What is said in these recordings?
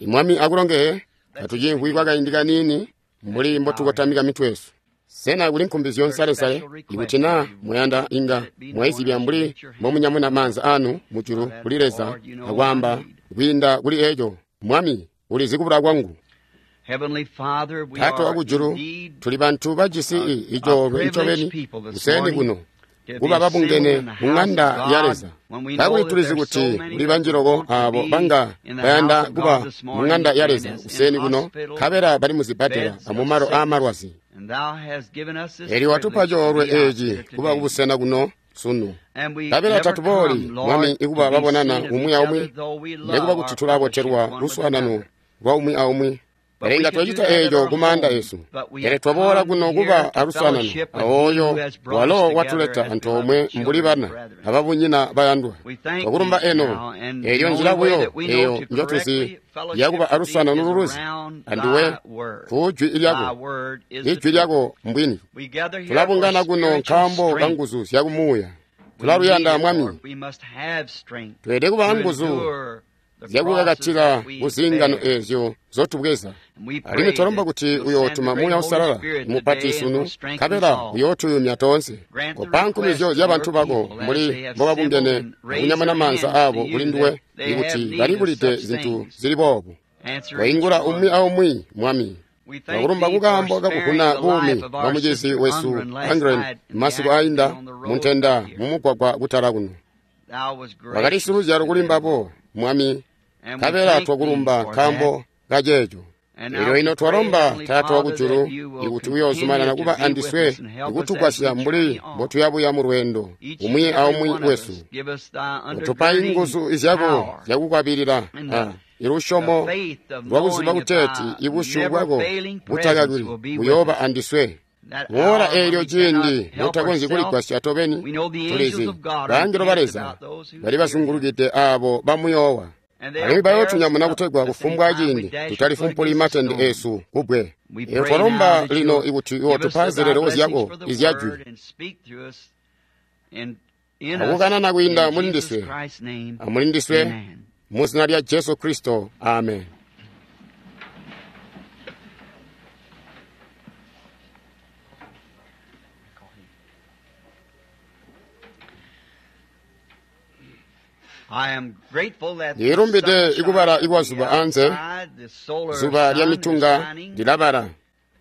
Mwami akulongeye, katucimvwi kwakaindi kaniini mbuli mbotukotamika mitwe yesu. Sena kuli nkumbizyo nsalesale? Ikuti naa muyanda inga mwaizibya mbuli mbomunyamuna maanza anu mujulu kuli Leza akwaamba kwiinda kuli eco, Mwami, ulizi kubula kwangu. Taata wakujulu, tuli bantu bajisi icoolwe ncobeni kuseeni kuno kuba babungene mu ŋanda ya Leza. Kakuli tulizi kuti kuli banji loko aabo banga bayanda kuba mu ŋanda ya Leza kuseeni kuno, nkabela bali muzibbadela amumalo aamalwazi. Eelyo watupa coolwe eeci kuba kubusena kuno sunu. Nkabela tatubooli, Mwami, ikuba babonana umwi aumwi, nekuba kuti tulabotelwa luswaanano lwa umwi aumwi. Pele inga twacita eeco kumaanda esu. Pele twaboola kuno kuba aluswaanano aooyo walo watuleta antoomwe mbuli bana ababunyina bayandwa. Twakulumba eno, eelyo nzila buyo eyo njotuzi yakuba aluswaanano luluzi anduwe ku jwi lyako. Ijwi lyako mbwini. Tulabungana kuno nkaambo ka nguzu zyakumuuya. Tulaluyanda, Mwami. Tweelede kuba anguzu zyakukakatila kuziingano eezyo zotubweza. Alimwi twalomba kuti uyootuma Muuya Uusalala mupati sunu, nkabela uyootuyumya toonse. Kopa nkumizyo zyabantu bako mbuli mbobabungene akunyamuna maanza aabo kuli nduwe, ikuti balibulide zintu zili boobu. Koingula umwi aumwi, Mwami. Twakulumba kukaambo kakuvuna buumi bwa mucizi wesu Angren masiku ainda muntenda mumugwagwa kutala kuno. Wakali siluzyalo kuli mbabo, Mwami, nkabela twakulumba nkaambo kaceeco. Elyo ino twalomba, Taata wakujulu, ikuti uyoozumanana kuba andiswe ikutugwasya mbuli mbotuyabuya mu lweendo umwi aumwi wesu. Utupa inguzu zyako zyakukwabilila ilusyomo lwakuziba kuteeti ibusyu bwako butakakili buyooba andiswe. Muola eelyo ciindi notakonzyi kuligwasya tobeni, tulizi baangelo ba Leza bali bazungulukide aabo bamuyoowa. Alimwi bayootunyamuna kutegwa kufumbwa ciindi tutalifumpuli matende eesu kubbwe. Eelyo twalomba lino ikuti uyootupa zileleko zyako izyajwi akukanana kwiinda mulindiswe amulindiswe muzina lya Jesu Kristo, amen. Ndilumbide ikubala ikwazuba anze, zuba lya mitunga lilabala.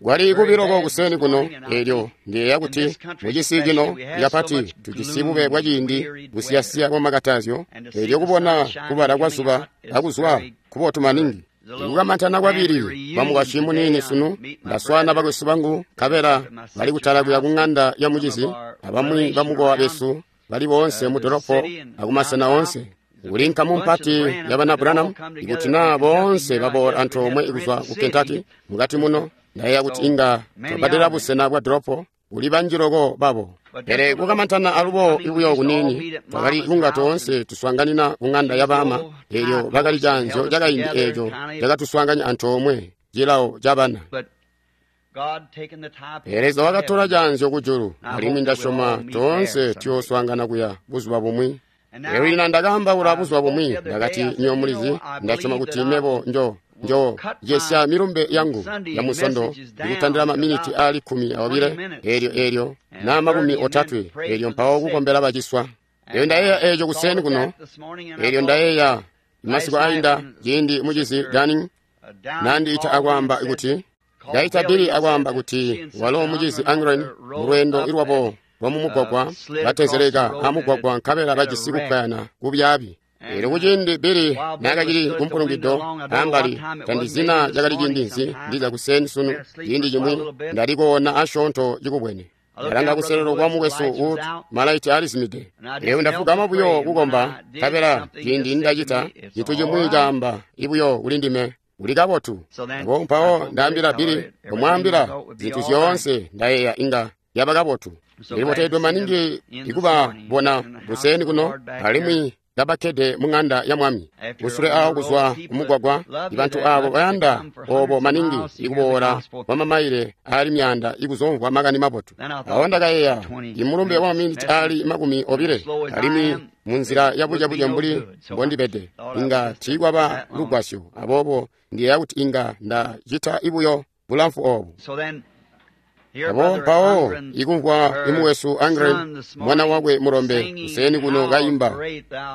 Kwali kubiloko kuseni kuno, eelyo ndiyeeya kuti mucisi cino kapati tujisi bube bwaciindi busiyasiya bwamakatazyo, eelyo kubona kubala kwazuba akuzwa kubotu maningi. Ikukamantana kwabili bamukwasyi muniini sunu, ndaswaana bakwesu bangu nkabela bali kutala kuya kuŋanda ya mucizi abamwi bamukowa besu bali boonse mu dolopo akumasena oonse. Kuli nkamu mpati yabana Branham, ikuti naa boonse baboola antoomwe kuzwa ku Kentucky mukati muno, ndayeeya kuti inga twabbadela busena bwa dolopo kuli banji loko babo. Pele kukamantana alubo ibuyo kuniini, twakali kunga toonse tuswaanganina kuŋanda ya baama, eelyo bakali caanzyo cakaindi eeco cakatuswaanganya antoomwe cilawo cabana. Pele Leza wakatola caanzyo kujulu, alimwi ndasyoma toonse tuyooswaangana kuya buzuba bumwi. Elyo lino ndakaambaula buzuba bumwi, ndakati, nywebo mulizi, ndasyoma kuti mebo njo jesya milumbe yangu ya musondo ikutandila maminiti aali 12, eelyo naa 30, eelyo mpawo kukombela baciswa. Eelyo ndayeeya eeco kuseeni kuno, eelyo ndayeeya masiku ainda ciindi mucizi Danning nandiita akwaamba kuti ndaita Billy akwaamba kuti walo mucizi Angren mulweendo ilwabo lwamumugwagwa batezeleka amugwagwa nkabela bajisi kupwayana kubyaabi. Eelyo kuciindi Billy naakacili kumpulungido ambali, tandizina cakali ciindi nzi ndiza kuseni sunu ciindi cimwi ndali koona asyoonto cikubwene. Ndalanga kuselelo kwa mukwesu Wood, malaiti alizimide. Eelyo ndafugama buyo kukomba, nkabela ciindi ndacita cintu cimwi caamba ibuyo kuli ndime, uli kabotu. Abo mpawo ndaambila Billy, kumwaambila zintu zyoonse ndayeeya inga yaba kabotu. Ndilibotedwe maningi ikubabona kuseni kuno, alimwi kabakkede mu ng'anda ya Mwami. Kusule awo kuzwa kumugwagwa, ibantu abo bayanda obo maningi ikuboola kwa mamaile aali myaanda ikuzomvwa makani mabotu. Awo ndakayeeya, imulumbe wa maminiti aali 20, alimwi munzila yabucebuce mbuli mbondibede, inga tiikwaba lugwasyo. Aboobo ndiyeeya kuti inga ndacita ibuyo bulamfu obu. Abo mpawo ikumvwa imuwesu Angren, mwana wakwe mulombe, kuseeni kuno kayimba,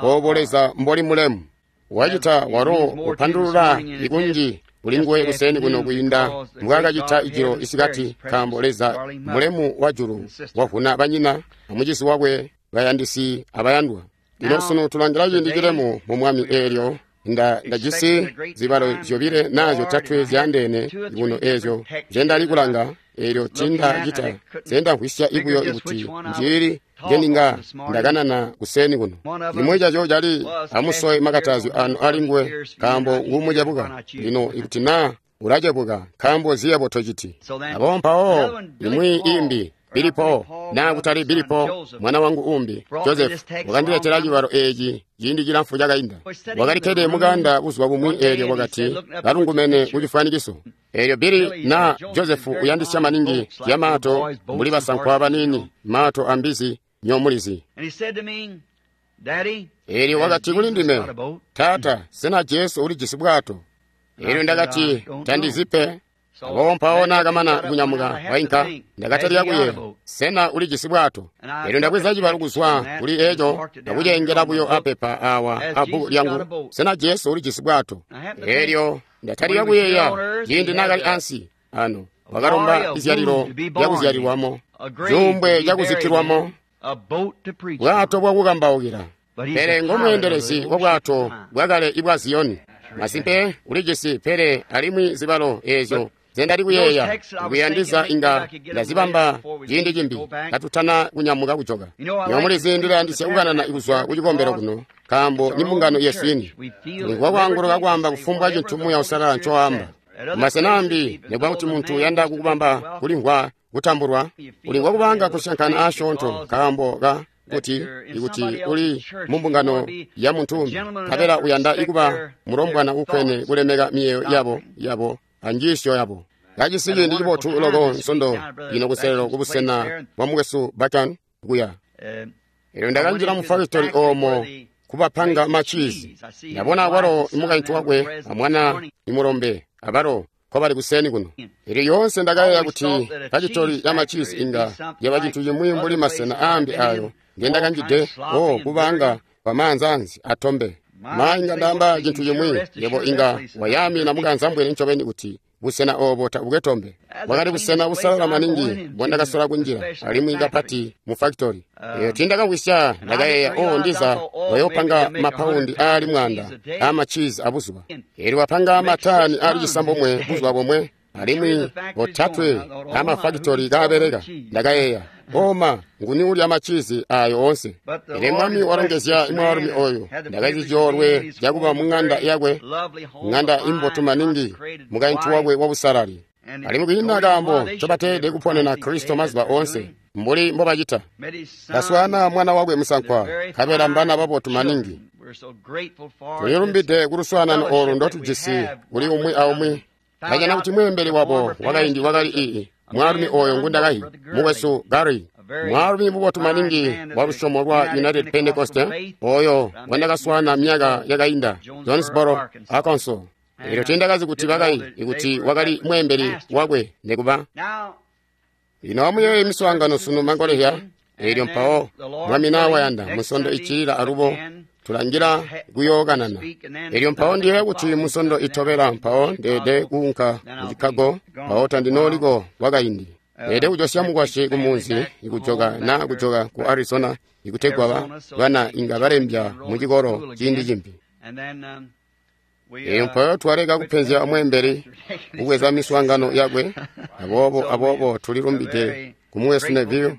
obo Leza mboli mulemu. Wacita walo kupandulula ikunji kulinguwe kuseeni kuno kwiinda mbwaakacita ijilo isikati, nkaambo Leza mulemu wa julu wavuna banyina amucizi wakwe bayandisi abayandwa. Lino sunu tulangila ciindi cilemu mu Mwami eelyo ndajisi zibalo zyobile naa zyotatwe zyaandeene kuno eezyo nzyendali kulanga, eelyo tiindacita nzyendamvwisya ibuyo ikuti njiili njeninga ndakanana kuseeni kuno. Cimwi caco cali amusowe makatazyo anu alinguwe, nkaambo ngumucebuka. Lino ikuti naa ulacebuka, nkaambo ziyebo tociti. Abo mpawo imwi imbi Billy Paul, naa kutali Billy Paul, mwana wangu umbi Joseph, wakandiletela cibalo eeci ciindi cilamfu cakainda. Wakalikkede mukanda buzuba bumwi eelyo wakati kalungumene kucifwanikiso. Eelyo Billy na Joseph uyandisya maningi ya maato mbuli basankwa baniini, maato ambizi nyomulizi. Eelyo wakati kuli ndime, Taata, sena Jesu ulijisi bwato? Eelyo ndakati, tandizi pe. Aboobo mpawo naakamana kunyamuka wainka, ndakatalika kuyeeya, sena ulijisi bwato? Eelyo ndabweza cibalo kuzwa kuli eco ndakuceengela buyo apepa awa abbuku lyangu, sena Jesu ulijisi bwato? Eelyo ndatalika kuyeeya ciindi naakali ansi ano, wakalomba izyalilo lyakuzyalilwamo, cuumbwe cakuzikkilwamo, bwato bwakukambaukila. Pele ngomweendelezi wa bwato bwakale ibwa Ziyoni. Masimpe ulijisi, pele alimwi zibalo eezyo nzendali kuyeeya kuyandiza inga ndazibamba ciindi cimbi katutana kunyamuka kujoka. Nyomulizi ndilayandisya kukanana kuzwa kucikombelo kuno, nkaambo ni mbungano yesu ini. Tulimvwa kwaanguluka kwaamba kufumbwa cintu Muuya Uusalala ncowaamba. Mumasena ambi, nikuba kuti muntu uyanda kukubamba kulimvwa kutambulwa, ulimvwa kubanga kusyankana aasyoonto nkaambo ka kuti ikuti uli mumbungano ya muntu umbi, nkabela uyanda ikuba mulombwana ukwene kulemeka miyeeyo yabo anjiisyo yabo. Kajisi ciindi cibotu loko nsondo ino kuselelo kubusena bwa mukwesu Bakan kuya. Eelyo ndakanjila mu fakitori oomo kubapanga machiizi. Ndabona awalo imukaintu wakwe amwana imulombe abalo nkobali kuseeni kuno. Eelyo yoonse ndakayeeya kuti fakitori ya machiizi inga yaba cintu cimwi mbuli masena aambi ayo ngendakanjide o kubanga kwamaanzaanzi atombe. Ma inga ndaamba cintu cimwi, yebo inga wayaamina mukanzambwene ncobeni kuti busena obo tabukwe tombe. Bwakali busena busalala maningi mbondakasola kunjila, alimwi kapati mu fakitori. Eyo tiindakamvwisya, ndakayeeya, o ndiza bayoopanga mapaundi aali 100 aamachiizi abuzuba. Eelyo bapanga mataani aali 9 buzuba bomwe, alimwi 3 aamafakitori kaabeleka. Ndakayeeya, oma nguni ulya machiizi ayo oonse? Pele Mwami walongezya mwaalumi oyo. Ndakajisi coolwe cakuba mu ng'anda yakwe, ng'anda imbotu maningi, mukaintu wakwe wabusalali. Alimwi kwiina kaambo ncobateelede kuponena Kristo mazuba oonse mbuli mbobacita. Ndaswaana mwana wakwe musankwa, nkabela mbana babotu maningi. Tulilumbide kuluswaanano oolu ndotujisi kuli umwi aumwi. Ndajana kuti mweembeli wabo wakaindi wakali ii mwaalumi oyo ngundakayi, mukwesu Gary, mwaalumi mubotu maningi wa lusyomo lwa United Pentecost, oyo ngwandakaswaana myaka yakainda, Jonesboro, Arkansas. Eelyo tiindakazi kuti bakayi ikuti wakali mweembeli wakwe nikuba. Lino amuyeeye miswaangano sunu mangolezya, eelyo mpawo Mwami nawayanda musondo iccilila alubo tulangila kuyookanana. Eelyo mpawo ndiyeeya kuti musondo itobela mpawo ndeede kuunka ku Chicago, mpawo tandinooliko kwakaindi. Ndeede kujosya mukwasyi kumunzi ikujoka naa kujoka ku Arizona ikutegwa bana inga balembya mu cikolo ciindi cimbi. Eelyo mpawo twaleka kupenzya mweembeli kubweza miswaangano yakwe, aboobo tulilumbide kumukwesu Neville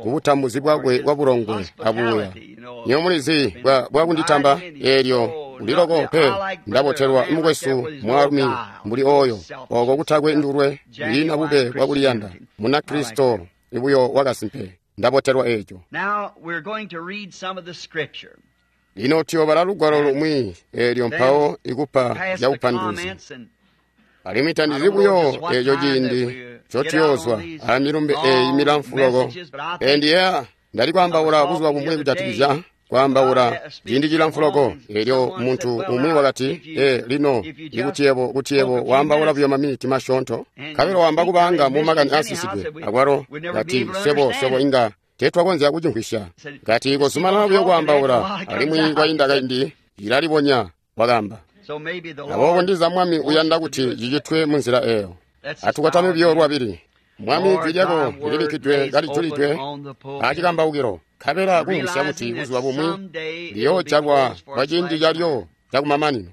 kubutambuzi bwakwe bwabulongwe abuya. Nyo mulizi bwakunditamba eelyo uliloko pe ndabotelwa mukwesu mwaalumi mbuli oyo, oko kutakwe ndulwe, kwiina bube bwakuliyanda, muna Kristo ibuyo wakasimpe. Ndabotelwa eeco. Lino tuyobala lugwalo lumwi eelyo mpawo ikupa zyakupanduluzi. Alimwi tandizi buyo eeco ciindi ncotuyoozwa amilumbe eeyi milamfu loko. Endiya ndali kwaambaula buzuba bumwi kujatikizya kwaambaula ciindi cilamfu loko. Eelyo muntu umwi wakati, "Ee, lino ikuti yebo kuti yebo waambaula buyo maminiti masyoonto, nkabela waamba kubaanga mu makani aasisidwe." Akwalo kati, "Swebo swebo inga teetwakonzya kucimvwisya." Kati, "Kozumanana buyo kwaambaula, alimwi kwainda kaindi cilalibonya," wakaamba. Aboobo ndiza Mwami uyanda kuti cicitwe munzila eeyo. Atukwatame buyo lwabili. Mwami, jwi lyako lilibikkidwe kalijulidwe acikambaukilo, nkabela kumvwisya kuti buzuba bumwi liyoojalwa kwa ciindi calyo cakumamanino.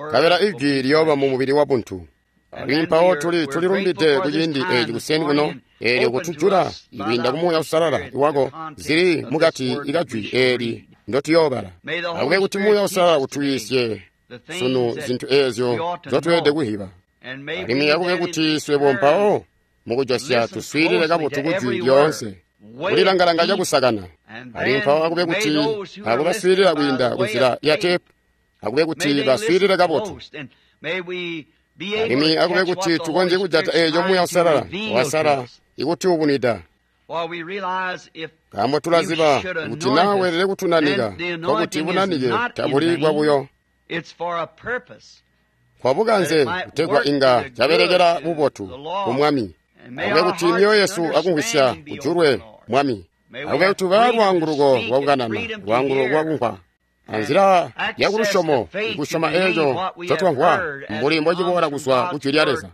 Nkabela ijwi liyooba mu mubili wabuntu. Alimwi mpawo tuli tulilumbide ku ciindi eeci kuseni kuno, eelyo kutujula ikwiinda ku Muuya Uusalala wako zili mukati ikajwi eeli ndotuyoobala. Akube kuti Muuya Uusalala utuyiisye sunu zintu eezyo nzotweelede kuhiba. Alimwi akube kuti swebo mpawo mukujosya tuswiilile kabotu kujwi lyoonse, kulilangalanga cakusakana. Alimwi mpawo akube kuti abo baswiilila kwiinda kunzila ya teepu, akube kuti baswiilile kabotu. Alimwi akube kuti tukonzye kujata eeco Muuya Uusalala wasala ikuti ubunida. Nkaambo tulaziba kuti naa weelede kutunanika, nkokuti bunanike tabuli bwabuyo. Kwabukanze kutegwa inga cabelekela bubotu ku Mwami. Akube kuti myoyo yesu akumvwisya kujulwe, Mwami. Akube kuti tubaa lwaanguluko lwakukanana, lwaanguluko lwakumvwa. Anzila yakulusyomo, ikusyoma eeco ncotwamvwa mbuli mbociboola kuzwa ku Jwi lya Leza.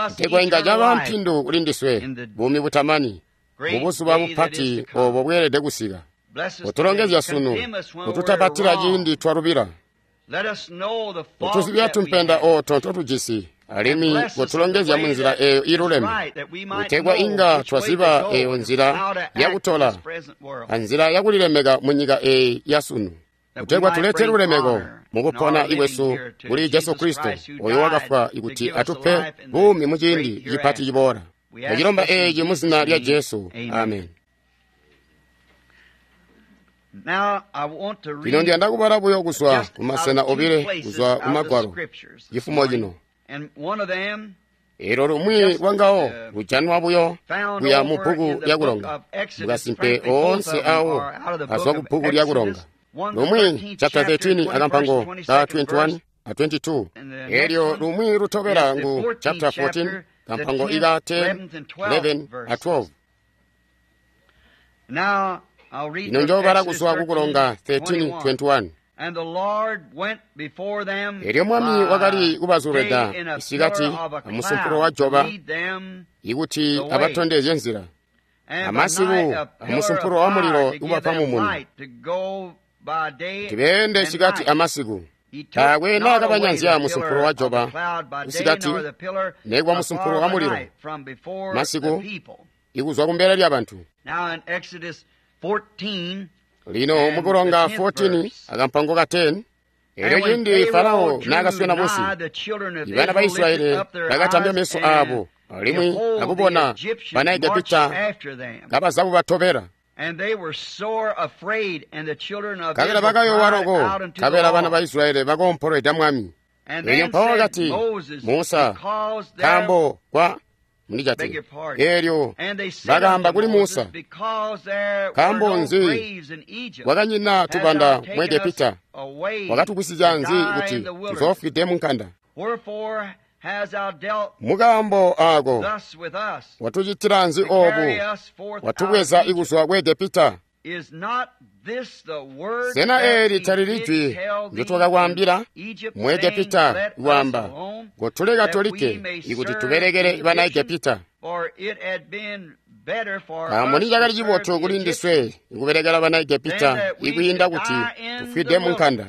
Kutegwa inga caba mpindu kuli ndiswe, buumi butamani, mubuzuba bupati oobo bweelede kusika. Kutulongezya sunu, kututapatila ciindi twalubila. Kutuzibya tumpenda ooto ntotujisi, alimwi kutulongezya munzila eeyo iiluleme, kutegwa inga twaziba eeyo nzila yakutola anzila yakulilemeka munyika eeyi yasunu, kutegwa tulete lulemeko mukupona ikwesu kuli Jesu Kristo, oyo wakafwa ikuti atupe buumi muciindi cipati ciboola. Tacilomba eeci muzina lya Jesu. Amen. Lino ndiyanda kubala buyo kuzwa kumasena obile kuzwa kumagwalo cifumo cino. Eelyo lumwi lwangawo lujanwa buyo kuya mu bbuku lyakulonga. Mukasimpe oonse awo azwa ku bbuku lyakulonga. Lumwi chapter 13 akampango ka 21 a 22. Eelyo lumwi lutobela ngu chapter 14 kampango ika 10, 11 a 12. Ino njoobala kuzwa kukulonga 13:21. Eelyo Mwami wakali kubazulwida isikati amusumpulo wa joba ikuti abatondezye nzila, amasiku amusumpulo wa mulilo ubapa mumuni, kuti beende isikati amasiku. Taakwe naakabanyanzya musumpulo wa joba isikati nekuba musumpulo wa mulilo masiku ikuzwa kumbele lyabantu. Lino mukulonga 14 akampango ka 10, eelyo ciindi Farao naakaswena munsi, ibana ba Israyeli bakatambya meso aabo alimwi akubona bana Egepita kabaza kubatobela. Nkabela bakayoowa loko, nkabela bana ba Israyeli bakoompolweda Mwami. Eelyo mpawo wakati, "Musa, nkaambo kwa mundijatile." Eelyo bakaamba kuli Musa, "Nkaambo nzi kwakanyina tubanda mu Egepita? Wakatugwisizya nzi kuti tuzoofwide munkanda? Mukaambo aako watucitila nzi oobu? Watubweza ikuzwa ku Egepita? Sena eeli talili jwi ndyotwakakwaambila mu Egepita kwaamba, kotuleka tolikke ikuti tubelekele bana Egepita? Nkaambo nicakali cibotu kuli ndiswe ikubelekela bana Egepita ikwiinda kuti tufwide munkanda."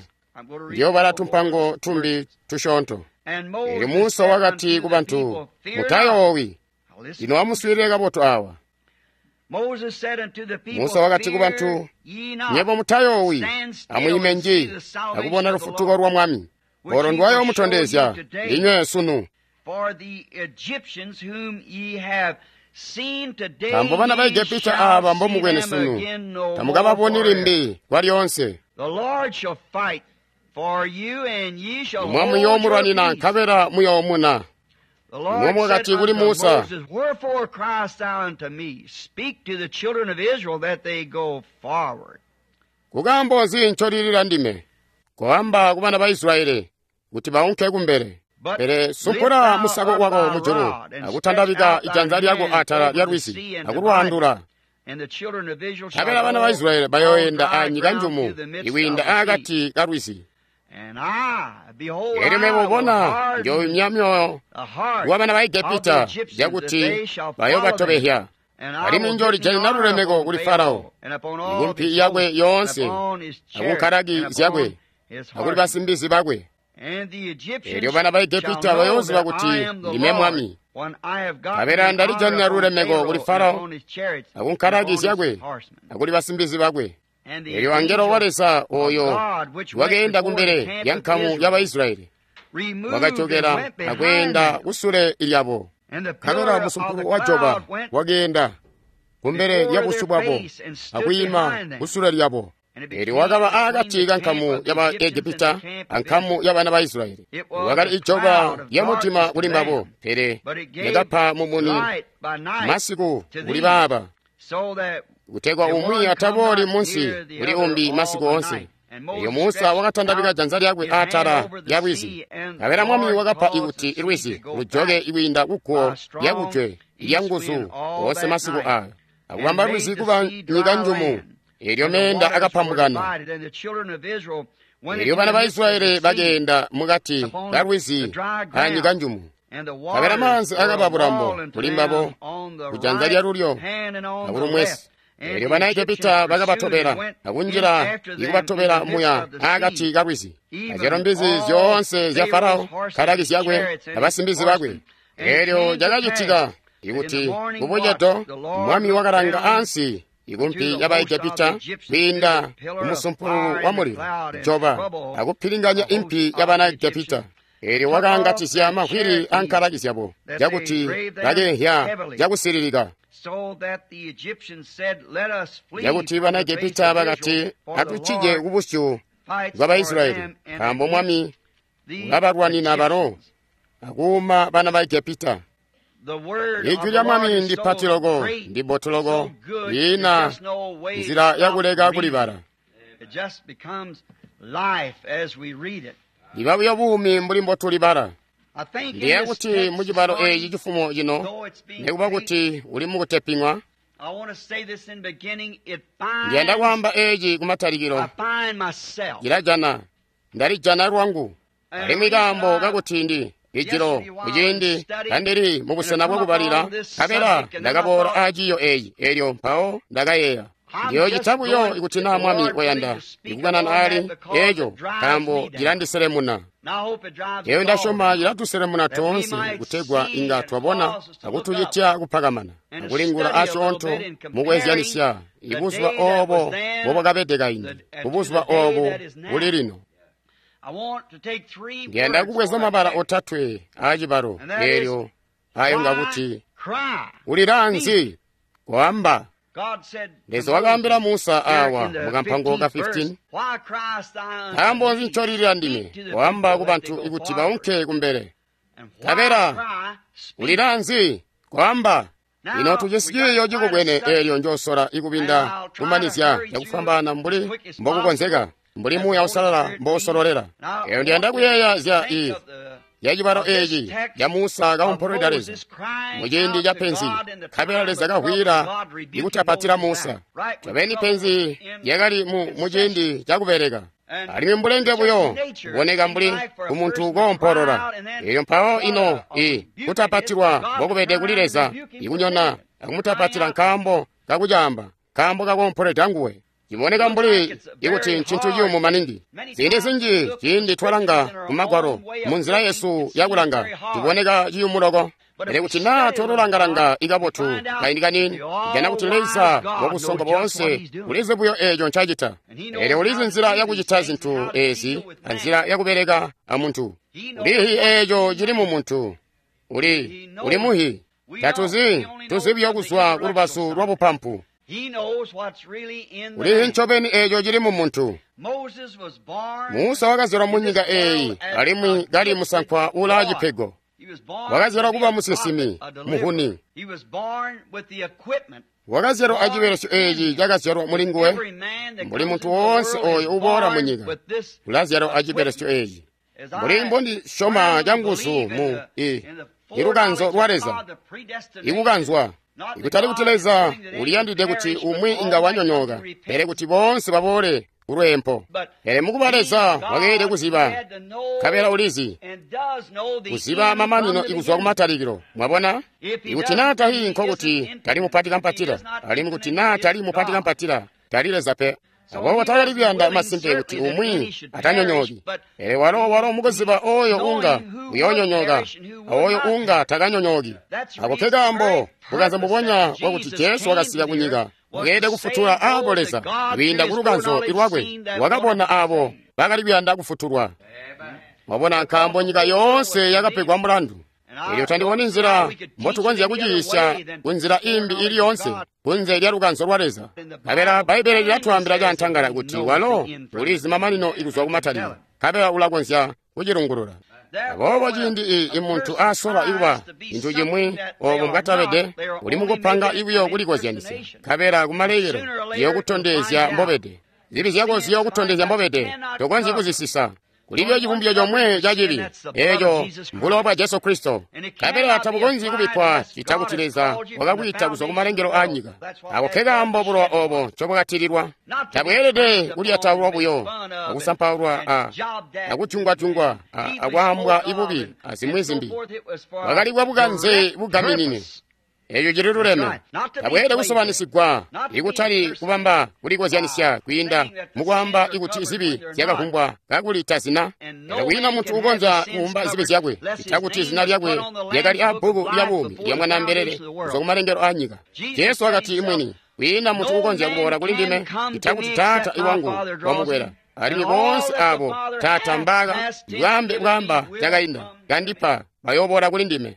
Ndiyoobala tumpango tumbi tusyoonto. Eelyo Musa wakati kubantu, "Mutayoowi. Lino amuswiilile kabotu awa." Musa wakati kubantu, "Nywebo mutayoowi, amwiime nji akubona lufutuko lwa Mwami, olo ndwayoomutondezya ndinywe sunu. Nkaambo bana ba Egepita aaba mbomubwene sunu tamukababoni limbi kwalyoonse. Imwe muyoomulwanina nkabela muyoomuna. Imwe mwakati kuli Musa, Kukaambo nzi ncolilila ndime? Koamba kubana ba Israyeli kuti baunke kumbele. Pele sumpula musako wako mujulu akutandabika ijanza lyako atala lya lwizi akulwaandula. Nkabela bana ba Israyeli bayooenda anyika njumu ikwiinda akati ka lwizi. Elyo mebo bona njooyumya myoyo wabana ba Egepita cakuti bayoobatobehya. Alimwi njoolijanina lulemeko kuli Farao, ikumpi yakwe yoonse, akunkalaki zyakwe, akuli basimbizi bakwe. Elyo bana ba Egepita bayooziba kuti ndime Mwami. Nkabela ndalijanina lulemeko kuli Farao, akunkalaki zyakwe, akuli basimbizi bakwe. Elyo angelo wa Leza oyo wakeenda kumbele lya nkamu yaba Israyeli wakajokela akweenda kusule lyabo. Nkabela musumpulo wa joba wakeenda kumbele lya busyu bwabo akwiima kusule lyabo. Elyo wakaba akati kankamu yaba Egepita ankamu yabana ba Israyeli. Wakali ijoba lya mutima kuli mbabo, pele lyakapa mumuni masiku kuli baaba, kutegwa umwi atabooli munsi kuli umbi masiku oonse. Elyo Musa wakatandabika janza lyakwe atala lya lwizi. Nkabela Mwami wakapa ikuti lwizi lujoke ikwiinda kugwo lyakujwe lya nguzu oonse masiku ayo, akubamba lwizi kuba nyika njumu. Elyo meenda akapambukana. Elyo bana ba Israyeli bakeenda mukati ka lwizi anyika njumu. Nkabela maanzi akaba bulambo kuli mbabo kujanza lya lulyo akulumwesi. Elyo bana Egepita bakabatobela akunjila ikubatobela muya akati ka lwizi. Azyalo mbizi zyoonse zya Farao, nkalaki zyakwe abasimbizi bakwe. Elyo cakacitika ikuti kubucedo Mwami wakalanga ansi ikumpi yaba Egepita kwiinda kumusumpululu wa mulilo joba akupilinganya impi yabana Egepita. Elyo wakaangatizya mavwili ankalaki zyabo cakuti bakeehya cakusililika. Cakuti bana Egepita bakati, atucije kubusyu bwa Baisraeli, nkaambo Mwami ulabalwanina balo akuuma bana ba Egepita. Ijwi lya Mwami ndipati loko, ndibotu loko, liina nzila yakuleka kulibala. Liba buyo buumi mbuli mbotulibala. Ndiye kuti mucibalo eeci cifumo cino, nikuba kuti uli mukuteping'wa, ndiyanda kwaamba eeci kumatalikilo, cilajana, ndalijana lwangu. Alimwi kaambo kakuti ndi ijilo kuciindi kandili mubusena bwakubalila, nkabela ndakaboola aaciiyo eeci, elyo mpawo ndakayeeya. Ndiyoocita buyo ikuti naa Mwami wayanda ikukanana ali eeco, nkaambo cilandiselemuna. Eyo ndasyoma cilatuselemuna toonse kutegwa inga twabona akutucitya kupakamana akulingula asyoonto mukwezyanisya ibuzuba oobo mbobwakabede kaindi kubuzuba oobu buli lino. Ndiyanda kubweza mabala otatwe aacibalo eelyo ayo ngakuti ulila nzi koamba. Leza wakaambila Musa awa mukampango ka 15, nkaambo nzi ncolilila ndime koamba kubantu ikuti baunke kumbele? Nkabela ulila nzi koamba? Lino tujisi ciiyo cikubwene eelyo njoosola ikubinda kumanizya cakufwambaana mbuli mbokukonzeka, mbuli Muuya Uusalala mbousololela. Eyo ndiyanda kuyeeya zya ya cibalo eeci ca Musa kaumpolweda Leza muciindi ca penzi, nkabela Leza kavwiila ikutapatila Musa. Ncobeni penzi lyakali muciindi cakubeleka, alimwi mbulenge buyo kuboneka mbuli kumuntu koompolola. Elyo mpawo ino kutapatilwa mbokubede kuli Leza ikunyona akumutapatila nkaambo kakucaamba, nkaambo kakoompolweda nguwe. Ciboneka mbuli ikuti ncintu ciyumu maningi. Ziindi zinji ciindi twalanga kumagwalo munzila yesu yakulanga, ciboneka ciyumu loko. Pele kuti naa twalulanga-langa ikabotu kaindi kaniini, tujana kuti Leza wabusongo boonse ulizi buyo eeco ncacita. Elyo ulizi nzila yakucita zintu eezi anzila yakubeleka amuntu. Ulihi eeco cili mumuntu. Uli muhi. Tatuzi, tuzi buyo kuzwa ku lubazu lwa bupampu. Ulizi ncobeni eeco cili mu muntu. Musa wakazyalwa mu nyika eeyi alimwi kali musankwa uulaa cipego. Wakazyalwa kuba musinsimi, muhuni. Wakazyalwa acibelesyo eeci cakazyalwa muli nguwe. Mbuli muntu woonse ooyo uboola mu nyika ulazyalwa acibelesyo eeci. Mbuli mbondisyoma canguzu mu ilukanzo lwa Leza, ikukanzwa. Ikutali kuti Leza uliyandide kuti umwi inga wanyonyooka, pele kuti boonse baboole kulweempo. Pele mukuba Leza wakeelede kuziba, nkabela ulizi kuziba mamanino ikuzwa kumatalikilo. Mwabona? Ikuti naa tahi nkokuti tali mupati kampatila, alimwi kuti naa tali mupati kampatila, tali Leza pe. Aboobo takali kuyanda masimpe kuti umwi atanyonyooki, pele walo mukuziba oyo unga uyoonyonyooka awoyo unga takanyonyooki. Ako ke kaambo bukanze mbubonya bwakuti Jesu wakasika kunyika wakeelede kufutula aabo Leza kwiinda ku lukanzo lwakwe wakabona aabo bakali kuyanda kufutulwa. Mwabona, nkaambo nyika yoonse yakapegwa mulandu. Elyo tandiboni nzila mbotukonzya kuciisya kunzila imbi ili yoonse kunze lya lukanzo lwa Leza. Nkabela Bbaibbele lilatwaambila cantangala kuti walo ulizi mamanino ikuzwa kumatalikilo, nkabela ulakonzya kucilungulula. Aboobo ciindi imuntu asola ikuba cintu cimwi oobo mbwatabede, uli mukupanga ibuyo kulikozyanisya, nkabela kumalekelo ziyokutondezya mbobede. Zibi zyako ziyokutondezya mbobede, tokonzyi kuzisisa. Kulibyo civumbyo comwe ca cibi, eeco mbulowa bwa Jesu Kristo. Nkabela tabukonzyi kubikkwa cita kuti Leza wakakwiita kuzwa kumalengelo aanyika. Ako ke kaambo bulowa oobo ncobwakatililwa. Tabweelede kulyataulwa buyo, akusampaulwa akutyungwa-tyungwa, akwaambwa ibubi azimwi zimbi. Bwakali bwa bukanze bugaminine. Eeco cili luleme. Tabweelede kusobanisigwa, ikutali kubamba kulikozyanisya kwiinda mukwaamba ikuti zibi zyakavumbwa kakuli tazina. Pele kwiina muntu ukonzya kuwumba zibi zyakwe cita kuti zina lyakwe lyakali abbuku lya buumi lya Mwanaambelele kuzwa kumalengelo aanyika. Jesu wakati mwini, kwiina muntu ukonzya kuboola kuli ndime cita kuti Taata iwangu wamukwela. Alimwi boonse aabo Taata mbaaka bwaambe bwaamba cakainda kandipa bayooboola kuli ndime.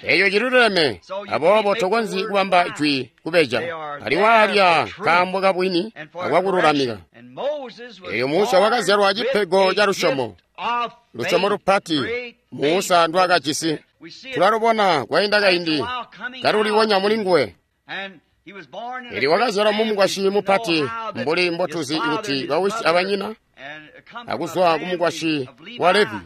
Eeco cililuleme. Aboobo tokonzyi kubamba jwi kubeja. Aliwaalya kaambo kabwini akwakululamika. Eeyo Musa wakazyalwa cipego ca lusyomo, lusyomo lupati Musa ndwaakajisi. Tulalubona kwainda kaindi kaluliwonya mulinguwe. Eli wakazyalwa mumukwasyi mupati mbuli mbotuzi kuti bawisi abanyina akuzwa kumukwasyi wa Levi.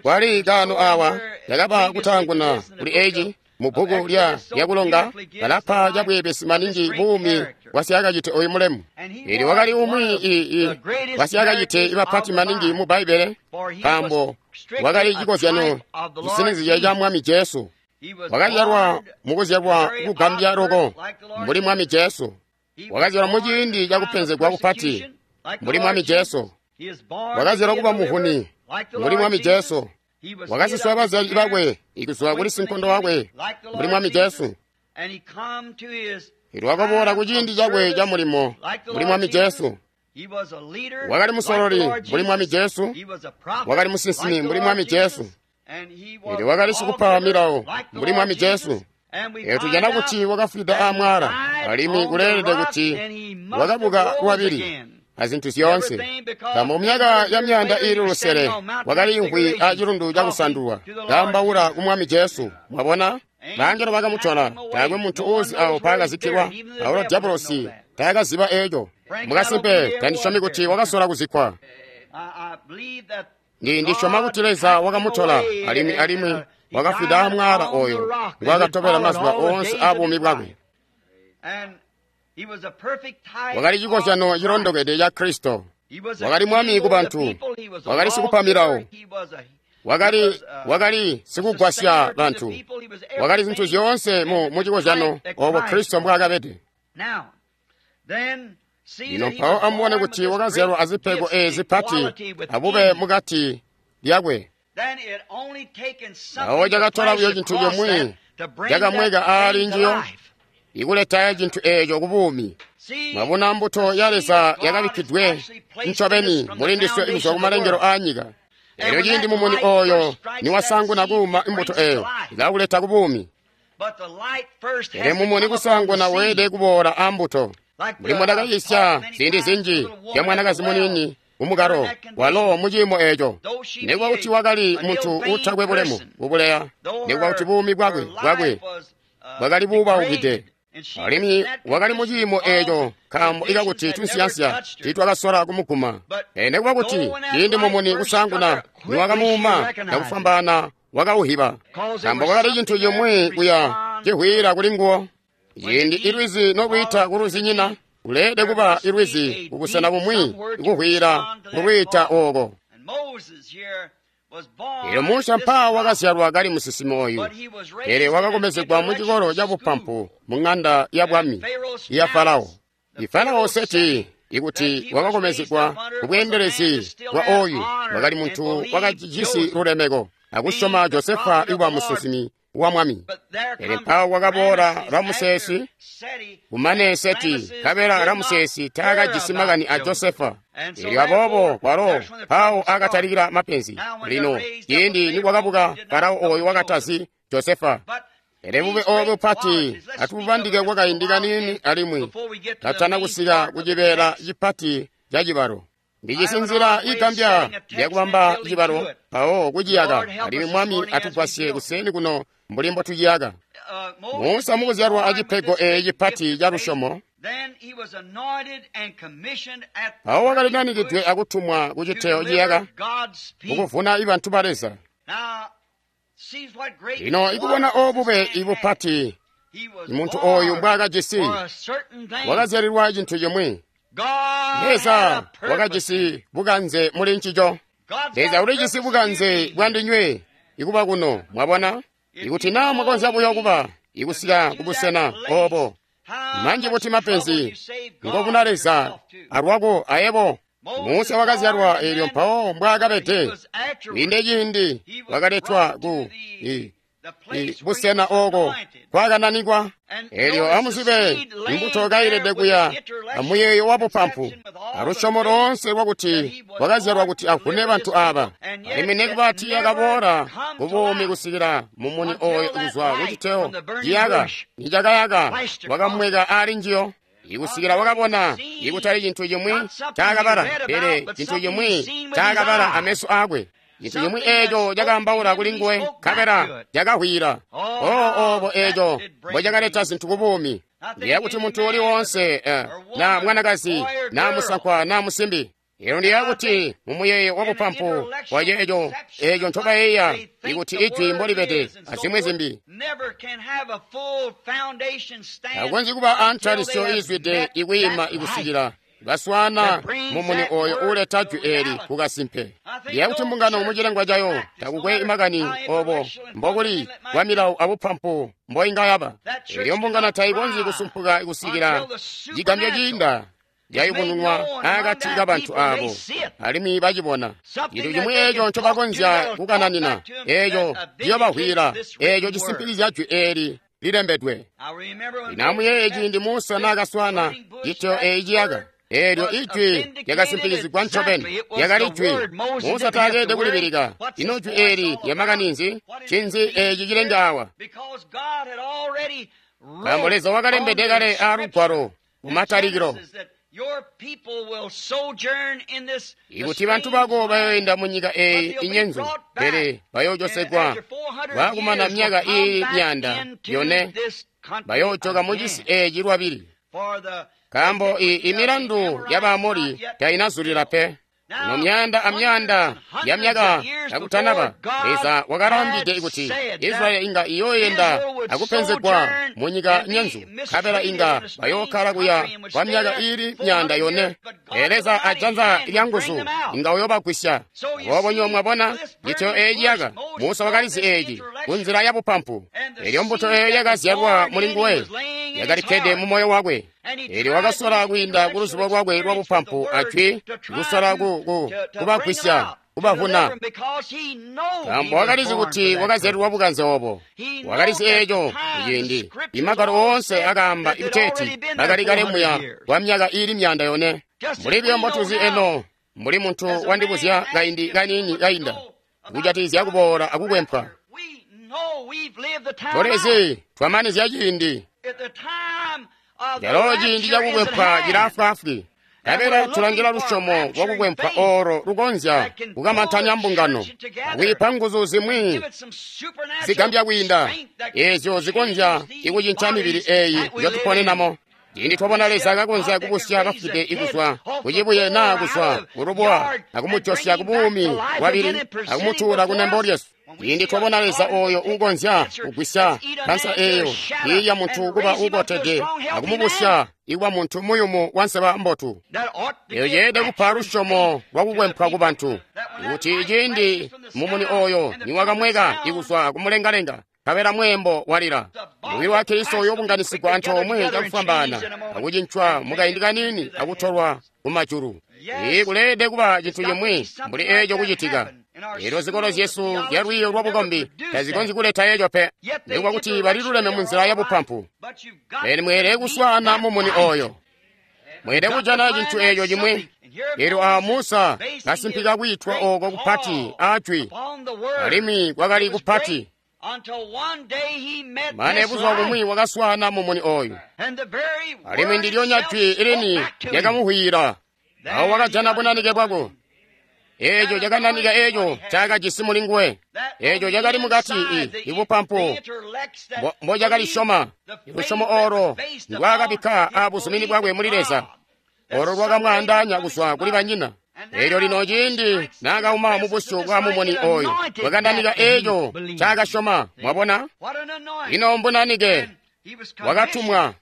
Kwali kaano awa yakaba kutaanguna kuli eeci mu bbuku lya lyakulonga kalapa cabweebesi maningi buumi bwa syakacite oyu mulemu. Eli wakali umwi wa syakacite ibapati maningi mu Bbaibbele, nkaambo wakali cikozyano cisinizya ca Mwami Jesu. Wakazyalwa mukuzyalwa kugambya loko mbuli Mwami Jesu. Wakazyalwa muciindi cakupenzegwa kupati mbuli Mwami Jesu. Wakazyalwa kuba muhuni mbuli Mwami Jesu. Wakasiswa bazyali bakwe ikuzwa kuli sinkondo wakwe mbuli Mwami Jesu. Elyo wakaboola kuciindi cakwe ca mulimo mbuli Mwami Jesu. Wakali musololi mbuli Mwami Jesu. Wakali musinsimi mbuli Mwami Jesu. Elyo wakali sikupa milawo mbuli Mwami Jesu. Elyo tujana kuti wakafwida aamwaala, alimwi kuleelede kuti wakabuka lwabili azintu zyoonse. Nkaambo myaka ya myaanda iili lusele wakaliimvwi acilundu cakusandulwa kaambaula ku Mwami Jesu. Mwabona? Bangelo bakamutola, taakwe muntu uuzi awo mpaakazikkilwa, awalo Diabolosi taakaziba eeco. Mukasimpe tandisyomi kuti wakasola kuzikkwa. Ndisyoma kuti Leza wakamutola alimwi wakafwida aamwaala oyo ngwaakatobela mazuba oonse aabuumi bwakwe. Wakali cikozyano cilondokede ca Kristo. Wakali mwami kubantu, wakali sikupa milawo, wakali sikugwasya bantu, wakali zintu zyoonse mu cikozyano oobo Kristo mbwaakabede. Lino mpawo amubone kuti wakazyalwa azipego eezi zipati abube mukati lyakwe. Mpawo cakatola buyo cintu comwe cakamweka aali njiyo ikuleta cintu eeco kubuumi. Mwabona, mbuto ya Leza yakabikkidwe ncobeni muli ndiswe ikuzwa kumalengelo aanyika. Elyo ciindi mumuni ooyo niwasanguna kuuma imbuto eeyo, ilakuleta kubuumi. Pele mumuni kusaanguna weelede kuboola ambuto. Mbuli mbondakayiisya ziindi zinji zya mwanakazi muniini kumukalo, walo muciimo eeco, nikuba kuti wakali muntu uutakwe bulemu kubuleya, nikuba kuti buumi bwakwe bwakwe bwakali buubaukide, alimwi wakali muciimo eeco nkaambo ikakuti tunsiyansiya tiitwakasola kumuguma. Pele nikuba kuti ciindi mumuni kusaanguna niwakamuuma cakufwambaana wakauhiba, nkaambo kwakali cintu cimwi kuya cihwiila kuli nguwo. Ciindi ilwizi nolwiita kuluzinyina, kuleelede kuba ilwizi kubusena bumwi ikuhwiila kulwiita ooko. Eelyo Musa mpaawa wakazyalwa kali musinsimi oyu, pele wakakomezegwa mucikolo cabupampu mu ŋanda ya bwami ya Farao. Ifarao Seti ikuti wakakomezegwa kubweendelezi bwa oyu wakali muntu wakacijisi lulemeko akusyoma Josefa ikuba musinsimi wa mwami. Pele mpaawa kwakaboola Ramusesi, kumane Seti, nkabela Ramusesi taakajisi makani a Josefa. Eelyo aboobo kwalo mpaawo akatalikila mapenzi. Lino ciindi nikwakabuka Farao oyu wakatazi Josefa. Pele bube oobu bupati atububandike kwakaindi kaniini alimwi katana kusika kucibeela cipati ca cibalo. Ndijisi nzila igambya yakubamba cibalo mpawo kuciyaka, alimwi Mwami atugwasye kuseeni kuno mbuli mbotuciyaka. Musa mukuzyalwa acipego eeci cipati ca lusyomo, mpawo wakali nanikidwe akutumwa kuciteyo ciyaka kukuvuna ibantu ba Leza. Lino ikubona oobube ibupati muntu ooyu mbwaakajisi, wakazyalilwa cintu cimwi. Leza wakajisi bukanze muli ncico. Leza ulijisi bukanze bwandinywe ikuba kuno, mwabona? Ikuti naa mwakonzya buyo kuba ikusika kubusena oobo, manji buti mapenzi ngobuna Leza alwako ayebo. Musa wakazyalwa eelyo mpawo mbwaakabede. Kwiinde ciindi wakaletwa ku busena ooko kwakananikwa. Eelyo amuzibe imbuto kailede kuya amuyeeyo wabupampu alusyomo loonse lwakuti wakazyalwa kuti avune bantu aaba. Alimwi nikuba tiiyakaboola kubuumi kusikila mumuni ooyo kuzwa kuciteyo ciyaka nicakayaka wakamweka aali njiyo. Ikusikila wakabona ikutali cintu cimwi caakabala, pele cintu cimwi caakabala ameso aakwe. Cintu cimwi eeco cakaambaula kuli nguwe, nkabela cakahwiila. Oobo eeco mbocakaleta zintu kubuumi. Ndiya kuti muntu uli woonse, na mwanakazi, na musankwa, na musimbi. Eelyo ndiya kuti mumuyeeyo wabupampu bwa ceeco eeco ncobayeeya ikuti ijwi mbolibede azimwi zimbi. Takukonzyi kuba antalisyo iizwide ikwiima ikusikila baswaana mumuni ooyo uuleta jwi eeli kukasimpe. Ndiya kuti mbungano mucilengwa cayo takukwe makani oobo mbokuli kwa milawo abupampu mboinga yaba. Eelyo mbungano taikonzyi kusumpuka kusikila cigambyo ciinda yayubununwa akati kabantu aabo alimwi bacibona. Cintu cimwi eeco ncobakonzya kukananina, eeco ciyobahwiila, eeco cisimpilizya jwi eeli lilembedwe. Lino amuyeeye ciindi Musa naakaswaana citeyo eeci ciyaka. Eelyo ijwi lyakasimpilizigwa ncobeni, lyakali jwi. Musa taakeelede kulibilika. Ino jwi eeli lyamakani nzi? Ncinzi eeci cilenge awa? Nkaambo Leza wakalembede kale aalugwalo mumatalikilo ikuti bantu bako bayoenda munyika eeyi inyenzu, pele bayoojosegwa baakumana myaka iili 400, bayoojoka mucisi eeci lwabili. Nkaambo imilandu ya Baamori tainazulila pe. Ino myaanda amyaanda yamyaka kakutanaba, Leza wakalaambide kuti Israeli inga iyooyenda akupenzegwa munyika nyenzu, nkabela inga bayookkala kuya kwa myaka iili 400. Pele Leza ajanza lyanguzu inga uyoobagwisya. Aboobo nywebo mwabona citeyo eeci yaka. Musa wakalizi eeci kunzila yabupampu. Eelyo mbuto eeyo yakazyalwa muli nguwe yakalikkede mumoyo wakwe. Eelyo wakasola kwiinda kuluzubo lwakwe lwabupampu ajwi kusola kubagwisya kubavuna, nkaambo wakalizi kuti wakazyalilwa bukanze obo. Wakalizi eeco ciindi imagwalo oonse akaamba ikuteeti bakali kale muya kwa myaka iili 400. Mbuli buyo mbotuzi eno, mbuli muntu wandibuzya kaindi kaniini kainda kujatikizya kuboola akukwempwa. Tulezi twamanizya ciindi. Calo ciindi cakukwempwa cilaafwaafwi. Nkabela tulangila lusyomo lwakukwempwa oolo lukonzya kukamantanya mbungano, akwiipa nguzu zimwi zigambya kwiinda eezyo zikonzya ikucinca mibili eeyi njotuponenamo. Ciindi twabona Leza kakonzya kubusya bafwide ikuzwa kucibuye naa kuzwa kulubuwa akumujosya kubuumi bwabili akumutuula kunembo lyesu. Ciindi twabona Leza ooyo uukonzya kugwisya kansa eeyo iilya muntu kuba uukotede akumubusya ikuba muntu muyumu wanseba mbotu. Eeyo yeelede kupa lusyomo lwakukwempwa kubantu, kuti ciindi mumuni ooyo niwakamweka ikuzwa kumulengalenga, nkabela mweembo walila, mubili wa Kristo uyoobunganisigwa antoomwe cakufwambaana akucincwa mukaindi kaniini akutolwa kumajulu. Ii kuleelede kuba cintu cimwi mbuli eeco kucitika. Eelyo zikolo zyesu zyalwiiyo lwabukombi tazikonzyi kuleta eeco pe, nikuba kuti baliluleme munzila yabupampu. Pele mweelede kuswaana mumuni ooyo. Mweelede kujana cintu eeco cimwi. Eelyo awa Musa kasimpika kwiitwa ooko kupati aajwi, alimwi kwakali kupati. Mane buzuba bumwi wakaswaana mumuni ooyu, alimwi ndilyonya jwi ilini lyakamuhwiila. Awo wakajana bunanike bwako. Eeco cakananika eeco ncaakajisi mulinguwe. Eeco cakali mukati ibupampu mbocakalisyoma. Lusyomo oolo ndwaakabikka aabuzumini bwakwe muli Leza, oolo lwakamwaandaanya kuzwa kuli banyina. Eelyo lino ciindi naakauma mubusyu bwa mumuni ooyu, bwakananika eeco ncaakasyoma. Mwabona? Ino mbunanike wakatumwa.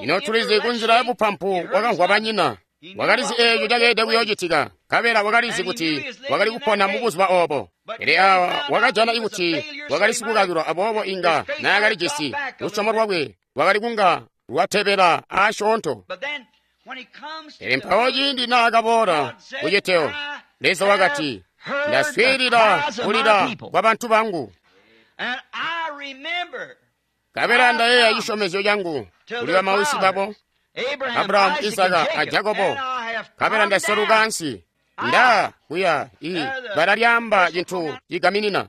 Ino tulizi kunzila yabupampu wakamvwa banyina. Wakalizi eeco cakeelede kuyoocitika, nkabela wakalizi kuti wakali kupona mubuzuba oobo. Pele awa wakajana kuti wakali sikukakilwa, aboobo inga naakalijisi lusyomo lwakwe lwakali kunga lwatebela aasyoonto. Pele mpawo ciindi naakaboola kuciteo, Leza wakati, ndaswiilila kulila kwa bantu bangu, nkabela ndayeeya cisyomezyo cangu kuli bamawisi babo, Abrahamu, Isaka a Jakobo, nkabela ndaseluka ansi. Nda kuya i bbala lyaamba cintu cigaminina.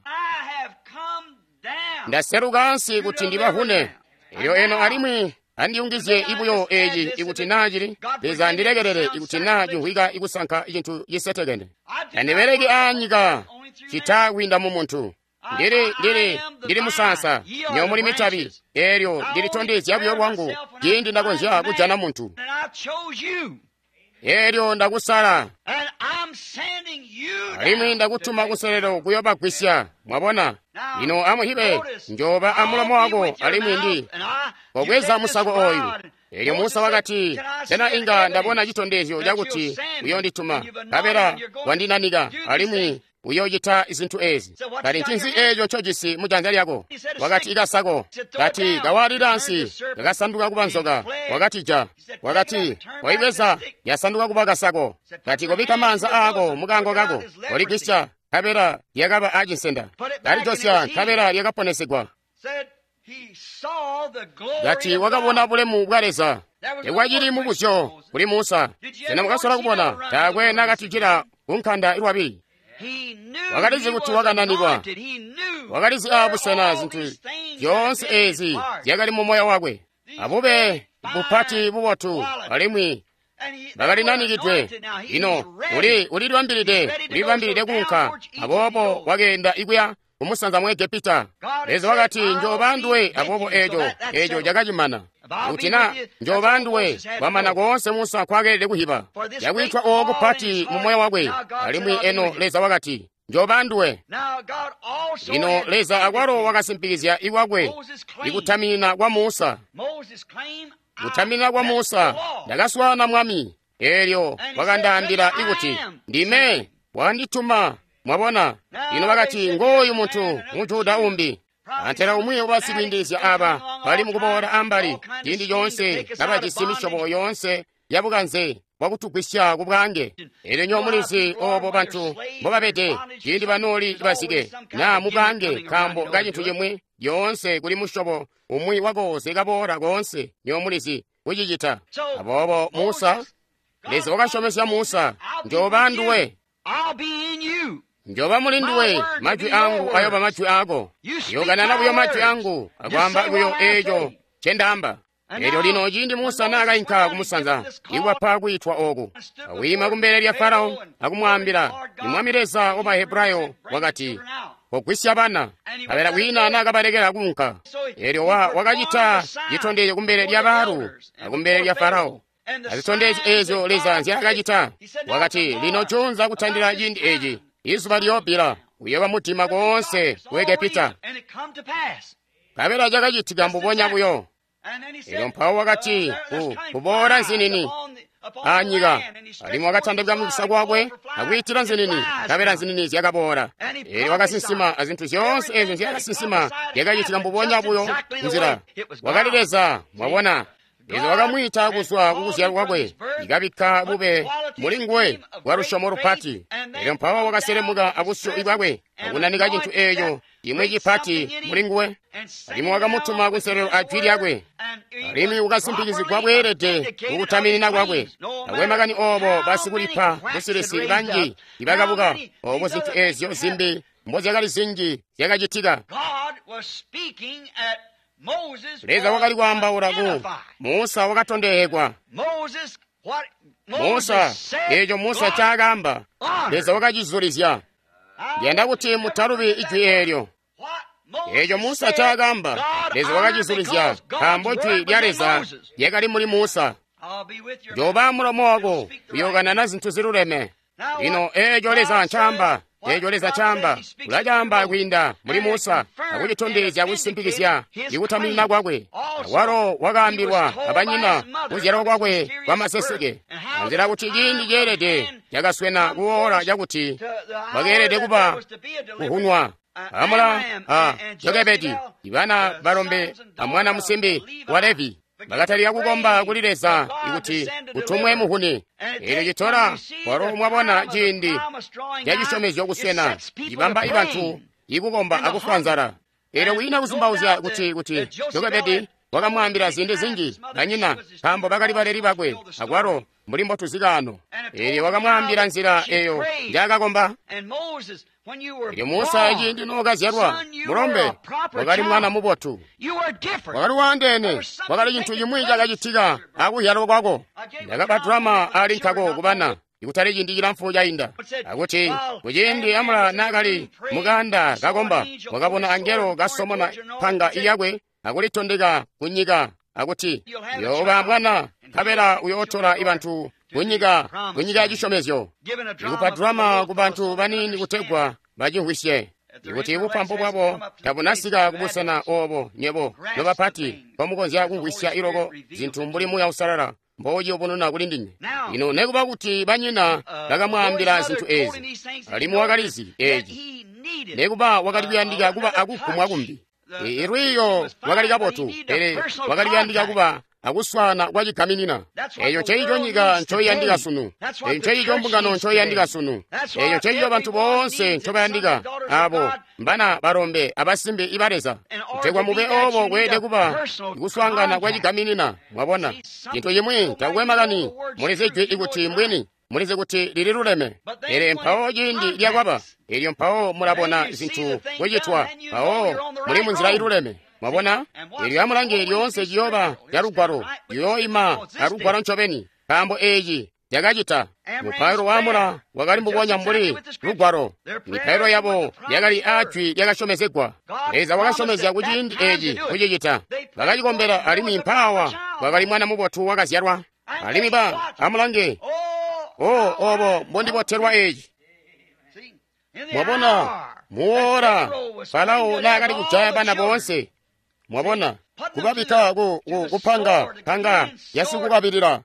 Ndaseluka ansi kuti ndibavune. Elyo eno alimwi andiyungizye ibuyo eeci ikuti naa cili Leza andilekelele ikuti naa cimvwika ikusanka cintu cisetekene. Tandibeleki aanyika cita kwiinda mu muntu. Ndili musaansa, nywebo muli mitabi. Eelyo ndilitondezya buyo lwangu ciindi ndakonzya kujana muntu. Eelyo ndakusala, alimwi ndakutuma kuselelo kuyobagwisya. Mwabona? Lino amuhibe, njoba amulomo wako alimwi ndi kobweza musako ooyu. Eelyo Musa wakati, sena inga ndabona citondezyo cakuti uyondituma, nkabela wandinanika alimwi uyoocita zintu eezi. Kati ncinzi eeco ncojisi mujanza lyako? Wakati ikasako. Kati kawaalila ansi, kakasanduka kuba nzoka. Wakatija. Wakati waibweza, yasanduka kuba kasako. Kati kobikka maanza aako mukaango kako, koligwisya, nkabela lyakaba acinsenda. Kalijosya, nkabela lyakaponesegwa. Kati wakabona bulemu bwa Leza. Tekwacili mubuzyo kuli Musa. Sena mwakasola kubona taakwe nakatijila kunkanda ilwabili? Wakalizi kuti wakananikwa. Wakalizi aabusena zintu zyoonse eezi zyakali mu moyo wakwe. Abube bupati bubotu alimwi bakalinanikidwe. Lino ulilibambilide kuunka, aboobo wakeenda ikuya kumusanza mu Egepita. Leza wakati, njooba nduwe, aboobo eeco cakacimana. Kuti na njooba nduwe, kwamana koonse Musa nkwakeelede kuhiba. Yakwiitwa ooku kupati mu moyo wakwe, alimwi eno Leza wakati, njooba nduwe. Lino Leza akwalo wakasimpikizya ikwakwe ikutaminina kwa Musa. Kutaminina kwa Musa, ndakaswaana Mwami, eelyo wakandaambila ikuti, ndime wandituma. Mwabona? Lino wakati, ngooyu muntu Mujuda umbi. Antela umwi wabasikwiindilizya aaba bali mukuboola ambali ciindi coonse kabajisi misyobo yoonse yabukanze bwakutugwisya ku bwaange. Eelyo nywebo mulizi oobo bantu mbobabede ciindi banooli bazike naa mu bwaange nkaambo kacintu cimwi, lyoonse kuli musyobo umwi wakooze kaboola koonse, nywebo mulizi kucicita. Aboobo Musa, Leza wakasyomezya Musa, njooba nduwe. Njoba mulinduwe, majwi angu ayoba majwi ako. Yokanana buyo majwi angu, akwaamba buyo eeco ncendaamba. Elyo lino ciindi Musa naakainka kumusanza, iwapa kwiitwa oku, awiima kumbele lya Farao akumwaambila, Mwami Leza wa Bahebrayo wakati, kogwisya bana. Nkabela kwiina naakabalekela kuunka. Elyo wakacita citondezyo kumbele lya baalu akumbele lya Farao. Azitondezyo eezyo Leza nzyaakacita. Wakati, lino juunza kutandila ciindi eeci, izuba liyobbila, uyooba mudima koonse ku Egepita. Nkabela cakacitika mbubonya buyo. Elyo mpawo wakati, kuboola nzinini anyika, alimwi wakatandabika mukisa kwakwe akwiitila nzinini, nkabela nzinini zyakaboola. Elyo wakasinsima, azintu zyoonse eezyo nzyaakasinsima zyakacitika mbubonya buyo nzila. Wakali Leza, mwabona. Leza wakamwiita kuzwa kukuzyalwa kwakwe, ikabikka bube muli nguwe bwa lusyomo lupati. Elyo mpawo wakaselemuka abusyu bwakwe akunanika cintu eeco cimwi cipati muli nguwe, alimwi wakamutuma kunselelo a jwi lyakwe, alimwi wakasimpikizigwa bweelede mukutaminina kwakwe. Takwe makani oobo basikulipa busilisi banji ibakabuka, oobo zintu eezyo zimbi mbozyakali zinji zyakacitika. Leza wakali kwaambaula ku Musa wakatondehekwa. Musa, eeco Musa ncaakaamba, Leza wakacizulizya. Ndiyanda kuti mutalubi ijwi eelyo. Eeco Musa ncaakaamba, Leza wakacizulizya, nkaambo jwi lya Leza lyakali muli Musa. Njoba mulomo wako uyokanana zintu ziluleme. Lino eeco Leza ncaamba, eeco Leza caamba, ulacaamba kwiinda muli Musa akucitondezya kusimpikizya ikutaminina kwakwe. Awalo wakaambilwa abanyina kuzyalwa kwakwe kwamaseseke, anzila kuti ciindi ceelede cakaswena kuwoola cakuti bakeelede kuba kuhunwa. Amula a Jokebedi, ibana balombe amwana musimbi wa Levi, bakatalika kukomba kuli Leza ikuti kutumwe muhuni. Eelyo citola walo mwabona ciindi cacisyomezyo kuswena, cibamba ibantu ikukomba akufwa nzala. Eelyo kwiina kuzumbauzya kuti Jokebedi wakamwaambila ziindi zinji banyina, nkaambo bakali baleli bakwe, akwalo mbuli mbotuzikaano. Eelyo wakamwaambila nzila eyo njaakakomba. Elyo Musa ciindi nookazyalwa mulombe, wakali mwana mubotu, wakali waandeene, wakali cintu cimwi cakacitika akuzyalwa kwako. Ndakapa drama ali nkako kubana ikutali ciindi cilamfu cainda, akuti kuciindi Amula naakali mukanda kakomba, wakabona angelo kasomona panga iyakwe akulitondeka kunyika, akuti uyooba mwana, nkabela uyootola ibantu kunyika ya cisyomezyo. Ikupa drama ku bantu baniini kutegwa bacimvwisye ikuti bupampu bwabo tabunasika kubusena oobo nywebo nobapati mbomukonzya kumvwisya iloko zintu mbuli Muuya Uusalala mbouciyubununa kuli ndinywe. Lino nekuba kuti banyina bakamwaambila zintu eezi, alimwi wakalizi eeci, nekuba wakali kuyandika kuba akugumwa kumbi. Ilwiiyo lwakali kabotu, pele wakali kuyandika kuba akuswaana kwacigaminina. Eeco nceico nyika ncoiyandika sunu. Eeco nceico mbungano ncoiyandika sunu. Eeco nceico bantu boonse ncobayandika, aabo mbana balombe abasimbi iba Leza. Kutegwa mube oobo kweelede kuba kuswaangana kwacigaminina. Mwabona, cintu cimwi takukwe makani, mulizi jwi ikuti mbwini, mulizi kuti lililuleme. Pele mpawo ciindi lyakwaba, elyo mpawo mulabona zintu kucitwa, mpawo muli munzila iluleme. Mwabona, elyo amulange lyoonse ciyooba ca lugwalo, liyooima alugwalo ncobeni, nkaambo eeci cakacita. Mupailo wa Amula wakali mbubonya mbuli lugwalo. Mipailo yabo yakali aajwi lyakasyomezegwa. Leza wakasyomezya kuciindi eeci kucicita. Bakacikombela, alimwi mpaawa kwakali mwana mubotu wakazyalwa. Alimwi amulange, oobo mbondibotelwa eeci. Mwabona, muwoora Farao naakali kujaya bana boonse. Mwabona, kubabikka kupanga panga yasikukabilila.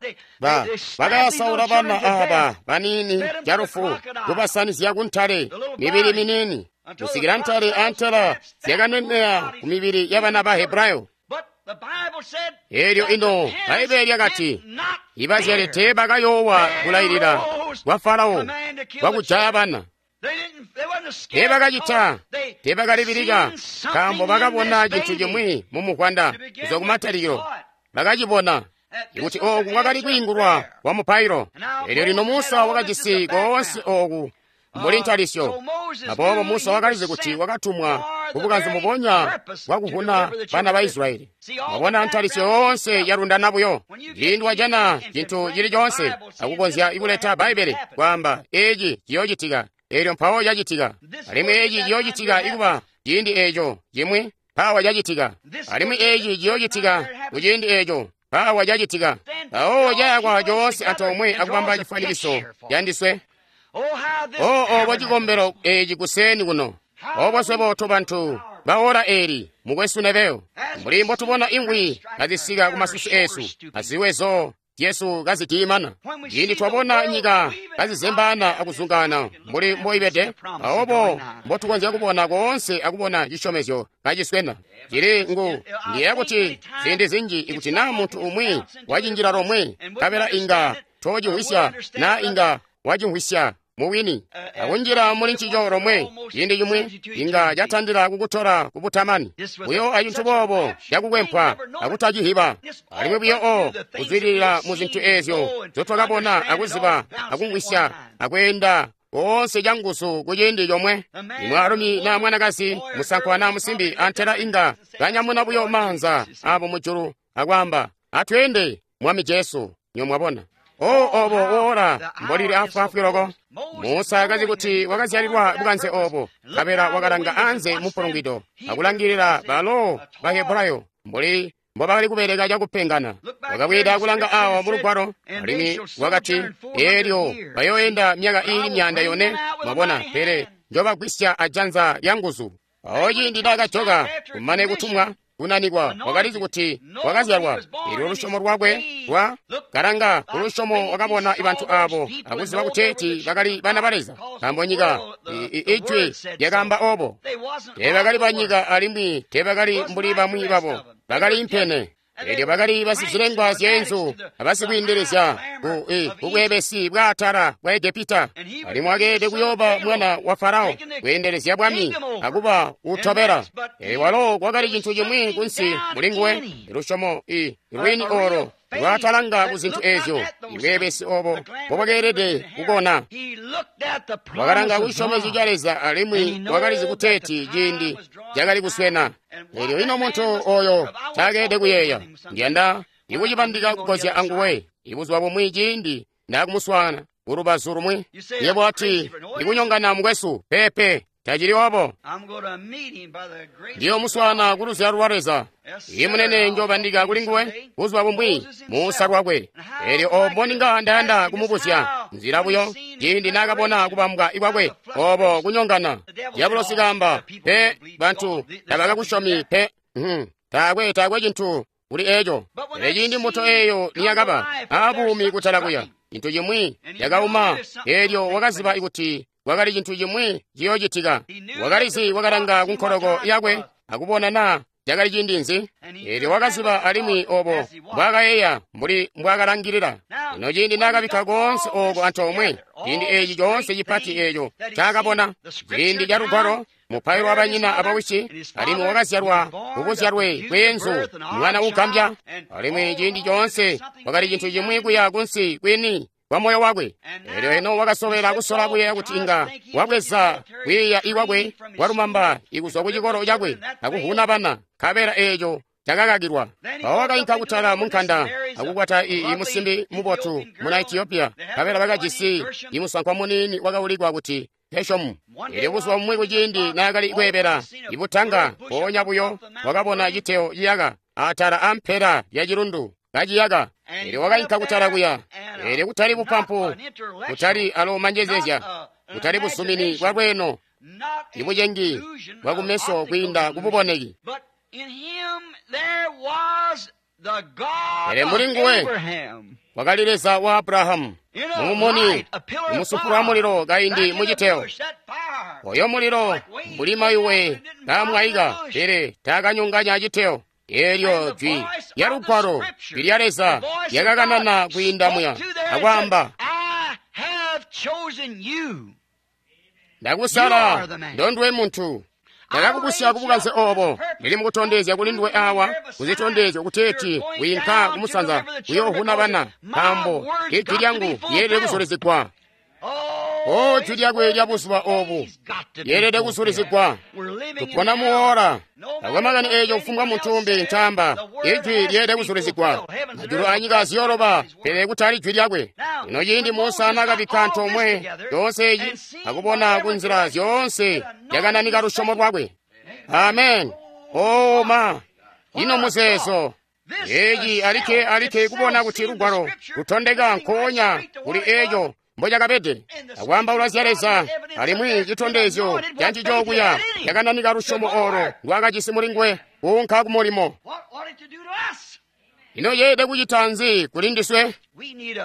Bakayasaula bana aaba baniini calufu, kubasanizya kuntale mibili miniini, kusikila ntale antela zyakaneneya ku mibili yabana ba Hebrayo. Elyo ino Bbaibele lyakati, ibazyali teebakayoowa kulailila kwa Farao kwakujaya bana. Teebakacita, teebakalibilika, nkaambo bakabona cintu cimwi mu muvwanda kuzwa kumatalikilo. Bakacibona ikuti ooku kwakali kwiingulwa kwa mupailo. Elyo lino Musa wakajisi koonse ooku mbuli ntalisyo. Aboobo Musa wakalizi kuti wakatumwa kubukanze mbubonya bwakuvuna bana ba Israyeli. Wabona ntalisyo yoonse yalundana buyo. Ciindi wajana cintu cili coonse akukonzya kuleta Bbaibbele kwaamba eeci ciyoocitika, eelyo mpawo cacitika. Alimwi eeci ciyoocitika ikuba ciindi eeco cimwi mpawa cacitika. Alimwi eeci ciyoocitika kuciindi eeco mpawa cacitika. Mpawo cayakwa coonse antoomwe akubamba cifwanikiso candiswe. O obo cikombelo eeci kuseeni kuno. Obo swebo tobantu baora eli mukwesu nebeyo mbuli mbotubona ingwi kazisika kumasusu esu aziwezo zyesu kazidiimana. Ciindi twabona nyika kazizembaana akuzungana mbuli mboibede, aobo mbotukonzya kubona koonse akubona cisyomezyo kaciswena. Cili ngu ndiyeeya kuti ziindi zinji ikuti naa muntu umwi wacinjila lomwe nkabela inga toocimvwisya naa inga wacimvwisya mubwini akunjila muli ncico lomwe ciindi cimwi inga catandila kukutola kubutamani buyo acintu boobo cakukwempwa akutacihiba. Alimwi buyo o kuzwidilila mu zintu eezyo nzotwakabona akuziba akumvwisya akweenda koonse canguzu kuciindi comwe. Imwaalumi naa mwanakazi, musankwa naa musimbi antela inga kanyamuna buyo maanza abo mujulu akwaamba, atweende Mwami Jesu. Nyomwabona O obo woora mbolili afwaafwi loko. Musa akazi kuti wakazyalilwa bukanze obo, nkabela wakalanga anze mupulungwido akulangilila balo Bahebrayo mbuli mbobakali kubeleka cakupengana. Wakabweeda kulanga awo mu lugwalo, alimwi wakati, eelyo bayooenda myaka iili 400. Mwabona, pele njobagwisya ajanza lya nguzu. Awo ciindi naakajoka kumane kutumwa kunanikwa, wakalizi kuti wakazyalwa. Eelyo lusyomo lwakwe lwa kalanga kulusyomo wakabona bantu abo akuziba kuteeti bakali bana ba Leza, nkaambo nyika ijwi lyakaamba obo. Teebakali banyika alimwi teebakali mbuli bamwi babo, bakali impene. Eelyo bakali basizilengwa zyeenzu abasikwiindelezya kubweebesi bwaatala bwa Egepita. Alimwi wakeelede kuyooba mwana wa Farao, kweendelezya bwami akuba utobela. Eelyo walo kwakali cintu cimwi kunsi mulinguwe, lusyomo lwini olo lwatalanga ku zintu eezyo, ibweebesi obo mbobwakeelede kukona. Wakalanga kucisyomezyo ca Leza alimwi wakalizi kuteeti ciindi cakali kuswena. Eelyo ino muntu oyo caakeelede kuyeeya, ndiyanda ikucibandika kugozya anguwe ibuzuba bumwi ciindi ndakumuswaana kulubazu lumwi. Yebo ati, ikunyongana mukwesu, peepe, tacili obo. Ndiyomuswaana kuluzyalo lwa Leza. Imunene njobandika kulinguwe buzuba bumwi Musa lwakwe. Eelyo obo ninga ndayanda kumubuzya nzila buyo ciindi naakabona kubambwa ikwakwe obo kunyongana. Diabolosi kaamba, pe bantu tabakakusyomi pe. Taakwe cintu kuli eco. Pele ciindi mbuto eeyo niyakaba aabuumi kutala kuya, cintu cimwi yakauma. Eelyo wakaziba kuti kwakali cintu cimwi ciyoocitika. Wakalizi wakalanga kunkoloko yakwe akubona naa cakali ciindi nzi. Eelyo wakaziba alimwi obo mbwaakayeeya mbuli mbwaakalangilila. Ino ciindi naakabikka koonse ooko antoomwe, ciindi eeci coonse cipati eeco ncaakabona, ciindi ca lugwalo, mupailo wa banyina abawisi, alimwi wakazyalwa kubuzyalwe bweenzu, mwana ugambya. Alimwi ciindi coonse kwakali cintu cimwi kuya kunsi kwini kwa moyo wakwe. Eelyo eno wakasobela kusola kuyeeya kuti inga wabweza kwiiya ikwakwe kwalumamba ikuzwa ku cikolo cakwe akuvuna bana, nkabela eeco cakakakilwa. Mpawo wakainka kutala munkanda akukwata imusimbi mubotu muna Etiopiya, nkabela bakajisi imusankwa muniini wakaulikwa kuti Geshomu. Eelyo buzuba bumwi kuciindi naakali kweebela ibutanga, mpoonya buyo wakabona citeo ciyaka atala ampela lya cilundu kaciyaka. Eelyo wakainka kutala kuya. Eelyo kutali bupampu, kutali alo manjezezya, kutali busumini bwa lweeno, ibucengi bwakumeso kwiinda kububoneki. Pele muli nguwe wakali Leza wa Abrahamu, mumumuni, mumusufulu wa mulilo kaindi muciteo. Oyo mulilo mbuli mayuwe kaamwaika, pele taakanyonganya citeo. Eelyo jwi lya lugwalo jwi lya Leza lyakakanana kwiinda muya akwaamba, ndakusala ndondwe muntu. Ndakakubusya kubukanze obo, ndili mukutondezya kuli nduwe awa kuzitondezyo kuteeti wiinka kumusanza kuyoovuna bana, nkaambo ijwi lyangu lyeelede kuzulizigwa. O jwi lyakwe lya buzuba obu lyeelede kusulizigwa. Tupona muora. Takwe makani eeco kufumbwa muntu umbi ncaamba. Ijwi lyeelede kusulizigwa. Majulu anyika ziyoloba, pele kutali jwi lyakwe. Ino ciindi Musa naakabikka antoomwe yoonse eyi akubona ku nzila zyoonse yakananika lusyomo lwakwe. Amen. O ma, ino muzeezo. Eeci alikke alikke kubona kuti lugwalo lutondeka nkoonya kuli eeco mbocakabede, akwaambaula zya Leza, alimwi citondezyo cancico kuya cakananika lusyomo oolo ndwaakajisi mulinguwe kuunka kumulimo. Ino yeelede kucita nzi kuli ndiswe?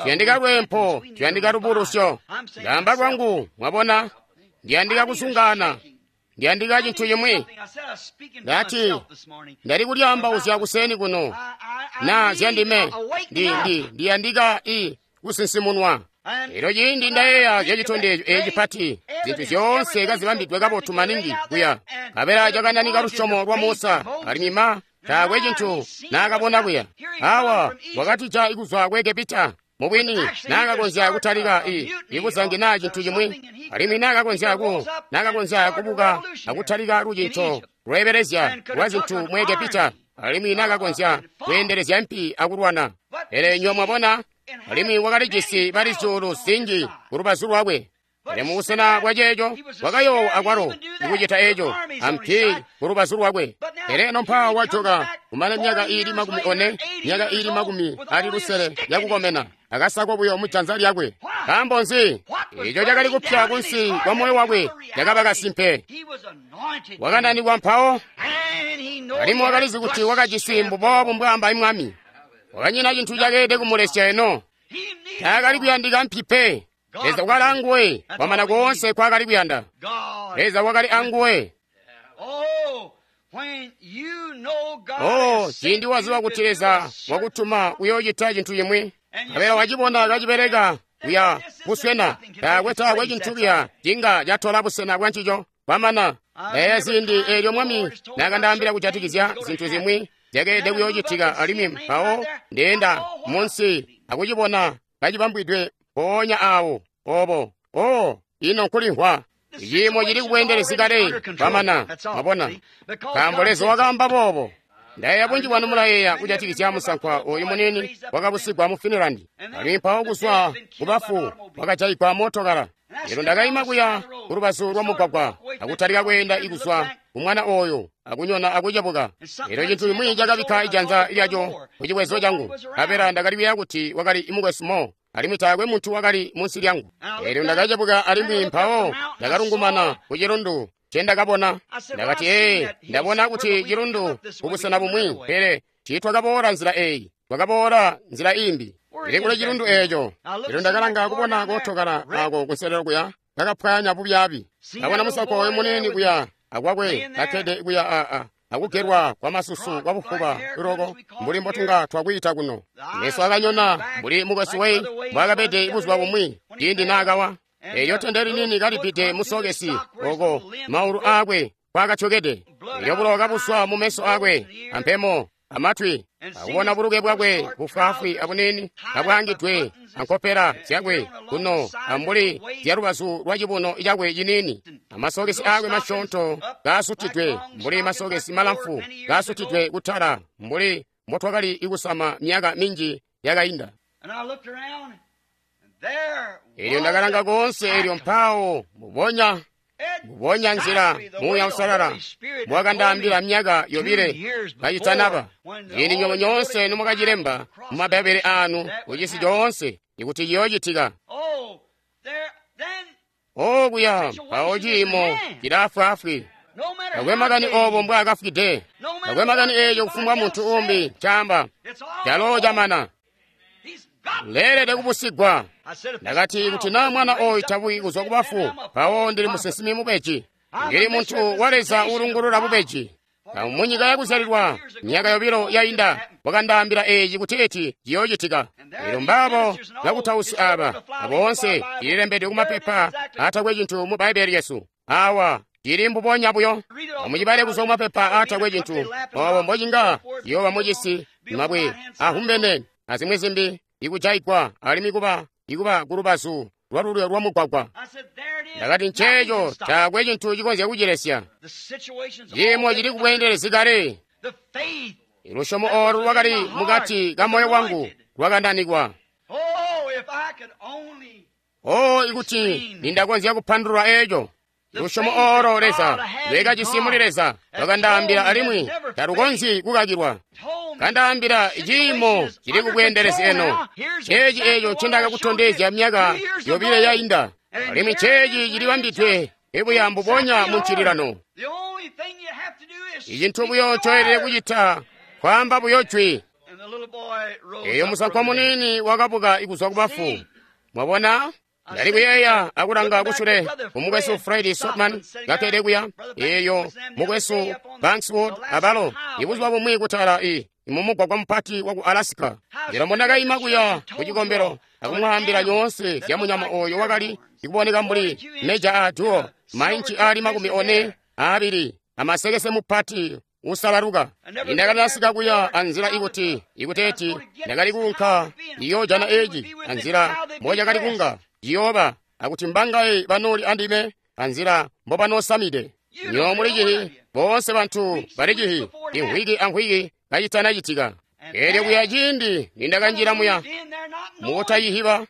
Tuyandika lweempo, tuyandika lubulusyo. Ndaamba lwangu, mwabona, ndiyandika kusungana, ndiyandika cintu cimwi. Ndati, ndali kulyaambauzya kuseeni kuno, na zyandime, ndiyandika kusinsimunwa. Elyo ciindi ndayeeya zya citondezyo eeci cipati, zintu zyoonse kazibambidwe kabotu maningi kuya, nkabela cakananika lusyomo lwa Musa, alimwi ma taakwe cintu naakabona kuya. Awa wakatija kuzwa ku Egepita, mubwini naakakonzya kutalika ikuzangi naa cintu cimwi, alimwi naakakonzya kubuka akutalika lucinco lweebelezya lwa zintu mu Egepita, alimwi naakakonzya kweendelezya mpi akulwana. Pele nywa mwabona, alimwi wakalijisi bali zyuulu zinji ku lubazu lwakwe. Pele mubusena bwa ceeco wakayoowa akwalo ikucita eeco ampi ku lubazu lwakwe. Pele eno mpaawa wajoka kumane myaka iili 40, myaka iili 60 yakukomena, akasako buyo mujanza lyakwe. Nkaambo nzi? Eeco cakali kupya kunsi kwa moyo wakwe cakaba kasimpe. Wakananikwa mpawo, alimwi wakalizi kuti wakajisi mbuboobu mbwaamba Mwami. Wakanyina cintu cakeelede kumulesya eno. Taakali kuyandika mpi pe. Leza wakali anguwe, kwamana koonse kwaakali kuyanda. Leza wakali anguwe. Oh, ciindi waziba kuti Leza wakutuma kuyoocita cintu cimwi, nkabela wacibona kacibeleka kuya buswena, taakwe cintu kuya cinga catola busena bwa ncico. Kwamana, ndayeeya ziindi eelyo Mwami naakandaambila kujatikizya zintu zimwi zyakeelede kuyoocitika, alimwi mpawo ndeenda munsi akucibona kacibambwidwe mpoonya aawo obo. Oh, ino nkulimvwa. Ciimo cili kubweendelezi kale. Kwamana, mwabona, nkaambo Leza wakaamba boobo. Ndayeeya bunji bwanu mulayeeya kujatikizya musankwa oyu muniini wakabusigwa mu Finland, alimwi mpawo kuzwa kubafu wakajayigwa mootokala. Lino ndakaima kuya kulubazu lwa mugwagwa akutalika kweenda ikuzwa kumwana oyo akunyona akucebuka. Elyo cintu cimwi cakabikka ijanza lyaco ku cibwezo cangu, nkabela ndakali kuyeeya kuti wakali mukwesu Mo, alimwi taakwe muntu wakali munsi lyangu. Elyo ndakacebuka alimwi mpawo ndakalungumana ku cilundu ncendakabona. Ndakati, ee, ndabona kuti cilundu kubusena bumwi, pele tiitwakaboola nzila eyi, twakaboola nzila imbi. Pele kule cilundu eeco. Elyo ndakalanga kubona kootokala ako kunselelo kuya kakapwanya bubyaabi. Ndabona musankwa oyo muniini kuya akwakwe kakkede kuya akugelwa kwa masusu kwa bufuba loko mbuli mbotunga twakwiita kuno. Meso akanyona mbuli mukwesu Wayne mbwaakabede buzuba bumwi ciindi naakawa. Elyo tende liniini kalibide musokesi oko maulu aakwe kwakatyokede. Elyo bulowa kabuswa mu meso aakwe ampemo amatwi, akubona buluke bwakwe bufwaafwi abuniini kabwaangidwe ankopela zyakwe kuno ambuli zyalubazu lwa cibuno cakwe ciniini, amasokesi aakwe masyoonto kaasutidwe mbuli masokesi malamfu kaasutidwe kutala mbuli mbotwakali kusama myaka minji yakainda. Elyo ndakalanga koonse, elyo mpawo mbubonya nzila Muuya Uusalala mbwakandaambila myaka 2 kacitanaba, ciindi nywebo nyoonse nomwakacilemba mu Mabbaibbele aanu kucisi coonse ikuti ciyoocitika. O kuya mpawo ciimo cilaafwaafwi. Takwe makani obo mbwaakafwide, takwe makani eeco kufumbwa muntu umbi ncaamba, calo camana. Leelede kubusigwa. Ndakati, kuti naa mwana oyu tabuki kuzwa kubafu, mpawo ndili musinsimi mubeji. Ndili muntu wa Leza uulungulula bubeji. Munyika yakuzyalilwa myaka 2 yainda wakandaambila eeci kuti eci ciyoocitika. Elyo mbaabo bakutausi aaba aboonse cililembedwe kumapepa aatakwe cintu mu Bbaibbele lyesu. Awa cili mbubonya buyo. Amucibale kuzwa kumapepa aatakwe cintu, obo mbocinga ciyooba mucisi mabwe ahumbene azimwi zimbi ikujaigwa alimwi kuba kulubazu lwalulyo lwa mugwagwa. Ndakati, nceeco, taakwe cintu cikonzya kucilesya. Ciimo cili kubweendelezi kale. Lusyomo oolu lwakali mukati ka moyo wangu lwakananikwa. Oh, ikuti nindakonzya kupandulula eeco. Lusyomo oolo Leza lwekajisi muli Leza lwakandaambila alimwi talukonzyi kukakilwa. Kandaambila ciimo cili kubweendelezi eno. Ceeci eeco ncindakakutondezya myaka yobile yainda, alimwi ceeci cilibambidwe ibuya mbubonya mu ncililano. Icintu buyo ncoelede kucita kwaamba buyo jwi. Eyo musankwa muniini wakabuka kuzwa kubafu. Mwabona? Ndali kuyeeya akulanga kusule kumukwesu Fred Sotman kakkede kuya, eyo mukwesu Bankswood abalo, ibuzuba bumwi kutala i mumugwagwa mupati waku Alaska. Ndilo mbondakaima kuya ku cikombelo akumwaambila yoonse zya munyama oyo wakali ikuboneka mbuli meja a duo, mainci ali 42 amasekese mupati usalaluka. Indakalasika kuya anzila ikuti ikuteeti ndakali kuunka iyojana eeci anzila mbocakali kunga ciyooba, akuti mbangaye banooli andime anzila mbobanosamide. Nyo muli cihi, boonse bantu bali cihi, imvwiki amvwiki kacitanacitika. Eelyo kuya ciindi nindakanjila muya mukutayihiba,